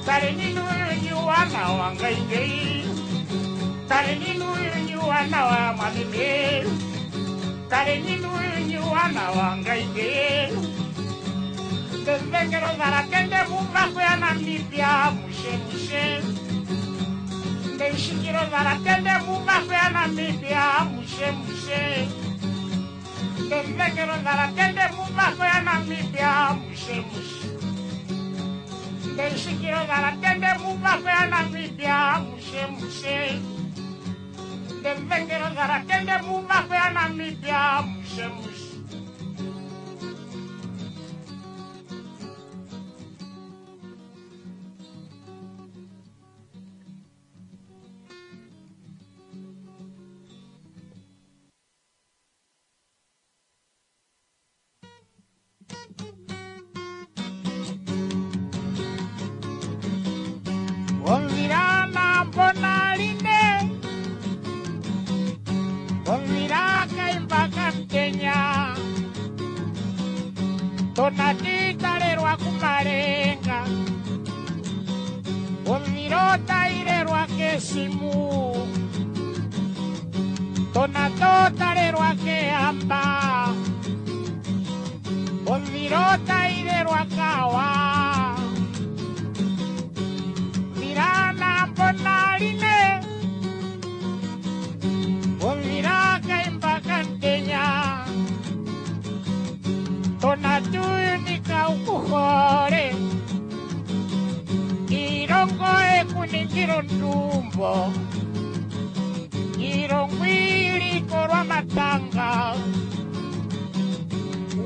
tale nyinu yunyuwana wa ngaingei tale nyinu yunyuwana wa mwamete tale nyinu yunyuwana wa ngaingei ndevengelo zalatende muvako ya Namibia mushe mushe. Ndeishikilo zalatende muvako ya Namibia mushe mushe. Ndevengelo zalatende muvako ya Namibia mushe mushe. Ndeishikilo zalatende muvako ya Namibia mushe mushe. Ndevengelo zalatende muvako ya Namibia mushe mushe. Omvirana mbona line Omvira kaimba kamtenya Tonatitalelwa kumalenga Omviro tailelwa kesimu Tonatotalelwa keamba Omviro tailelwa kawa Virana mbona line Omvira kaimba kantenya Tonatuyunika ukuhole Ilongo ekuningilo ndumbo Ilongo ilikolwa matanga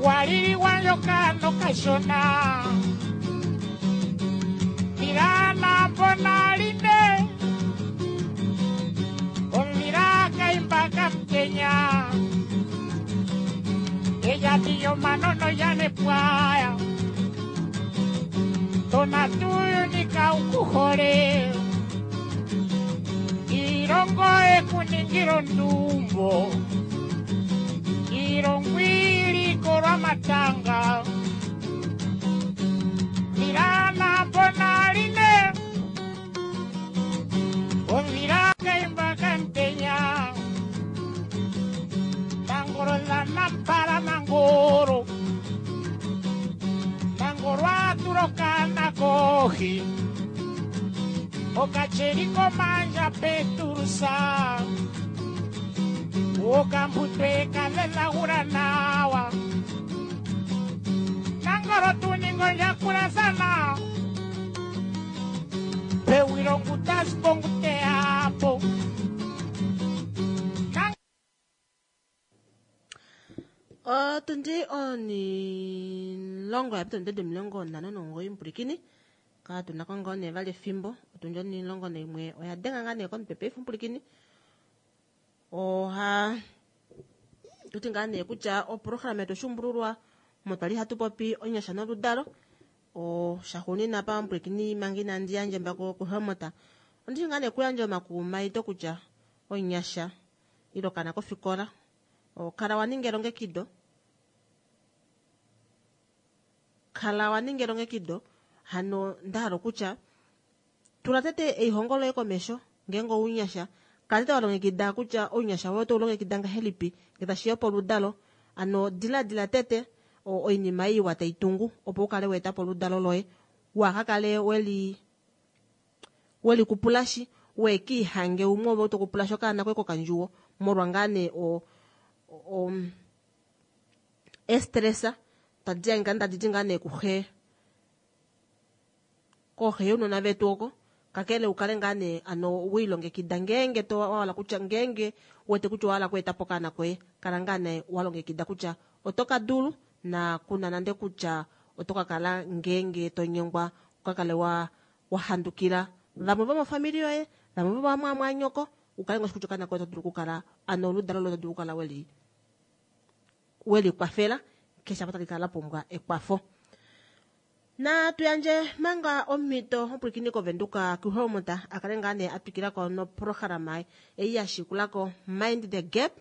Walili wanyoka kashona Virana mbona line Omvira kaimba kamtenya Ella tiyo manono yane pwaya Tonatuyunika ukuhole Ilongo ekuningilo ndumbo Ilongo ilikolwa matanga Virana mbona line Omvira kaimba kantenya Nangoro la nampala nangoro Nangoro aturokana kohi Okacheriko manja peturusa Okambutwe kalela nawa Nangoro tuningo nyakurazana Pewiro ngutas pongute apo Otundi onilongo ya pita ominute 59 mpulikini katuna ko ngoo nee vali efimbo otundi 11 oya denga ngaa nee komutwe paife mpulikini oha tuti ngaa nee kutya oprograma yetu oshuumbululwa omo twali hatu popi onyasha noludalo oshaxuunina pa mpulikini manga inandi yandje mbako kuhelmota ondishi ngaa nee kuyandja omakumaito kutya onyasha ile okaana kofikola kala waninga elongekido kala waninga elongekido hano ndahala okutya tula tete eihongo loye komesho ngeenge ounyasha kala tete walongekida kutya ounyasha woye oto ulongekida ngahelipi ngee tashiya poludalo ano diladila tete. oinima iwa taitungu opo ukale weetapo oludalo loye waakakale weli welikupulashi wekiihange umwe ove tokupulashi okaana koye kokandjuwo molwa ngaa nee o, o estressa tadi yange tadi ti ngaa nee kuxe kooxe younona vetu oko kakele ukale ngaa nee ano wiilongekida ngeenge to wahala kutya ngeenge wete kutya owahala okweetapo okaana koye kala ngaa nee walongekida kutya oto ka dulu na kuna nande kutya oto ka kala ngeenge to nyengwa ukakale wa wahandukila vamwe vomofamili yoye vamwe vomamwamwanyoko ukale ngoo kutya okaana koye oto dulu okukala ano oludalo loye oto dulu okukala weli weli kwafela keshe apa tali kala la pumbwa ekwafo. Natu yandje manga omhito omupwilikini kovenduka kuhelmut a kale ngaa nee a twikilako noprograma ei ya shikulako Mind the Gap.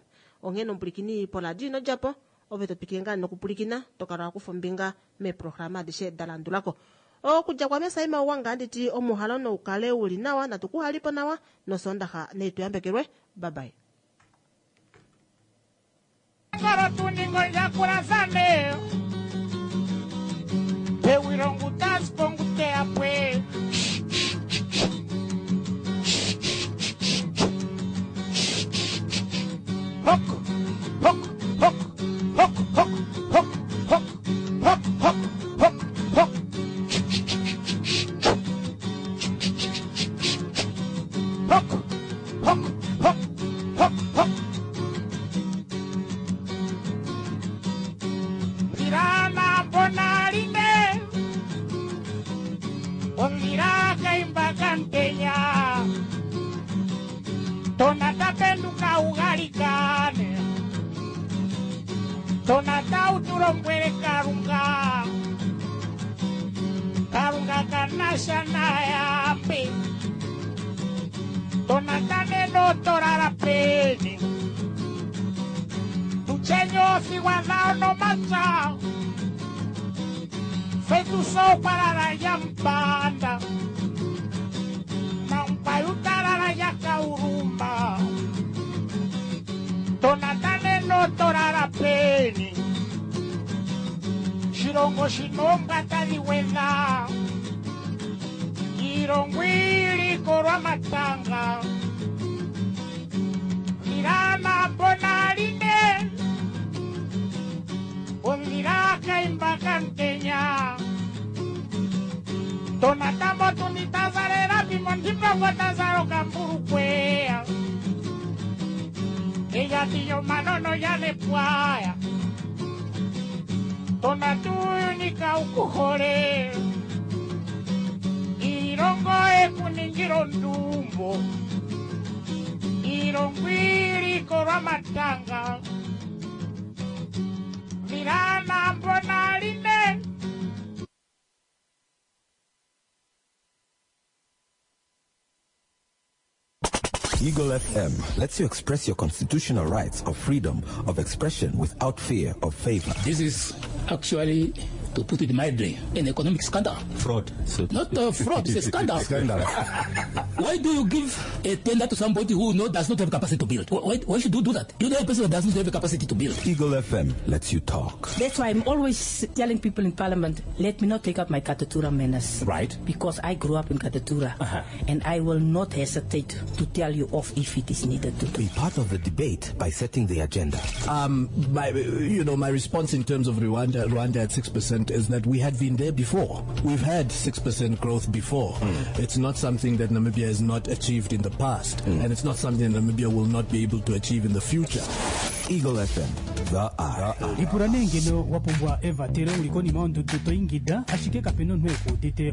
Onghee nomupwilikini poradio ino djapo ove to twikile ngaa nokupwilikina to kala wa kufa ombinga meeprograma adishe da landulako. Okudja kwame Saima Uwanga anditi omuhalo noukale uli nawa natu kuhalipo nawa nosondaxa neituyambekelwe. Bye bye. Hok, hok, hok, hok, hok, hok, hok, hok, hok, hok, hok. Hok, hok, hok, hok, hok. Virana bonaline, ondira kaimbakanteya. Tonata penduka ugalikane, tonata utulombwele kalunga, kalunga kanasha nayambi, tonata neno torala peni, tuchenyo sigwadao no macha, fetuso parara yampanda, mampayutarara yakaurumba, tonata neno torara peni, shilongo shinombwa tadhi gwedha, iilongo ilikolwa matanga, lilana bonaline, ondhila kaimba kantenya, tonata motuni tazalela pimo tazalo kambulukwea, eyatiyo manono yalepwaya, tonatuyunika ukuhole, iilongo ekuningila ondumbo, iilongo ilikolwa matanga, lilana mbonaline. Eagle FM lets you express your constitutional rights of freedom of expression without fear of favor. This is actually, to put it mildly, an economic scandal. Fraud. So Not a fraud, it's a scandal. Scandal. Why do you give a tender to somebody who does not have capacity to build? Why should you do that? You know a person that does not have the capacity to build. Eagle FM lets you talk. That's why I'm always telling people in Parliament, let me not take up my Katutura manners. Right. Because I grew up in Katutura. Uh-huh. And I will not hesitate to tell you off if it is needed to. Be part of the debate by setting the agenda. My response in terms of Rwanda at 6% is that we had been there before. We've had 6% growth before. It's not something that Namibia has not achieved in the past, and it's not something that Namibia will not be able to achieve in the future. Eagle FM, the eye. Lipula nee ngeno wa pumbwa evatelo uli konima yondudu to ingida ashike kapena omunhu ekuudite.